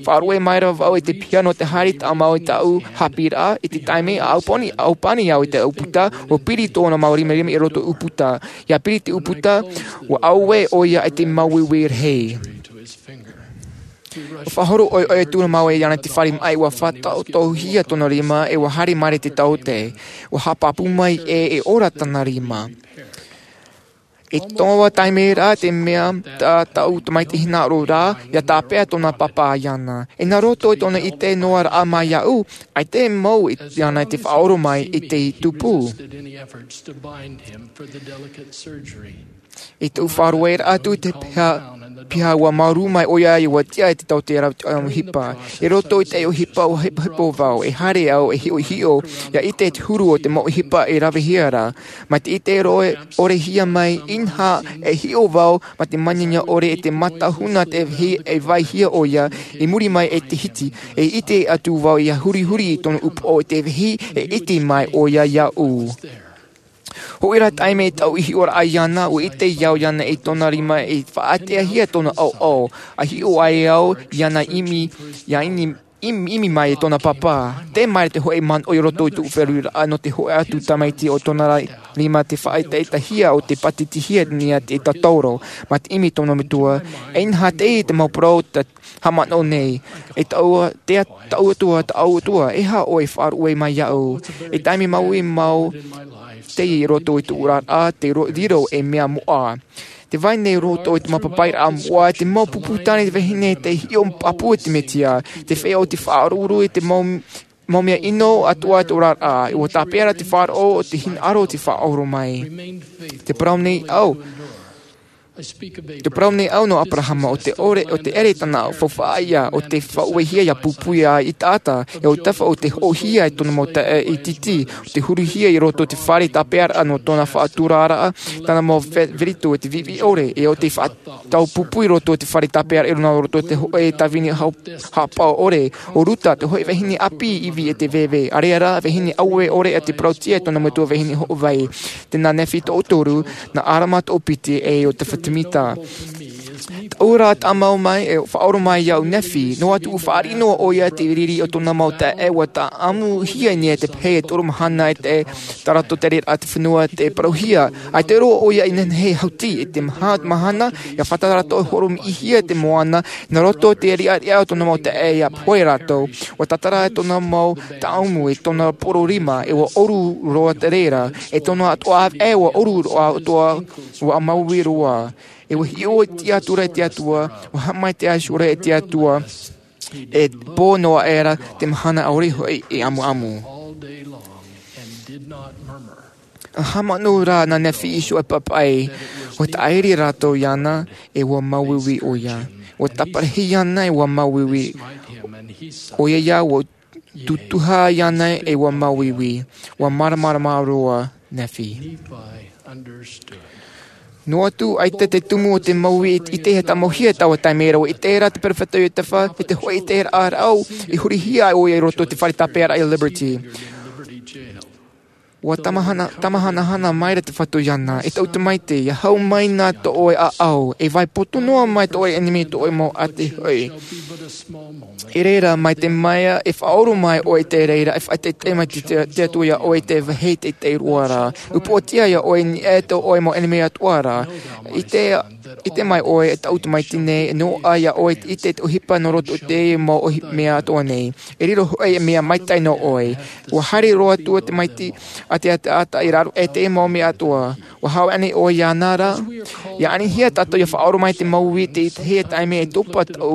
Faʻaruʻe mai ra vau i te piha nō te haere tāmau i tāʻu haʻapiʻiraʻa, i te taime ʻa ʻaupani, ʻaupani au i te ʻūputa, ʻua piri tōna mau rimarima i roto ʻūputa. ʻIa piri te ʻūputa, ʻua ʻauē ʻoia i te mau uʻi rahi. ʻUa faʻahoro ʻoiʻoi atu ra mau iāna i te fare maʻi, ʻua faʻataʻotoʻohia tōna rima, e ʻua haere maere te taote. ʻUa haʻapāpū mai ē e ora tāna rima. I taua taime ra, te mea tā tāʻu tamaiti hinaʻaro ra, ʻia tāpeʻa tōna pāpā iāna. E nā roto i tōna ʻite noa raʻa mai iāʻu, ʻaita e mau iāna i te faʻaora mai i te tupu. I tōʻu faʻarueraʻa atu i te piha, piha ʻua māuruuru mai ʻoia, ʻua tiʻa i te taote rave ʻohipa. I roto i te ʻohipa ʻua hipohipo vau, e haere au e hiʻohiʻo, ʻia ʻite i te huru o te mau ʻohipa e ravehia ra. Mai te ʻite ʻore, ʻorehia mai, inaha, e hiʻo vau, mai te māniania ʻore i te mātāhuna te vehi e vaihia ʻoia, i muri mai i te hiti, e ʻite atu vau ʻia hurihuri i tōna upoʻo i te vehi, e ʻite mai ʻoia iāʻu. Hoʻi rā taime tāʻu i hiʻo ra iāna, ʻua ʻite au iāna i tōna rima e faʻateahia tōna ʻaoʻao, ʻa hiʻo ai au iāna ʻimi, ʻia ʻimi, ʻimi, ʻimi mai i tōna pāpā. Tē maere te hōʻē manaʻo i roto i tōʻu feruriraʻa nō te hōʻē atu tamaiti ʻo tōna ra-, rima te faʻaʻetaʻetahia ʻo te pātitihia nei te tātauro. Mai te ʻimi tōna metua, e inaha teie te mau parau te haʻamanaʻo nei. E tāʻu, te a-, tāʻu Atua, tāʻu Atua, e aha ʻoe e faʻaruʻe mai iāʻu? E taime mau e mau, teie i roto i tōʻu oraraʻa, te ro-, riro ei mea moʻa. Tē vai nei roto i te mau pāpaʻiraʻa moʻa, te mau pupu tāne te vahine tē hiʻo pāpū i te Mesia, te feiā ʻo tē faʻaroʻo i te mau, mau mea ʻino atoʻa i tō oraraʻa, ʻua tāpeʻa ra te faʻaroʻo o te hinaʻaro o tē faʻaora mai. Tē parau nei au, tē parau nei au nō Aperahama, ʻo te ʻore, ʻo te ʻere tāna faufaʻa ia, ʻo te faʻauehia ʻia pūpū ia i te taʻata, e ʻo te tafa ʻo te hoʻohia i tōna mau taeaʻe ʻititi, ʻo te huruhia i roto i te fare tāpeʻaraʻa nō tōna faʻaturaraʻa, tāna mau ve-, verito i te viʻiviʻi ʻore, e ʻo te faʻa-, tau pūpū i roto i te fare tāpeʻaraʻa i roto i te hōʻē tāvini hau-, haʻapaʻo ʻore, ʻo Ruta, te hōʻē vahine ʻāpī ivi e te veve, ʻareʻa rā, vahine ʻauē ʻore ʻa te parauʻtiʻa i tōna metua vahine hoʻovai. Tēnā Nefi toʻotoru, nā ʻArama toʻopiti, e ʻo Tefatimita. Taʻu rā tāmau mai, e faʻaora mai iāʻu Nefi, noa atu ʻua fāriʻi noa ʻoia i te riri o tōna mau taeaʻe, ʻua tāʻamuhia nei te pehe e toru mahana e te, tā rātou tereraʻa te fenua tei parauhia. ʻAita roa ʻoia i nehenehe e hauti, i te maha-, mahana, ʻia fātata rātou e horomiʻihia te moana, nā roto i te riʻariʻa o tōna mau taeaʻe ʻia pohe rātou. ʻUa tātara tōna mau tāʻamu, e tōna poro rima, e ʻua ʻoru roa te reira, e tōna atoʻa ʻāvaʻe ʻua ʻoru roa atoʻa, ʻua māuiui roa. E ʻua hiʻo i te tiʻaturi i te Atua, ʻua haʻamaitaʻi iho ra i te Atua, e pō noa aʻera te mahana ʻaore hoʻi e ʻamuʻamu. ʻA haʻamanaʻo rā nā Nefi i te hōʻē pāpaʻi, ʻua tāʻiri rātou iāna, e ʻua māuiui ʻoia. ʻUa tāparahi iāna, e ʻua māuiui ʻoia, ʻua tutuha iāna, e ʻua māuiui. ʻUa māramarama roa Nefi. Noa atu, ʻaita te tumu o te mau uʻi i te, i te tāmauhia i taua taime ra, ʻua ʻite ra te perofeta o Iosepha, i te hōʻē ʻiteraʻa rāʻau, i hurihia ai ʻoia i roto i te fare tāpeʻaraʻa i Liberty. ʻUa tamahanahana, tamahanahana mai ra te Fatu iāna, e taʻu tamaiti, ʻia hau mai na tō ʻoe ʻāʻau, e vai poto noa mai tō ʻoe ʻenemi, tō ʻoe mau ʻāti hoʻi. I reira, mai te mea e faʻaora mai ʻoe i te reira, e faʻaʻiteʻite mai te, te, te Atua iā ʻoe i te vāhi teitei roa ra. Upoʻotiʻa iā ʻoe i niʻa i tō ʻoe mau ʻenemi atoʻa ra. I te, ʻite mai ʻoe, e taʻu tamaiti nei, e noaʻa iā ʻoe te ʻite i te ʻohipa nō roto i te mau ʻohi-, mea atoʻa nei. E riro hoʻi e mea maitaʻi nō ʻoe. ʻUa haere roa atu te tamaiti a te taʻata i raro i te mau mea atoʻa. ʻUa hāʻaʻi ʻōna iāna ra. ʻIa anihia tātou ʻia faʻaora mai te mau uī i te tahi taime e topa tō,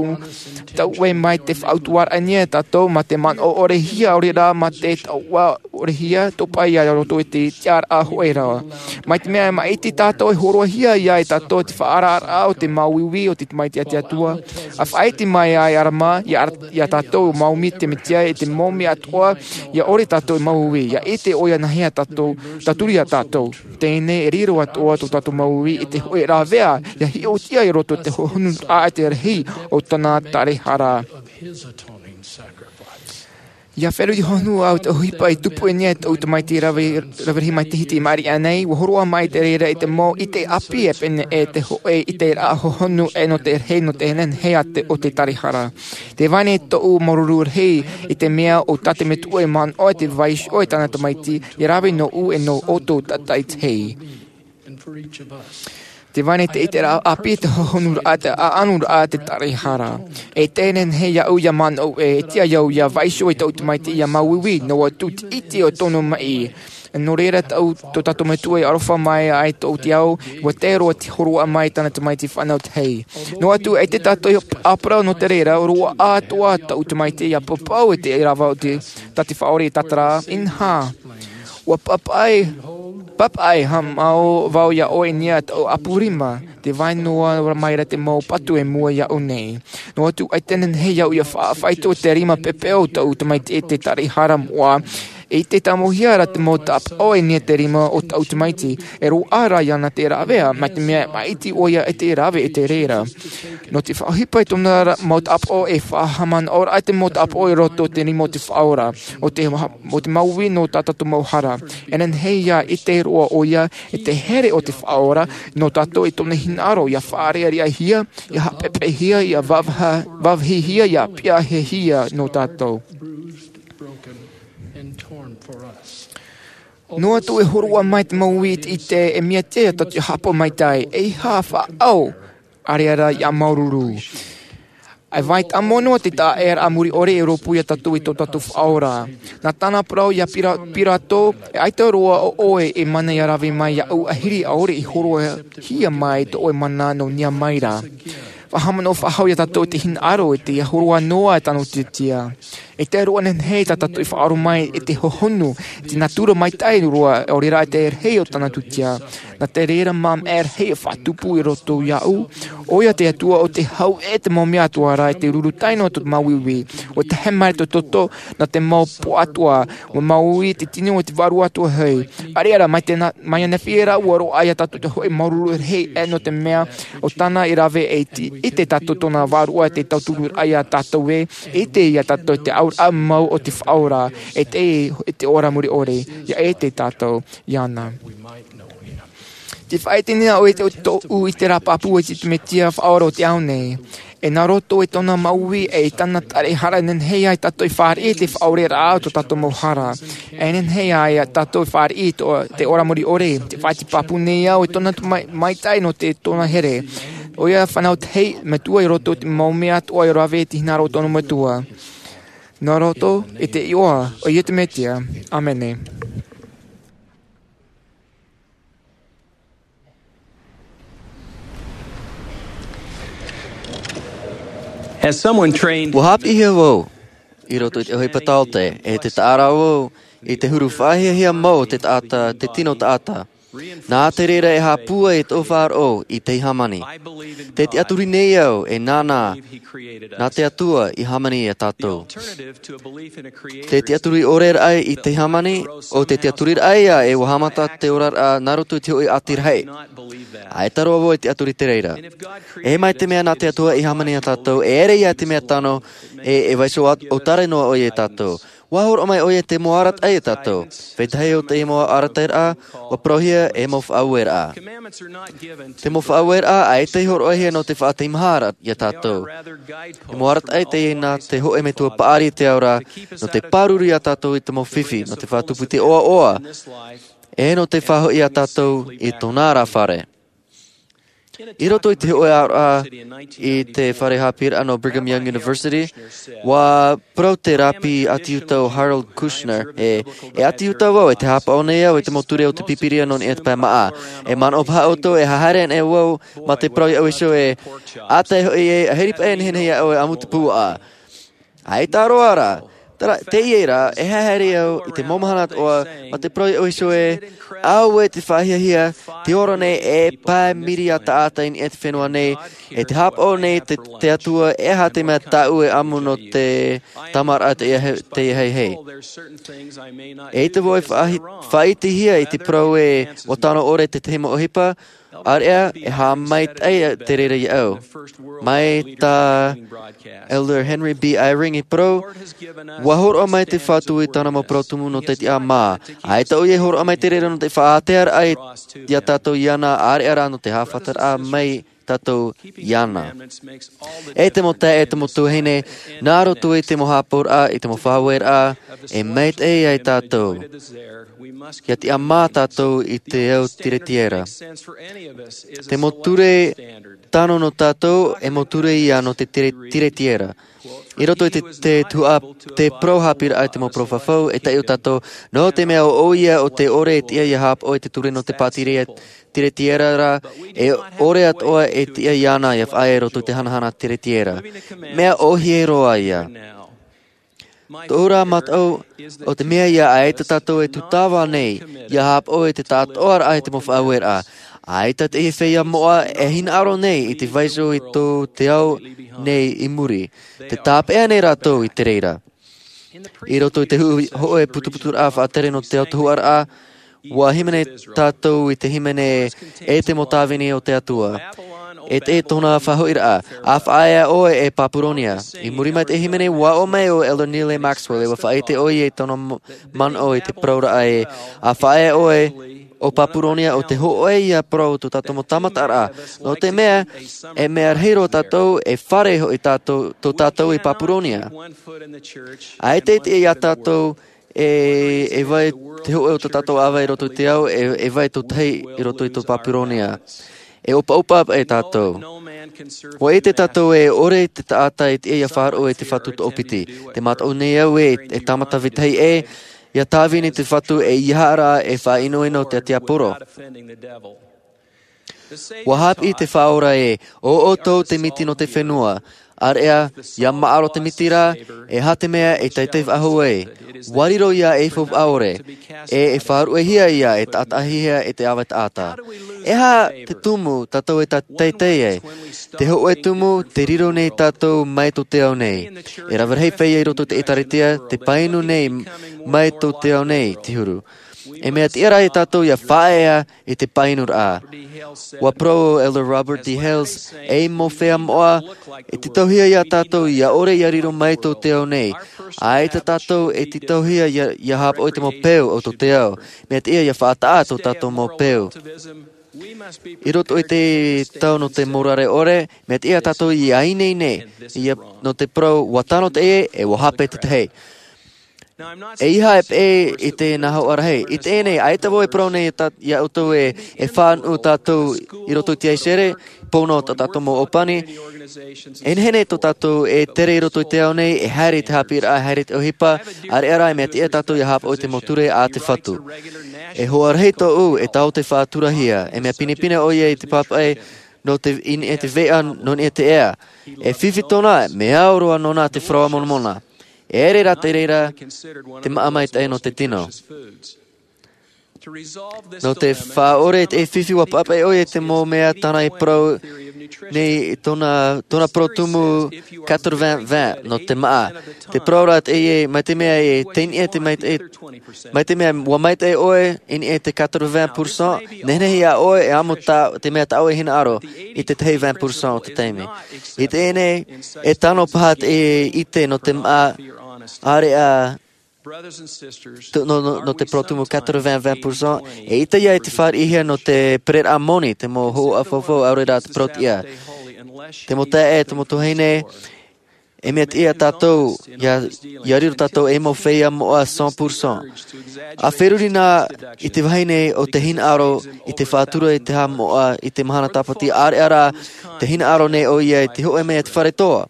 tō ʻoe mai te faʻautuaraʻa nei iā tātou mā te manaʻo ʻore hia, ʻaore rā mā te taoʻa ʻore hia, topa ia roto i te tiʻaraʻa hōʻē ra. Mai te mea e maʻiti tātou e hōroʻahia iā tātou te faʻaararaʻa o te mau uiui o te tamaiti a te Atua. ʻA faʻaʻite mai ai ʻa ʻArama, iā, iā tātou mau uī te Mesia i te mau mea atoʻa, ʻia ʻore tātou mau uī, ʻia ʻite ʻoia nā hea tātou, tauturu iā tātou. Teie e riro atoʻa tō tātou mau uī i te hōʻē rāveʻa, ʻia hiʻoraʻa i roto i te hohonu a te rahi o tōna tarahara. ʻIa feruri hōhonu au te ʻohipa i tupu i niʻa i tō tamaiti rave, rave rahi mai te hiti i maʻiri aʻe nei, ʻua hōroʻa mai te reira i te mau ʻite ʻāpī e pēnei e te hōʻē ʻiteraʻa hohonu e nō te rahi, nō te nehenehe a te, o te tarahara. Tē vai nei tōʻu māuruuru rahi i te mea ʻo tā te Metua i manaʻo i te vaiiho o tāna tamaiti, ʻia rave nōʻu e nō ʻoutou tātaʻitahi. Tē vai nei te ʻiteraʻa ʻāpī, te hohonuraʻa, te ʻaʻanuraʻa, te tarahara. E te nehenehe iāʻu ʻia manaʻo ē, e tiʻa iāʻu ʻia vaiiho i tōʻu tamaiti ʻia māuiui, noa atu te ʻite o tōna maʻi. Nō reira tō, tō tātou Metua i aroha mai ai tō te ao, ʻua tae roa te hōroʻa mai tāna tamaiti fānau tahi. Noa atu, ʻaita tātou i ʻāparau nō te reira, roaʻa atoʻa tōʻu tamaiti ʻia pāpū i te rāveʻa o te, tā te Faʻaora i tātara, inaha. ʻUa papaʻi, papaʻi haʻamau vau iā ʻoe i niʻa i tōʻu ʻapu rima, tē vai noa mai ra te mau patu i mua iāʻu nei. Noa atu, ʻaita e nehenehe iāʻu ʻia faʻaitoito i te rima pēpē o tōʻu tamaiti i te tarahara moʻa. E ʻite tāmau hia ra te mau tāpaʻo i niʻa i te rima o tōʻu tamaiti. E roaʻa rā iāna te rāveʻa, mai te mea e maʻiti ʻoia i te rave i te reira. Nō te faʻaʻohipa i tōna ra-, mau tāpaʻo e faʻahaʻamanaʻoraʻa te mau tāpaʻo i roto i te rima o te Faʻaora. ʻO te ha-, ʻo te mau uī nō tā tātou mau hara. E nehenehe ʻia ʻite roa ʻoia i te here o te Faʻaora nō tātou i tōna hinaʻaro, ʻia faʻareʻareʻahia, ʻia haʻapeʻapeʻahia, ʻia vāvaha-, vāvāhihia, ʻia piʻahihia nō tātou. Noa atu e hōroʻa mai te mau uī i te ʻite, e mea tiʻa iā tātou ʻia haʻapaʻo maitaʻi, ʻeiaha faʻaʻau, ʻaore rā ʻia māuruuru. E vai tāmau noa te taʻa ʻēraʻa mure ʻore e rōpū iā tātou i tō tātou Faʻaora. Nā tāna parau iā Pira-, Pirato, e ʻaita roa ʻo ʻoe e mana ʻia rave mai iāʻu, ʻahiri ʻaore i hōroʻahia mai tō ʻoe mana nō niʻa mai ra. Faʻahaʻamanaʻo faʻahou iā tātou i te hinaʻaro, i te hōroʻa noa e tano tūtia. E te roa nehenehe tā tātou i faʻaroʻo mai i te hohonu, i te nātura maitaʻi roa, ʻaore rā i te rahi o tāna tūtia. Nā te reira māʻa e rahi e faʻatupu i roto iāʻu. ʻOia te Atua ʻo tē hau e te mau mea atoʻa ra i te ruru tae noa tō te mau uiui. ʻUa tahe mai te toto nā te mau pō atoʻa, ʻua māuiui te tino o te Vārua Atoʻa hoʻi. ʻAore rā, mai te na-, mai ananahi ra ʻua roaʻa iā tātou te hōʻē māuruuru rahi, e nō te mea ʻo tāna i rave e ʻite, ʻite tātou tōna Vārua i te tautururaʻa iā tātou ē, ʻite iā tātou te auraʻa mau o te Faʻaora, e te, e te ora mure ʻore, ʻia ʻite tātou iāna. Tē faʻaʻite nei ʻoe i te, tōʻu ʻiteraʻa pāpū i te Mesia Faʻaora o te ao nei. E nā roto i tōna mau uī, e i tāna tarahara e nehenehe ai tātou e fāriʻi i te faʻaoreraʻa o tō tātou mau hara. E nehenehe ai tātou e fāriʻi i tō, te ora mure ʻore, tē faʻaʻite pāpū nei au i tōna mai-, maitaʻi nō te tōna here. ʻOia fānau tahi, Metua i roto i te mau mea atoʻa e rave i te hinaʻaro o tōna Metua. Nā roto i te iʻoa o Iesu Mesia. ʻĀmene. As someone trained ʻUa haʻapiʻihia vau i roto i te ʻohipa taote, e te taʻa ra vau i te huru faʻahiahia mau o te taʻata, te tino taʻata. Nā te reira e haʻapūai tō faʻaroʻo i te hāmani. Tē tiʻaturi nei au e nānā, nā te Atua i hāmani iā tātou. Te tiʻaturi ʻore raʻa i te hāmani, ʻo te tiʻaturiraʻa ïa e ʻua haʻamata te oraraʻa nā roto i te hōʻē ʻati rahi. ʻAita roa vau e tiʻaturi i te reira. E mai te mea nā te Atua i hāmani iā tātou, e ʻere ïa te mea tano, e, e vaiiho ʻo-, ʻōtare noa ʻoia iā tātou. ʻUa hōroʻa mai ʻoia i te mau arataʻi iā tātou. Vetahi o te mau arataʻiraʻa, ʻua parauhia e mau faʻaueraʻa. Te mau faʻaueraʻa, ʻaita i hōroʻahia nō te faʻateimaharaʻa iā tātou. E mau arataʻi teie nā te hōʻē Metua paʻari i te ao ra, nō te pāruru iā tātou i te mau fifi, nō te faʻatupu i te ʻoaʻoa, e nō te faʻahoʻi iā tātou i tōna ra fare. I roto i te hoʻē aroha i te fare haʻapiʻiraʻa nō Brigham Young University, ua parau te rapi ʻati Iuta ʻo Harold Kushner, e, e ʻati Iuta vau, e tē haʻapaʻo nei au i te mau ture o te Pīpīria nō niʻa i te pae māʻa. E manaʻo paha ʻoutou, e haere anaʻe vau mā te parau iāʻu iho e, ʻa tae hoʻi e, ʻaita e nehenehe iā ʻoe e ʻamu te puaʻa. ʻAita roa rā. Terā, teie rā, e haere au i te mau mahana atoʻa, mā te parau iāʻu iho e, auē te faʻahiahia, te ora nei e pae miriā taʻata i niʻa i te fenua nei, e tē haʻapaʻo nei te, te Atua, e aha te mea tāʻu e ʻamu nō te tāmāraʻa tei, tei hei hei. E ʻaita vau e faʻahi-, faʻaʻitehia i te parau e, ʻua tano ʻore te tahi mau ʻohipa, ʻāreʻa, e haʻamaitaʻi te reira iāʻu. Mai tā Elder Henry B. Eyring i parau, ua hōroʻa mai te Fatu i tāna mau parau tumu nō te tiʻamā. ʻAita ʻoia e hōroʻa mai te reira nō te faʻaātearaʻa iā tātou iāna, ʻāreʻa rā nō te haʻafataraʻa mai tātou iāna. E te mau taeaʻe, e te mau tuahine, nā roto i te mau haʻapaʻoraʻa, i te mau faʻaueraʻa, e maitaʻi ai tātou. ʻIa tiʻamā tātou i te au tiretiera. Te mau ture tano nō tātou, e mau ture ia nō te tire-, tiretiera. I roto i te, te tuhaʻa, te parau haʻapiʻiraʻa i te mau parau fafau, e taiʻo tātou, nō te mea ʻo, ʻoia ʻo tē ʻore e tiʻa ʻia haʻapaʻo i te ture nō te pātireia tiretiera ra, e ʻore atoʻa e tiʻa iāna ʻia faʻaea i roto i te hanahana tiretiera. Mea ʻōhie roa ia. Tōʻu ra mataʻu, ʻo te mea ia ʻaita tātou e tūtava nei, ʻia haʻapaʻo i te tātōʻaraʻa i te mau faʻaueraʻa. ʻAita te feiā moʻa e hinaʻaro nei i te vaiiho i tō te ao nei i muri. Tē tāpeʻa nei rātou i te reira. I roto i te hu-, hōʻē putuputuraʻa faʻatere nō te autahuʻaraʻa, ʻua hīmene tātou i te hīmene e te mau tāvini o te Atua. E te tōna faʻahoʻiraʻa, ʻa faʻaea ʻoe e Papuronia. I muri mai te hīmene, ʻua aʻo mai ʻo Elder Neal A. Maxwell, e ʻua faʻaʻite ʻoia i tōna m-, manaʻo i te parauraʻa e, ʻa faʻaea ʻoe ʻo Papuronia ʻo te hōʻē ia parau o tō tātou mau tāmataraʻa. Nō te mea, e mea rahi roa tātou, e fare hoʻi tātou, tō tātou i Papuronia. ʻAita e tiʻa iā tātou, e, e vai te hōʻē o tō tātou ʻāvae i roto i te ao, e, e vai tō tahi i roto i tō Papuronia. E ʻopaʻopa paʻi tātou. ʻUa ʻite tātou e ʻore te taʻata e tiʻa ʻia faʻaroʻo i te Fatu toʻopiti. Tē mataʻu nei au e, e tāmata vetahi ʻē, ʻia tāvini te Fatu e ʻeiaha rā e faʻaʻinoʻino i te tiaporo. ʻUa haʻapiʻi te Faʻaora ē, ʻo ʻoutou te miti nō te fenua. ʻĀreʻa, ʻia maʻaro te miti ra, e aha te mea e teitei faʻahou ai. ʻUa riro ia ei faufaʻa ʻore, e, e faʻaruʻehia ia e taʻataʻahia e te ʻāvae taʻata. E aha te tumu tātou e ta-, teitei ai? Te hōʻē tumu, tē riro nei tātou mai tō te ao nei. E rave rahi feiā i roto i te ʻĒtārētia, tē painu nei mai tō te ao nei, te huru. E mea tiʻa rā ia tātou ʻia faʻaea i te painuraʻa. ʻUa parau ʻo Elder Robert D. Hales, ei mau feiā moʻa, e tītauhia iā tātou ʻia ʻore ʻia riro mai tō te ao nei. ʻAita tātou e tītauhia ʻia, ʻia haʻapaʻo i te mau peu o tō te ao. Mea tiʻa ʻia faʻataʻa tō tātou mau peu. I roto i te tau nō te morare ʻore, mea tiʻa tātou ʻia ineine, ʻia, nō te parau, ʻua tano teie, e ʻua hape te tahi. ʻEiaha e peʻe i te nā hoʻa rahi. I teie nei, ʻaita vau e parau nei tā, iā ʻoutou e, e fānaʻo tātou i roto i te ʻaisere, pō noa tā tātou mau ʻōpani. E nehenehe tō tātou e tere i roto i te ao nei, e haere i te haʻapiʻiraʻa, e haere i te ʻohipa, ʻāreʻa rā e mea tiʻa tātou ʻia haʻapaʻo i te mau ture a te Fatu. E hoa rahi tōʻu, e taote faʻaturahia, e mea pinepine ʻoia i te pāpaʻi, nō te, i niʻa i te veʻa, nō niʻa i te ea. E fifi tōna, mea au roa nōna te parau a Moromona. E ʻere rā te reira, te māʻa maitaʻi nō te tino. Nō te faʻaʻore i te fifi ʻua pāpaʻi ʻoia i te mau mea tāna i parau nei i tōna, tōna parau tumu quatre-vingts vingt nō te māʻa. Te parau rā teie, mai te mea e tei niʻa te maitaʻi, mai te mea ʻua maitaʻi ʻoe i niʻa i te quatre-vingts pour cent, nehenehe iā ʻoe e ʻamu tā, te mea tāʻoe e hinaʻaro i te tahi vingt pour cent o te taime. I teie nei, e tano paha te ʻite nō te māʻa, ʻāreʻa, tō, nō, nō, nō te parau tumu quatre-vingts vingt pour cent, e ʻita ia i te fāriʻihia nō te pereraʻa moni, te mau hōhoʻa faufaʻa, ʻaore rā te parau tiʻa. Te mau taeaʻe, te mau tuahine, E mea tiʻa tātou ia riro tātou ei mau feiā moʻa cent pour cent. A feruri nā i te vahine o te hinaʻaro i te faʻatura i te haʻamoʻa i te mahana tāpati ʻareʻa rā, te hinaʻaro nei ʻo ia i te hoʻe mai i te fare toa.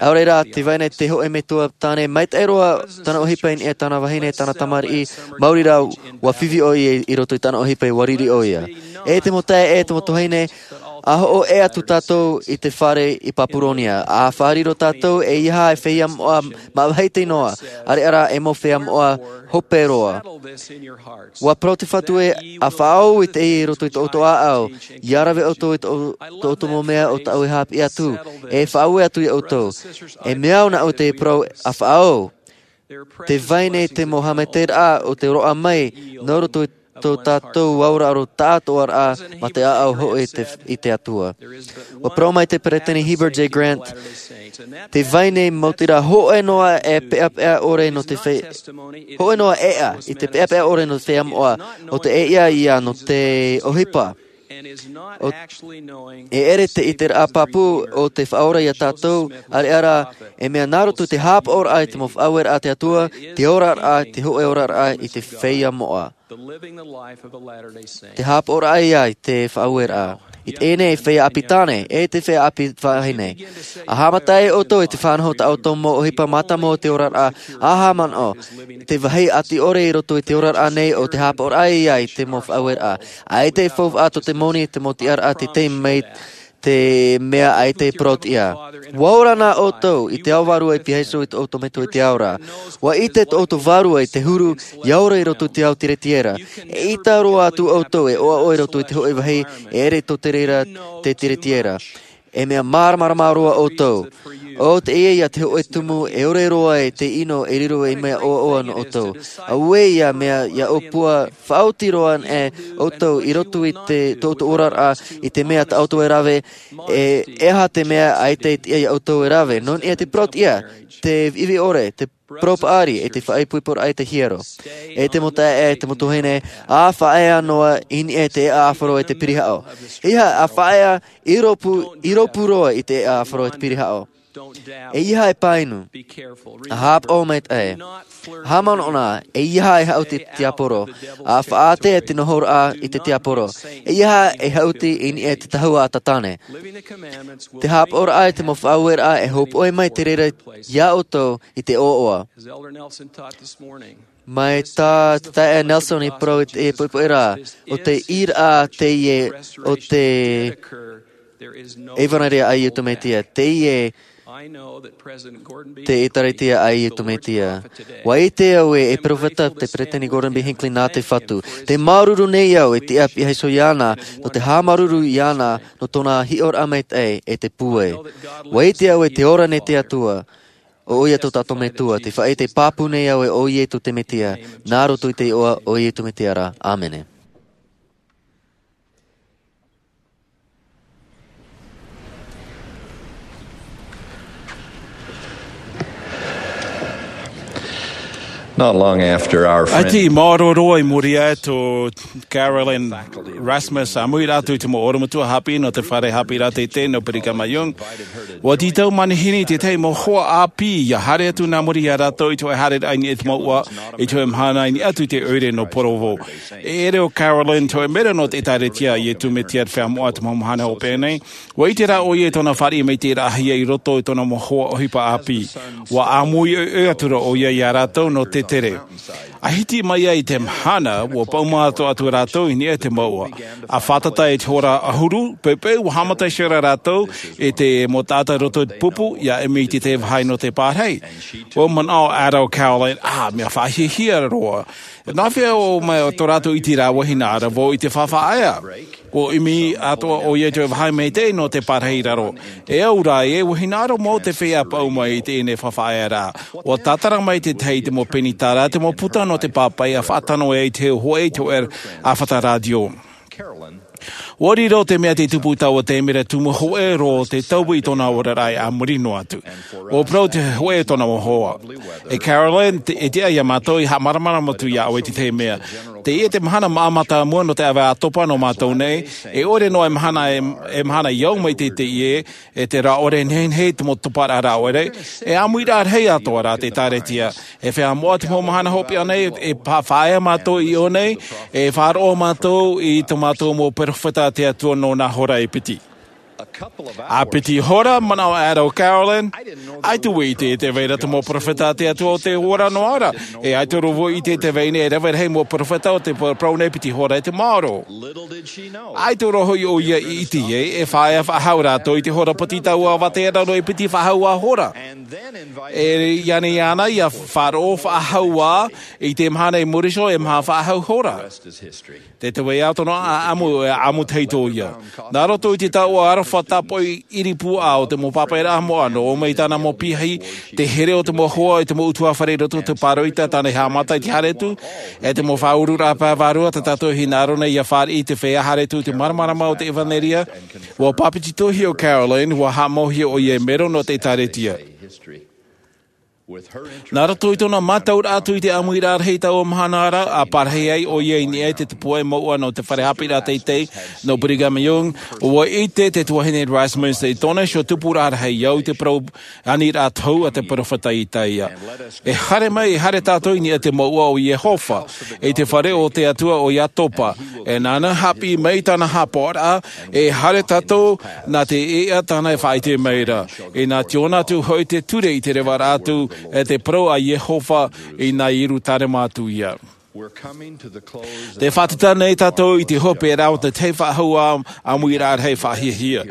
ʻAore rā te vahine te hoʻe mai toa tāne maitaʻi roa tana ʻohipa i niʻa i tana vahine tana tamariʻi. Maori rā ua fifi ʻo ia i roto i tana ʻohipa i ua riri ʻo ia. E te mau taeaʻe e te mau tuahine, a hoʻo ʻē atu tātou i te fare i papuronia a faʻariro tātou e ia e feiā moʻa mavahi tei noa, ʻareʻa rā e mau feiā moʻa hope roa. Ua parau te fatu ē, a faʻaau i teie i roto i tō ʻoutou ʻāʻau, ia rave ʻoutou i tō ʻoutou mau mea o tāʻu e hāpiʻi atu, e faʻaue atu ia ʻoutou. E mea au nā ʻu te parau a faʻaau. Te vai nei te mau haʻamaitaʻiraʻa o te roaʻa mai nō roto i tō tātou auraro taʻatoʻaraʻa mā te ʻāʻau hoʻi i te atua. Ua parau mai te peresideni heber j grant, te vai nei mau tira hoʻe noa e peʻapeʻa ʻore nō te feiā, hoʻe noa ʻeʻa i te peʻapeʻa ʻore nō te feiā moʻa, o te ʻeʻa ia nō te ʻohipa. E ʻere te ʻiteraʻa pāpū o te faʻaora ia tātou, ʻareʻa rā e mea nā roto i te hāpaʻoraʻa i te mau faʻaueraʻa a te atua, te oraraʻa te hoʻe oraraʻa i te feiā moʻa. Te hāpaʻoraʻa ia i te faʻaueraʻa i teie nei feiā ʻāpī tāne e te feiā ʻāpī vahine. A haʻamata ai ʻoutou i te faʻanaho o tā ʻoutou mau ʻohipa mātāmua o te oraraʻa, a haʻamanaʻo te vāhi ʻati ʻore i roto i te oraraʻa nei o te hāpaʻoraʻa ia i te mau faʻaueraʻa. ʻAita e faufaʻa tō te moni te mau tiʻaraʻa te tei mai te mea ʻaita e parau tiʻa. Ua ora nā ʻoutou i te ao vārua i piha iho i tō ʻoutou metua i te ao ra. Ua ʻite tō ʻoutou vārua i te huru ia ora i roto i te ao tiretiera. E ʻita roa atu ʻoutou e ʻoaʻoa i roto i te hoʻe vāhi e ʻere tō te reira te tiretiera. E mea māramarama roa ʻoutou. O te ia ia te hoʻe tumu e ore roa e te ʻino e riro ei mea ʻoaʻoa nō ʻoutou. Auē ia mea ia ʻōpua faʻaoti roa e ʻoutou i roto i te tō ʻoutou oraraʻa i te mea tā ʻoutou e rave. E aha te mea ʻaita e tiʻa ia ʻoutou e rave nō niʻa i te parau tiʻa, te viʻiviʻi ʻore, te parau paʻari e te faʻaipoiporaʻa i te hiero. E te mau taeaʻe e te mau tuahine, a faʻaea noa i niʻa i te ʻeʻa ʻāfaro e te pirihaʻo. Ia a faʻaea i rōpū i rōpū roa i te ʻeʻa ʻāfaro e te pirihaʻo. E ia e pāinu. A hāpaʻo maitaʻi. Haʻamanaʻo nā e ia e haʻuti te tiaporo. A faʻaʻite te nohoraʻa i te tiaporo. E ia e haʻuti i niʻa i te tahua a tātane. Te hāpaʻoraʻa i te mau faʻaueraʻa e hōpoʻe mai te reira ia ʻoutou i te ʻoaʻoa. Mai tā te taeaʻe nelson i parau i te poʻipoʻi rā, o te ʻīraʻa teie o te ʻevanelia a iesu mesia teie te ʻēkālesia a iesu mesia. Ua ʻite au e e peropheta te peresideni gordon b hinckley nā te fatu. Te māuruuru nei au e tiʻa piha iho iāna nō te haʻamāuruuru iāna nō tōna hiʻoraʻa maitaʻi e te pūai. Ua ʻite au e te ora nei te atua. ʻO ia tō tātou metua te faʻaʻite pāpū nei au e ʻo iesu te mesia. Nā roto i te iʻoa o iesu mesia rā, ʻāmene. Not long after our friend ʻAita i maoro roa i muri aʻe tō carolyn rasmus a muira atu i te mau oromatua hāpiʻi nō te fare hāpiʻi rā teitei nō brigham young. Ua tītau manihini i tētahi mau hoa ʻāpī ia haere atu nā muri iā rātou i te hoʻe haereraʻa i niʻa i te mouʻa i te hoʻe mahana i niʻa atu i te ʻoire nō provo. E ʻere ʻo carolyn te hoʻe mera nō te ʻēkālesia a iesu mesia te feiā moʻa te mau mahana hopeʻa nei. Ua ʻite rā ʻo ia i tōna fāriʻi mai te raʻahia i roto i tōna mau hoa ʻohipa ʻāpī. Ua ʻāmui ʻoiʻoi atu rā ʻo ia iā rātou nō te tere. A hiti mai ai te mahana ua pau mātou atu rātou i niʻa i te mouʻa. A fātata i te hora ʻahuru peupeu ua haʻamata iho rā rātou i te mau taʻata i roto i te pupu ia ʻimi i te vāhi nō te pārahi. Ua manaʻo ʻo carolyn, a mea faʻahiahia roa. Nā hea ʻo mai tō rātou iti rāveʻa hinaʻaro vau i te faʻaʻaea. Ua ʻimi atoʻa ʻo ia i te vāhi maitaʻi nō te pārahi i raro. E au rā e ua hinaʻaro mau te feiā pau mai i teie faʻaʻaearaʻa. Ua tātara mai te tahi i te mau peni tāra te mau puta nō te pāpaʻi a faʻatano ai te hoʻe i te hoʻe a fata rātio. Ua riro te mea te tupu taua te mea tumu hoʻe roa te taui i tōna oraraʻa a muri noa atu. Ua parau te hoʻe tōna mau hoa. E Carolyn, e tiʻa iā mātou ia haʻamaramarama atu iā ʻoe i te tahi mea. Teie te mahana māʻa mātāmua nō te ʻāvae ʻātopa nō mātou nei. E ʻore noa e mahana e mahana i au mai te teie e te rā ʻore nehenehe te mau toparaʻa rā ʻore. E ʻāmuiraʻa rahi atoʻa rā te ʻēkālesia. E fea moʻa te mau mahana hopeʻa nei e faʻaea mātou i ʻō nei. E faʻaroʻo mātou i tō mātou mau perofeta a te atua nō nā hora e piti. A piti hora manaʻo ʻaero Carolyn. ʻAita vau i ʻite e te vai ra te mau perofeta a te atua o te ora noa ra. E ʻaita roa vau i ʻite e te vai nei e rave rahi mau perofeta o te parau nei piti hora e te maoro. ʻAita roa hoʻi ʻoia i ʻite ai e faʻaea faʻahou rātou i te hora piti taua vātea raro e piti faʻahou ā hora. E iāna iāna ia faʻaroʻo faʻahou ā i te mahana i muri iho e maha faʻahou hora. Te te vai ʻato nō ʻaʻamu e ʻaʻamu tahi tō ia. Nā roto i te taua aroha tāpoʻi ʻiri puaʻa o te mau pāpaʻiraʻa moʻa nō ʻō mai tāna mau piahi te here o te mau hoa i te mau utuafare i roto te pāroita tāna i haʻamata i te haere atu. E te mau faʻaururaʻa pae vārua tā tātou e hinaʻaro nei ia fāriʻi i te feiā haere atu i te māramarama o te ʻevanelia. Ua pāpetitohia ʻo Carolyn ua haʻamauhia ʻoia e mero nō te ʻēkālesia. Nā roto i tōna mātauraʻa atu i te ʻāmuiraʻa rahi taua mahana ra a parahi ai ʻoia i niʻa i te tupu e mouʻa nō te fare haʻapiʻiraʻa teitei nō brigham young. Ua ʻite te tuahine rasmussen i tōna iho tupuraʻa rahi i au i te parau aniraʻa tohu a te perofeta isaia. E haere mai e haere tātou i niʻa i te mouʻa o iehova i te fare o te atua o iakoba. E nāna haʻapiʻi mai tāna haʻapaʻoraʻa e haere tātou nā te ʻeʻa tāna e faʻaʻite mai ra. E nā te ʻōna atu hoʻi te ture i te revaraʻa atu e te parau a iehova i nā ierusalema atu ia. Te faʻatata nei tātou i te hope rā o te tahi faʻahou ʻāmuiraʻa rahi faʻahiahia.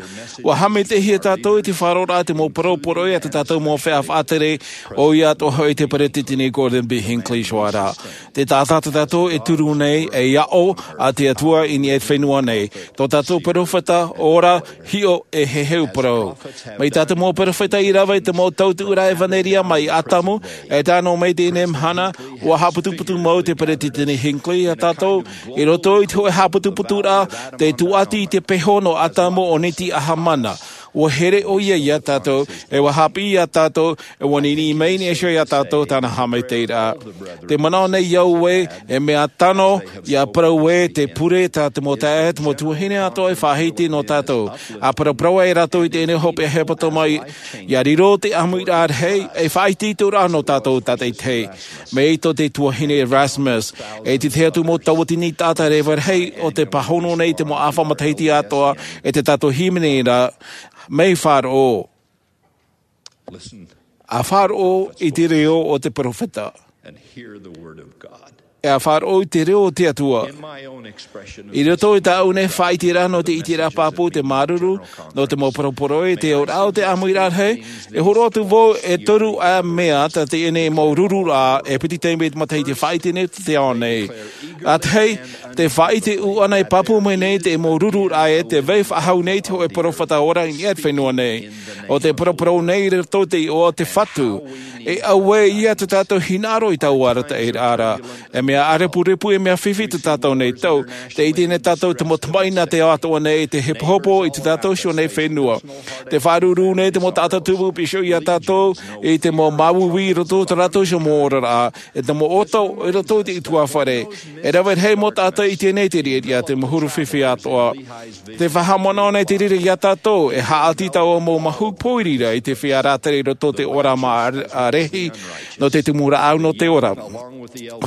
Ua haʻamaitaʻihia tātou i te faʻaroʻoraʻa te mau parau poroʻi a tā tātou mau feiā faʻatere ʻoia atoʻa hoʻi te peresideni gordon b hinckley i te hoʻe rā. Te taʻata tā tātou e turu nei ei aʻo a te atua i niʻa i te fenua nei. Tō tātou perofeta ora hiʻo e heheu parau mai tā te mau perofeta i rave i te mau tautuʻuraʻa ʻevanelia mai atamu. E tae noa mai teie mahana ua haʻaputuputu mau te peresideni hinckley iā tātou i roto i te hoʻe haʻaputuputuraʻa te tuati i te peho nō atamu o niti ahamana. Ua here ʻoia iā tātou e ua haʻapiʻi iā tātou e ua niniʻi mai nei iho iā tātou tāna haʻamaitaʻiraʻa. Te manaʻo nei au ē e mea tano ia parau ē te pure tā te mau taeaʻe te mau tuahine atoʻa e faʻahiti nō tātou. A paraparau ai rātou i teie hopeʻa hepetoma ia riro te ʻāmuiraʻa rahi e faʻaitoitoraʻa nō tātou tātaitahi. Mai tō te tuahine rasmussen e te tahi atu mau tauatini taʻata reva rahi o te pāhono nei te mau ʻāfa matahiti atoʻa e te tātou hīmene ra. Mai faʻaroʻo a faʻaroʻo i te reo o te perofeta. E a faʻaroʻo i te reo o te atua i roto i tāʻu nei faʻaiteraʻa nō te iteraʻa pāpū te māuruuru nō te mau poroporoʻi te auraʻa o te ʻāmuiraʻa rahi. E horo atu vau e toru ʻā mea tā teie nei mau rururaʻa e piti taime i te matahiti faʻaite nei te ao nei. A tahi te faʻaite ʻuʻana e pāpū mai nei te mau rururaʻa e te vai faʻahou nei te hoʻe perofeta ora i niʻa i te fenua nei. O te poroporo nei i roto i te iʻoa o te fatu e auē ia tā tātou hinaʻaro i taua arataʻiraʻa ra. E mea ʻārepurepu e mea fifi tā tātou nei tau te ʻite nei tātou te mau tamaʻi nā te ao atoʻa nei te hepohepo i tā tātou iho nei fenua. Te faʻaruru nei te mau taʻata tumu piha iā tātou i te mau māuiui i roto i tā rātou iho mau oraraʻa e te mau ʻoto i roto i te utuafare. E rave rahi mau taʻata i teie nei te riʻariʻa te mau huru fifi atoʻa. Te faʻahaʻamanaʻo nei te reira iā tātou e haʻati taua mau mahu pōiri ra i te feiā rātere i roto i te ora mā rehi nō te tumu rāʻau nō te ora.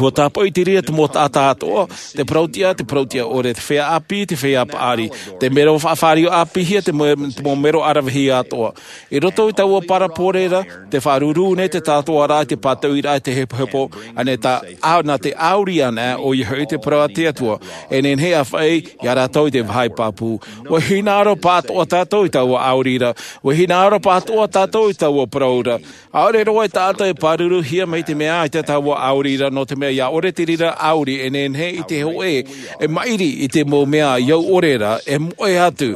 Ua tāpaʻo i te reira te mau taʻata atoʻa te parauʻtiʻa te parauʻtiʻa ʻore te feiā ʻāpī te feiā paʻari te mero faʻafāriu ʻāpīhia te mau mero ʻaravihi atoʻa. I roto i taua parapore ra te faʻaruru nei te tātou ara i te pātauiraʻa i te hepohepo ʻānei tā nā te ʻāuri ana ʻoia hoʻi te parau a te atua e nehenehe e faʻaʻī iā rātou i te vāhi pāpū. Ua hinaʻaro pātoʻa tātou i taua ʻāuri ra. Ua hinaʻaro pātoʻa tātou i taua parau ra. ʻAʻore roa e taʻata e pāruruhia mai te mea ʻaita taua ʻāuri ra nō te mea ia ʻore te reira ʻāuri e nehenehe i te hōʻē e maʻiri i te mau mea i au ʻore ra e moʻe atu.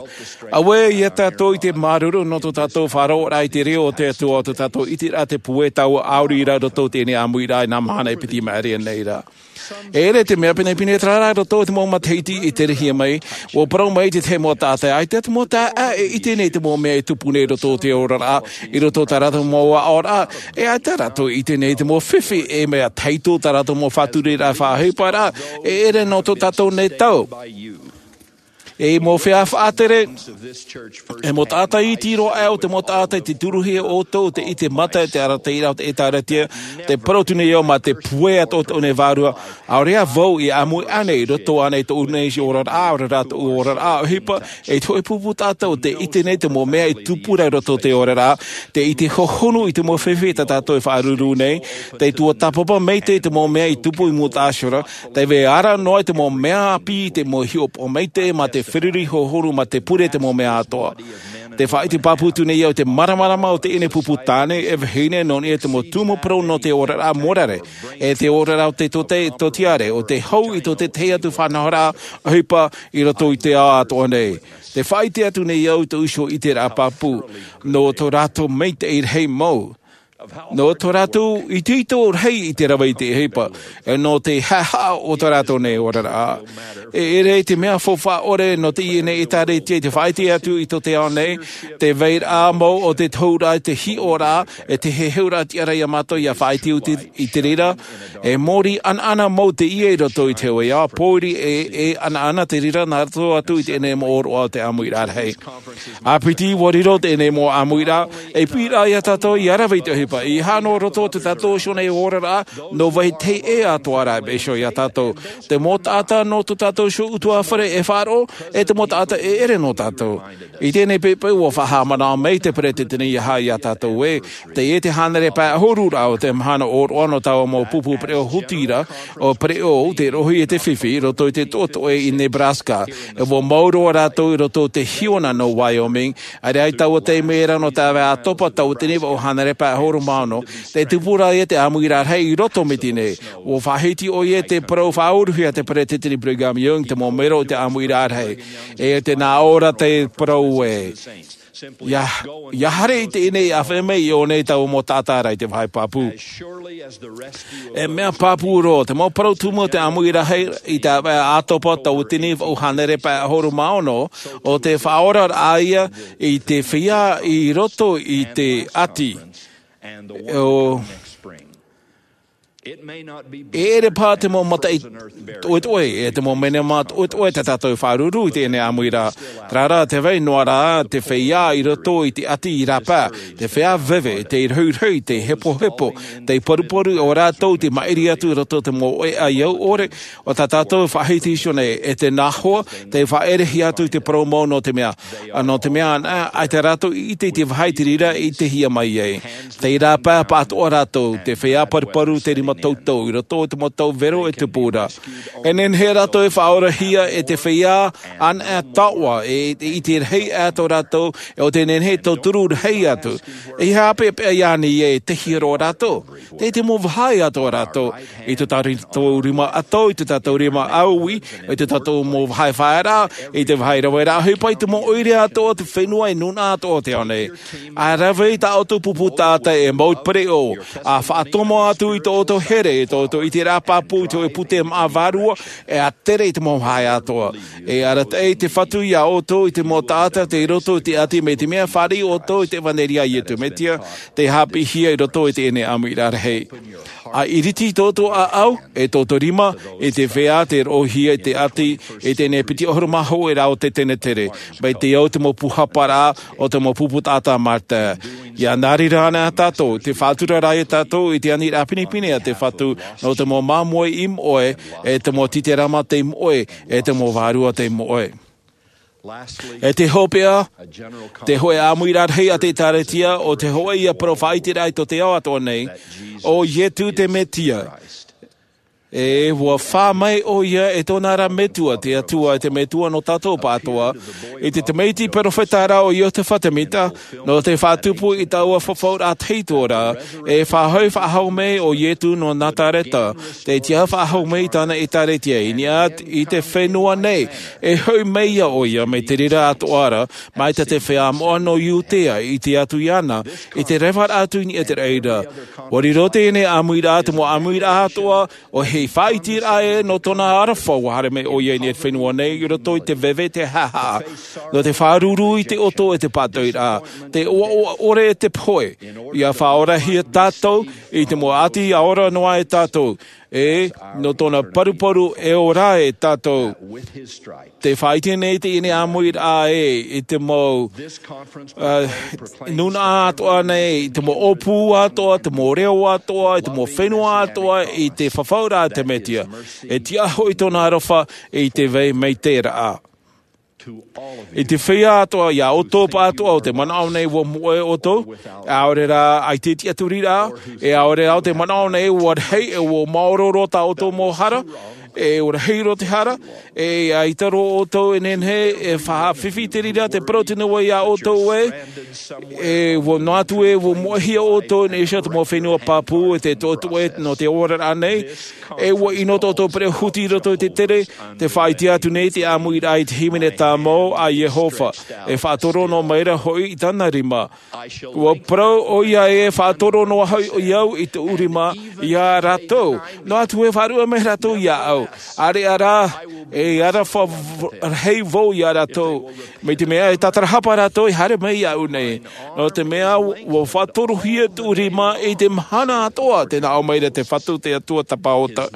Auē ia tātou i te māuruuru nō tō tātou faʻaroʻoraʻa i te reo o te Atua, tō tātou ʻiteraʻa te puē taua ʻāuri ra roto i teie nei ʻāmuiraʻa i nā mahana e piti maʻiri nei ra. E ʻere te mea pinepine terā rā roto i te mau matahiti i te rehia mai, ua parau mai te tahi mau taʻata, ʻaita te mau taʻata e ʻite nei te mau mea e tupu nei roto i te oraraʻa, i roto i tā rātou mau aʻoraʻa, e ʻaita rātou e ʻite nei te mau fifi e mea tahito tā rātou mau faʻatureraʻa faʻaʻohipa ra, e ʻere nō tō tātou nei tau. E mau feiā faʻatere, e mau taʻata iti roa aʻe o te mau taʻata i te turuhia ʻoutou te ʻite mata i te arataʻiraʻa o te ʻĒtārētia, te parau atu nei au mā te puē atoʻa o teie nei vārua, ʻaore ā vau i ʻāmui ānei i roto ānei i tōʻu nei oraraʻa, ʻaore rā tōʻu oraraʻa ʻohipa, e te hōʻē pupu taʻata o te ʻite nei te mau mea i tupu ra i roto i te oraraʻa, te ʻite hohonu i te mau fifi tā tātou e faʻaruerue nei, te tuatāpapa maitaʻi i te mau mea i tupu i mūtaʻa iho ra, te vai ara noa i te mau mea ʻāpī, te mau hiʻopoʻa maitaʻi mā te feruri hohonu mā te pure i te mau mea atoʻa. Te faʻaʻite pāpū atu nei au i te māramarama o teie nei pupu tāne e vahine nō niʻa i te mau tumu parau nō te oraraʻa morare, e te oraraʻa o te tōte-, tōtiare, o te hau i tō te tahi atu faʻanahoraʻa ʻohipa i roto i te ao atoʻa nei. Te faʻaʻite atu nei au i tōʻu iho ʻiteraʻa pāpū, nō tō rātou maitaʻi rahi mau. Nō tō rātou itoito rahi i te rave i te ʻohipa, e nō te haʻehaʻa o tō rātou nei oraraʻa. E ʻere i te mea faufaʻa ʻore nō teie nei ʻĒtārētia i te faʻaʻite atu i tō te ao nei, te vairaʻa mau o te tohuraʻa, te hiʻoraʻa, e te heheuraʻa tiʻa ra iā mātou ʻia faʻaʻite atu i te reira, e mōrī ʻanaʻana mau teie i roto i te hōʻē ao, pōiri e, e ʻanaʻana te reira nā roto atu i teie nei mau ʻōroʻa o te ʻāmuiraʻa rahi. ʻĀpiti, ʻua riro teie nei mau ʻāmuiraʻa, e piʻiraʻa iā tātou ʻia rave i te ʻohipa, ʻeiaha noa roto i tō tātou iho nei oraraʻa, nō vai teie atoʻa rā e iho iā tātou. Te mau taʻata nō tō tātou iho ʻutuāfare e faʻaroʻo, e te mau taʻata e ʻere nō tātou. I teie nei poʻipoʻi ʻua faʻahaʻamanaʻo mai te peresideni ʻeiaha iā tātou ē, teie te hānere pae ʻahuru ra o te mahana ʻōroʻa nō taua mau pupu pereʻoʻo huti ra, ʻo pereʻoʻo te rohi e te fifi, i roto i te toʻetoʻe i Nebraska. E ʻua mau roa rātou i roto i te hiona nō Wyoming, ʻaore rā i taua taime ra nō te ʻāvaʻe ʻĀtopa tauatini vaʻu hānere pae ʻahuru mā ono, tē tupu ra ia te ʻāmuiraʻa rahi i roto mai i teie nei. ʻUa faʻahiti ʻoia i te parau faʻauruhia a te peresideni Brigham Young, te mau mero o te ʻāmuiraʻa rahi. E tē nā ʻō ra te parau ē. ʻIa, ʻia haere i teie nei ʻāfaʻi mai i ʻō nei taua mau taʻata ra i te vāhi pāpū. E mea pāpū roa, te mau parau tumu o te ʻāmuiraʻa rahi i te ʻāvaʻe ʻĀtopa tauatini vaʻu hānere pae ʻahuru mā ono, ʻo te faʻaoraraʻa ia i te feiā i roto i te ʻati. ʻO E ʻere paha te mau mataʻi toʻetoʻe, e te mau manaʻo toʻetoʻe tā tātou e faʻaruru i teie nei ʻāmuiraʻa. Terā rā te vai noa rā te feiā i roto i te ʻati i rāpae, te feiā veve, te rohirohi, te hepohepo, te paruparu, ʻo rātou te maʻiri atu i roto i te mau ʻoeʻa i au ʻore, ʻo tā tātou e faʻahiti iho nei, e tē nā hoa, te faʻaʻerehia atu i te parau mau nō te mea, ā, nō te mea anaʻe, ʻaita rātou i ʻite i te vāhi i te reira e ʻitehia mai ai. Tei rāpae pāʻatoʻa rātou, te feiā paruparu, te rima toutou, i roto i te mau tau vero e tupu ra. E nehenehe rātou e faʻaorahia e te feiā anaʻe taoʻa, e, e ʻite rahi atu rātou, e ʻo tē nehenehe e tauturu rahi atu. E ʻeiaha peʻapeʻa i ānei e tehia roa rātou. Tei te mau vāhi atoʻa rātou, i tō tātou rima ʻato, i tō tātou rima ʻāuī, i tō tātou mau vāhi faʻaearaʻa, i te vāhi raveraʻa ʻohipa, i te mau ʻoire atoʻa o te fenua, e nūnaʻa atoʻa o te ao nei. ʻA rave i tā ʻoutou pupu taʻata e mau pereʻoʻo, ʻa faʻatomo atu i tō ʻoutou here, i tō ʻoutou ʻiteraʻa pāpū, i te hōʻē pūtē māʻa vārua, e ʻa tere i te mau vāhi atoʻa. E arataʻi te Fatu iā ʻoutou i te mau taʻata tei roto i te ʻati, mai te mea e fāriʻi ʻoutou i te ʻevanelia a Iesu Mesia, tei haʻapiʻihia i roto i teie nei ʻāmuiraʻa rahi. ʻA iriti tō ʻoutou ʻāʻau, e tō ʻoutou rima, i te feiā tei roʻohia i te ʻati, i teie nei piti ʻahuru mā hōʻē rā o te tenetere, mai te au te mau pūhaparaʻa o te mau pupu taʻata a Martha. ʻIa nā reira anaʻe tātou, tē faʻatura ra ia tātou i te aniraʻa pinepine a te Fatu, nō te mau māmoe i moʻe, e te mau titerama tei moʻe, e te mau vārua tei moʻe. E te hopeʻa, te hōʻē ʻāmuiraʻa rahi a te ʻĒtārētia, ʻo te hōʻē ia parau faʻaʻiteraʻa i tō te ao atoʻa nei, ʻo Iesu te Mesia. E ua fā mai ʻo ia e tōna ra metua, te Atua, e te Metua nō tātou pāʻatoʻa, i te tamaiti perofeta ra ʻo Iotefa Temita, nō te faʻatupu i taua fafauraʻa tahito ra, e faʻahoʻi faʻahou mai ʻo Ietu nō Nazareta, te tiaʻi faʻahou mai i tāna ʻēkālesia i niʻa i te fenua nei, e hoʻi mai ia ʻo ia mai te reira atoʻa ra, mai tā te feiā moʻa nō Iudea i tae atu iāna, i te reva atu i niʻa i te reira. Ua riro teie ʻāmuiraʻa, te mau ʻāmuiraʻa atoʻa, ʻo hei faʻaʻiteraʻa ē nō tōna aroha, ua haere mai ʻo ia i niʻa i te fenua nei, i roto i te veve, te haʻahaʻa, nō te fāruru i te ʻoto e te pātoʻiraʻa, te ʻoaʻoa ʻore e te pohe, ia faʻaorahia tātou, i te mau ʻati ʻa ora noa e tātou, e, nō tōna paruparu e ora e tātou. Te faʻaʻite nei teie ʻāmuiraʻa ē, i te mau, ā, nūnaʻa atoʻa nei, i te mau ʻōpū atoʻa, te mau reo atoʻa, i te mau fenua atoʻa, i te fafauraʻa a te Mesia. E tiʻa hoʻi tōna aroha i te vai mai te reira. I te feiā atoʻa, iā ʻoutou pāʻatoʻa ʻo tē manaʻo nei ua moʻe ʻoutou, ʻaore rā, ʻaita e tiʻaturi ra, e ʻaore rā ʻo tē manaʻo nei ua rahi, e ua māuruuru tā ʻoutou mau hara, e ua rahi roa te hara, e ʻaita roa ʻoutou e nehenehe e faʻafifi i te reira, te parau tino ua iā ʻoutou ē, e ua noa atu ē ua moʻehia ʻoutou i niʻa i te mau fenua pāpū, e te toʻetoʻe nō te oraraʻa nei, e ua ʻino tō ʻoutou perehuti i roto i te tere, te faʻaʻite atu nei te ʻāmuiraʻa i te hīmene tāmau a Iehova, e faʻatoro noa mai ra hoʻi i tāna rima. Ua parau ʻo ia ē, faʻatoro noa hoʻi au i tōʻu rima iā rātou. Noa atu ē faʻaruʻe mai rātou iāʻu. ʻAreʻa rā, e aroha v-, rahi vau iā rātou. Mai te mea e tātarahapa rātou e haere mai iāʻu nei. Nō te mea ua faʻatorohia tōʻu rima i te mahana atoʻa, tē nā ʻō mai ra te Fatu, te Atua Tapaota.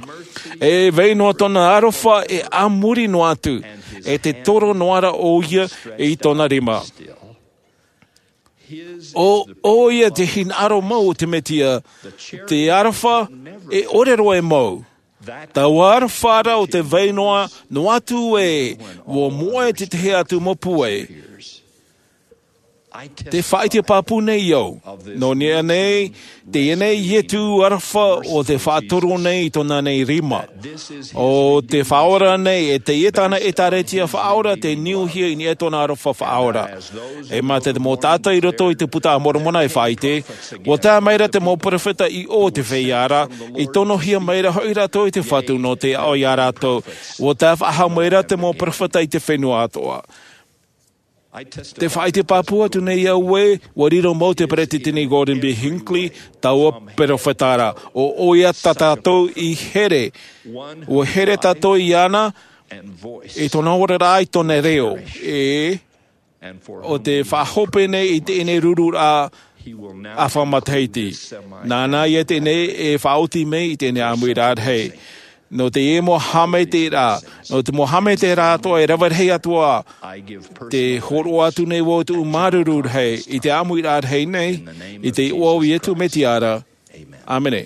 E vai noa tōna aroha e a muri noa atu, e te toro noa ra ʻo ia i tōna rima. ʻO, ʻo ia te hinaʻaro mau o te Mesia, te aroha e ʻore roa e mau. Taua aroha ra ʻo tē vai noa, noa atu ē, ua moʻe te tahi atu mau pūai. Te faʻaʻite pāpū nei au. Nō niʻa nei, teie nei Ietu aroha ʻo tē faʻatoro nei i tōna nei rima. ʻO tē faʻaora nei, e teie tāna ʻēkālesia faʻaora, tē niuhia i niʻa i tōna aroha faʻaora. E mā te mau taʻata i roto i te Buka a Moromona e faʻaʻite, ua tae mai ra te mau perofeta i ʻō o te feiā ra, i tonohia mai ra hoʻi rātou e te Fatu nō te aʻo iā rātou. Ua tae faʻahou mai ra te mau perofeta i te fenua atoʻa. Te faʻaʻite pāpū atu nei au ē, ua riro mau te Peretiteni Gordon B. Hinckley, taua perofeta ra, ʻo, ʻo ia tā tātou i here, ua here tātou iāna, i tōna oraraʻa, i tōna reo, e, ʻo tē faʻahope nei i teie nei rururaʻa ʻāfa matahiti. Nāna ia teie nei e faʻaoti mai i teie nei ʻāmuiraʻa rahi. Nō teie mau haʻamaitaʻiraʻa, nō te mau haʻamaitaʻiraʻa atoʻa e rave rahi atu ā, tē hōroʻa atu nei vau tōʻu māuruuru rahi, i te ʻāmuiraʻa rahi nei, i te iʻoa o Iesu Mesia ra. ʻĀmene.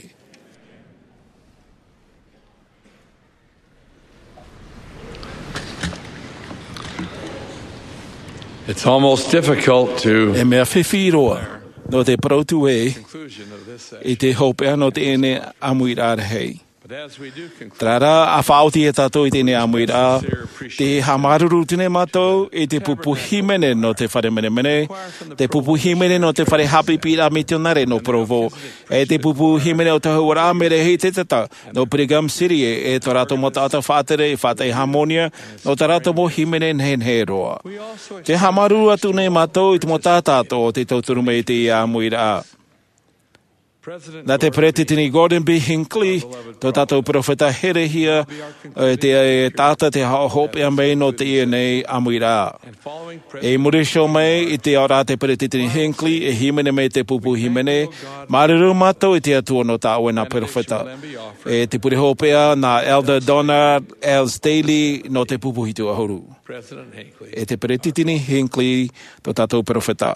It's almost difficult to E mea fifi roa, nō te parau atu ē, conclusion of this i te hopeʻa nō teie nei ʻāmuiraʻa rahi. But as we do conclude, Terā rā, ʻa faʻaoti ia tātou i teie nei ʻāmuiraʻa, te haʻamāuruuru atu nei mātou i te pupu hīmene nō te fare menemene, te pupu hīmene nō te fare haʻapiʻiraʻa mitionare nō Provo, e te pupu hīmene o te ahuaraʻa Mele Hātētata nō Brigham City, e, e tō rātou mau taʻata faʻatere i Haʻatai Hāmoni, nō tā rātou mau hīmene nehenehe roa. Te haʻamāuruuru atu nei mātou i te mau taʻata atoʻa o tē tauturu mai i teie ʻāmuiraʻa. Nā te Peretiteni Gordon B. Hinckley, tō tātou perofeta herehia, e, te, e, taʻata tē haʻahopeʻa mai nō teie nei ʻāmuiraʻa. E muri iho mai i te aʻoraʻa a te Peretiteni Hinckley, e hīmene mai te pupu hīmene, māuruuru mātou i te Atua nō tā ʻoe nā perofeta. E te pure hopeʻa nā Elder Donald L. Staley nō te pupu hitu ʻahuru. E te Peretiteni Hinckley, tō tātou perofeta.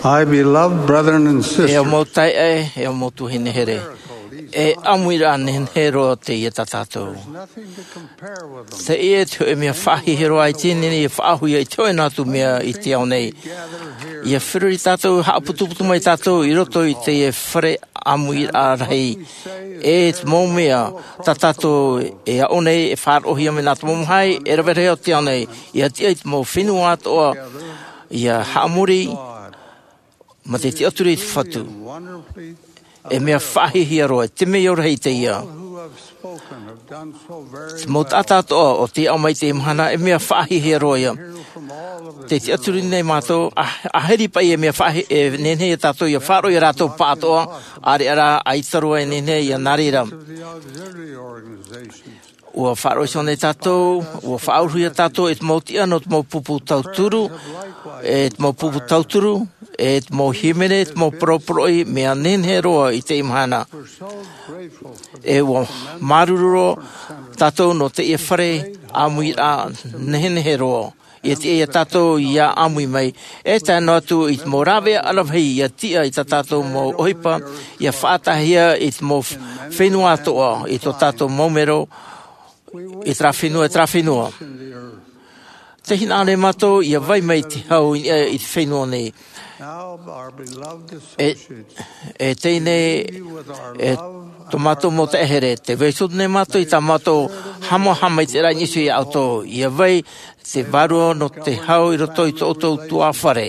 My beloved brethren and sisters, E au mau taeaʻe, e au mau tuahine here. E ʻāmuiraʻa nehenehe roa teie tā tātou. Teie te hōʻē mea faʻahiahia roa i teie nei, e faʻaʻohipa i te hōʻē nā atu mea i te ao nei. ʻIa feruri tātou, haʻaputuputu mai tātou i roto i teie fare ʻāmuiraʻa rahi. E te mau mea tā tātou e aʻo nei, e faʻaroʻohia mai nā te mau mahi e rave rahi o te ao nei. ʻIa tiʻa i te mau fenua atoʻa, ʻia haʻamori, mā te tiʻaturi i te Fatu. E mea faʻahiahia roa, te mea rahi teie. Te mau taʻata atoʻa o tei aʻo mai i teie mahana, e mea faʻahiahia roa ia. Tē tiʻaturi nei mātou, a, ʻahiri paʻi e mea faʻahi-, e nehenehe ia tātou ʻia faʻaroʻo i ā rātou pāʻatoʻa, ʻāreʻa rā, ʻaita roa e nehenehe ia nā reira. ʻUa faʻaroʻo iho nei tātou, ʻua faʻaʻuruhia tātou e te mau tiʻa nō te mau pupu tauturu, e te mau pupu tauturu, e te mau hīmene, e te mau poroporoʻi, mea nehenehe roa i teie mahana. E ʻua māuruuru roa tātou nō teie fare ʻāmuiraʻa nehenehe roa. ʻIa tiʻa ia tātou ʻia ʻāmui mai, e tae noa atu i te mau rāveʻa ʻaravihi ʻia tiʻa i tā tātou mau ʻohipa, ʻia faʻataʻahia i te mau f-, fenua atoʻa, i tō tātou mau mero, i terā fenua, i terā fenua. Tē hinaʻaro nei mātou ʻia vai mai te hau i niʻa i te fenua nei. E, e teie nei, e tō mātou mau taeaʻe here, tē vai atu nei mātou i tā mātou haʻamāuruuru i te raʻi nisi iā ʻoutou, ʻia vai te vārua nō te hau i roto i tō ʻoutou tuāfare.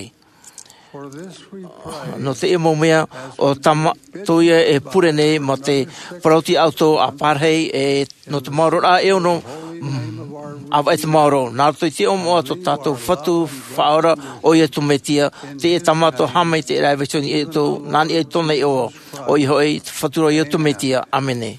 Nō teie mau mea, ʻo tā mātou ia e pure nei mā te parau iā ʻoutou ā pārahi e nō te maororaʻa e ono, mm, ʻāvaʻe te maoro. Nā roto i te iʻoa moʻa tō tātou Fatu Faʻaora, ʻo Iesu Mesia, teie tā mātou haʻamaitaʻiraʻa e vai atu nei iā ʻoutou, nā niʻa i tōna iʻoa, ʻoia hoʻi, te Fatu ra ʻo Iesu Mesia. ʻĀmene.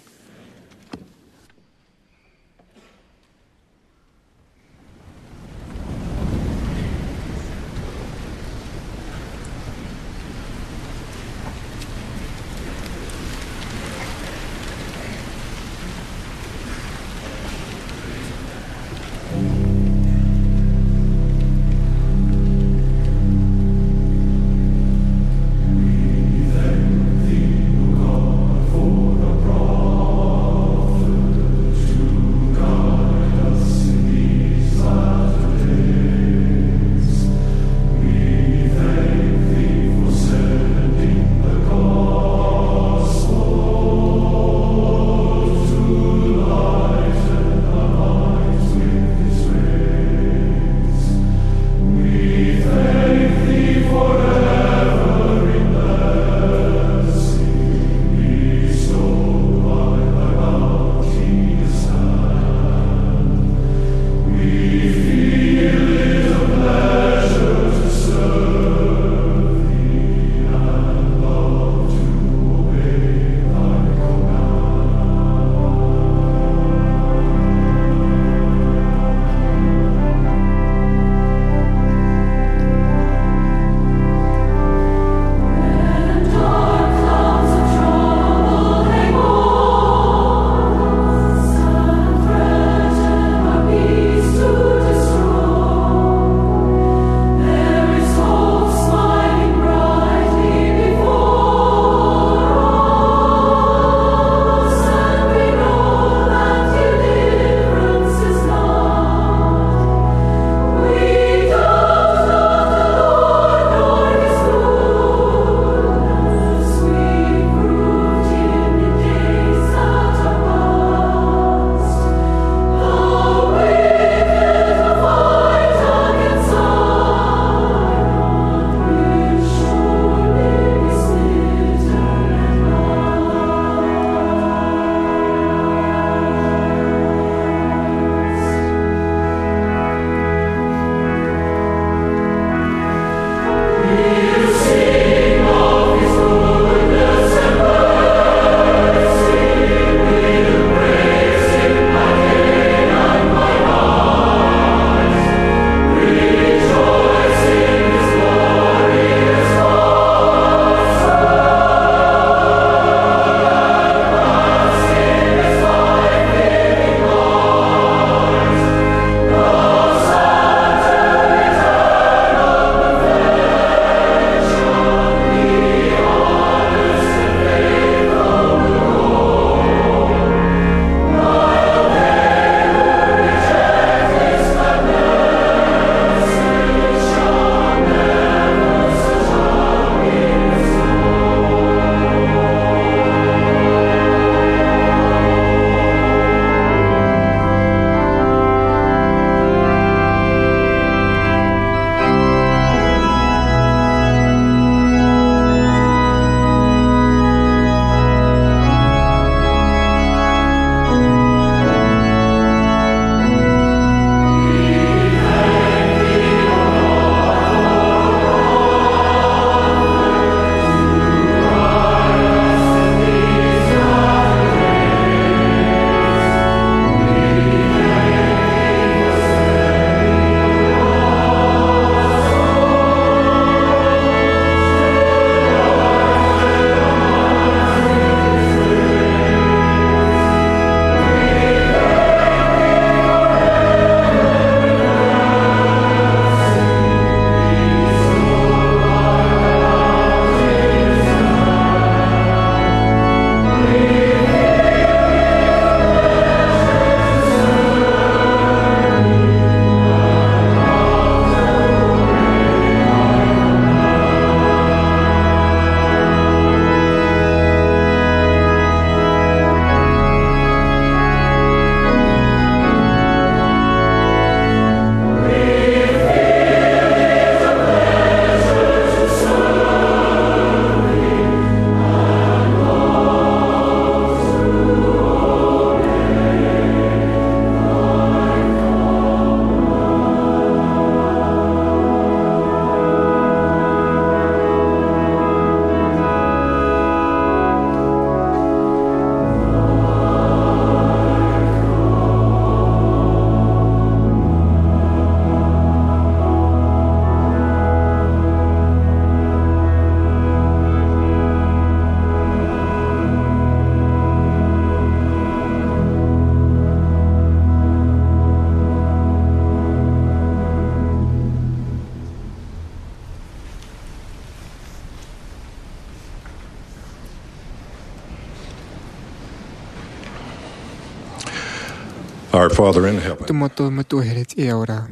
Our Father in heaven, tō mātou Metua here i te ao ra,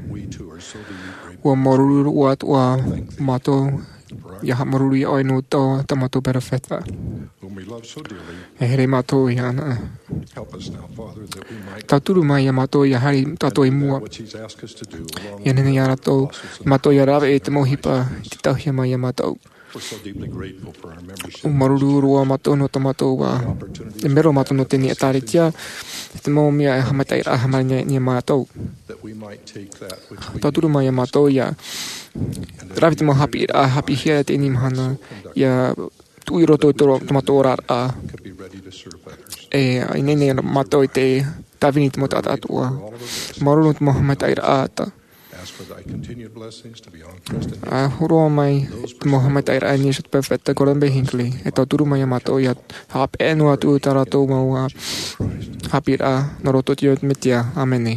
ʻua māuruuru roa atoʻa mātou ʻia haʻamāuruuru iā ʻoe nō tō, tā mātou perofeta. E here mātou iāna. Tauturu mai iā mātou ʻia haere tātou i mua. ʻIa nehenehe iā rātou, mātou ʻia rave i te mau ʻohipa i te tauhia mai iā mātou. ʻUa māuruuru roa mātou nō tō mātou, ā, e mero mātou nō teie ʻēkālesia, e te mau mea e haʻamaitaʻiraʻa hāmani nei iā mātou. Tauturu mai iā mātou ʻia rave te mau haʻapiʻiraʻa, haʻapiʻihia teie mahana, ʻia tuʻu i roto i tō, tō mātou oraraʻa. E, ʻia nehenehe mātou i te tāvini i te mau taʻata atoʻa. Māuruuru nō te mau haʻamaitaʻiraʻa. ʻA hōroʻa mai te mau haʻamaitaʻiraʻa nā Iesu te perofeta Gordon B. Hinckley, e tauturu mai iā mātou ʻia haʻapeʻe noa atu tā rātou mau, ā, haʻapiʻiraʻa, nā roto i te iʻoa o te Mesia. ʻĀmene.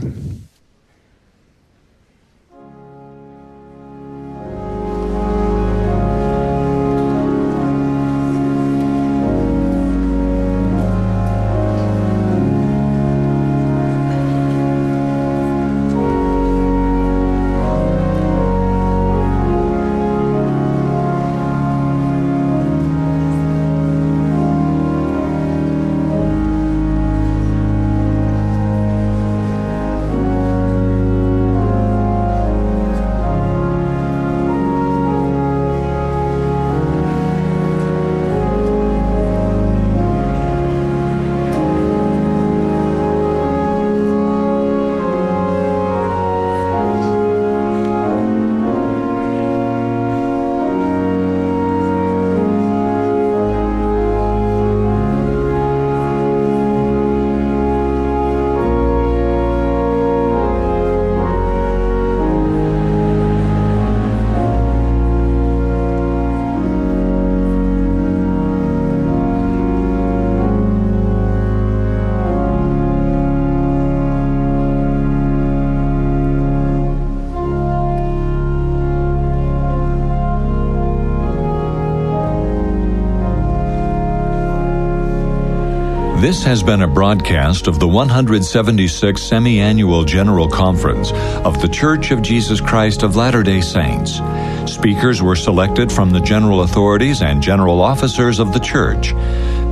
This has been a broadcast of the one hundred seventy-sixth Semi-Annual General Conference of The Church of Jesus Christ of Latter-day Saints. Speakers were selected from the general authorities and general officers of the church.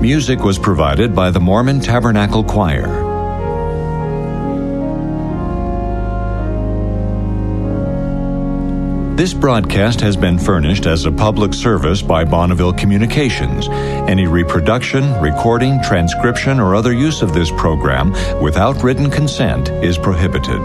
Music was provided by the Mormon Tabernacle Choir. This broadcast has been furnished as a public service by Bonneville Communications. Any reproduction, recording, transcription, or other use of this program without written consent is prohibited.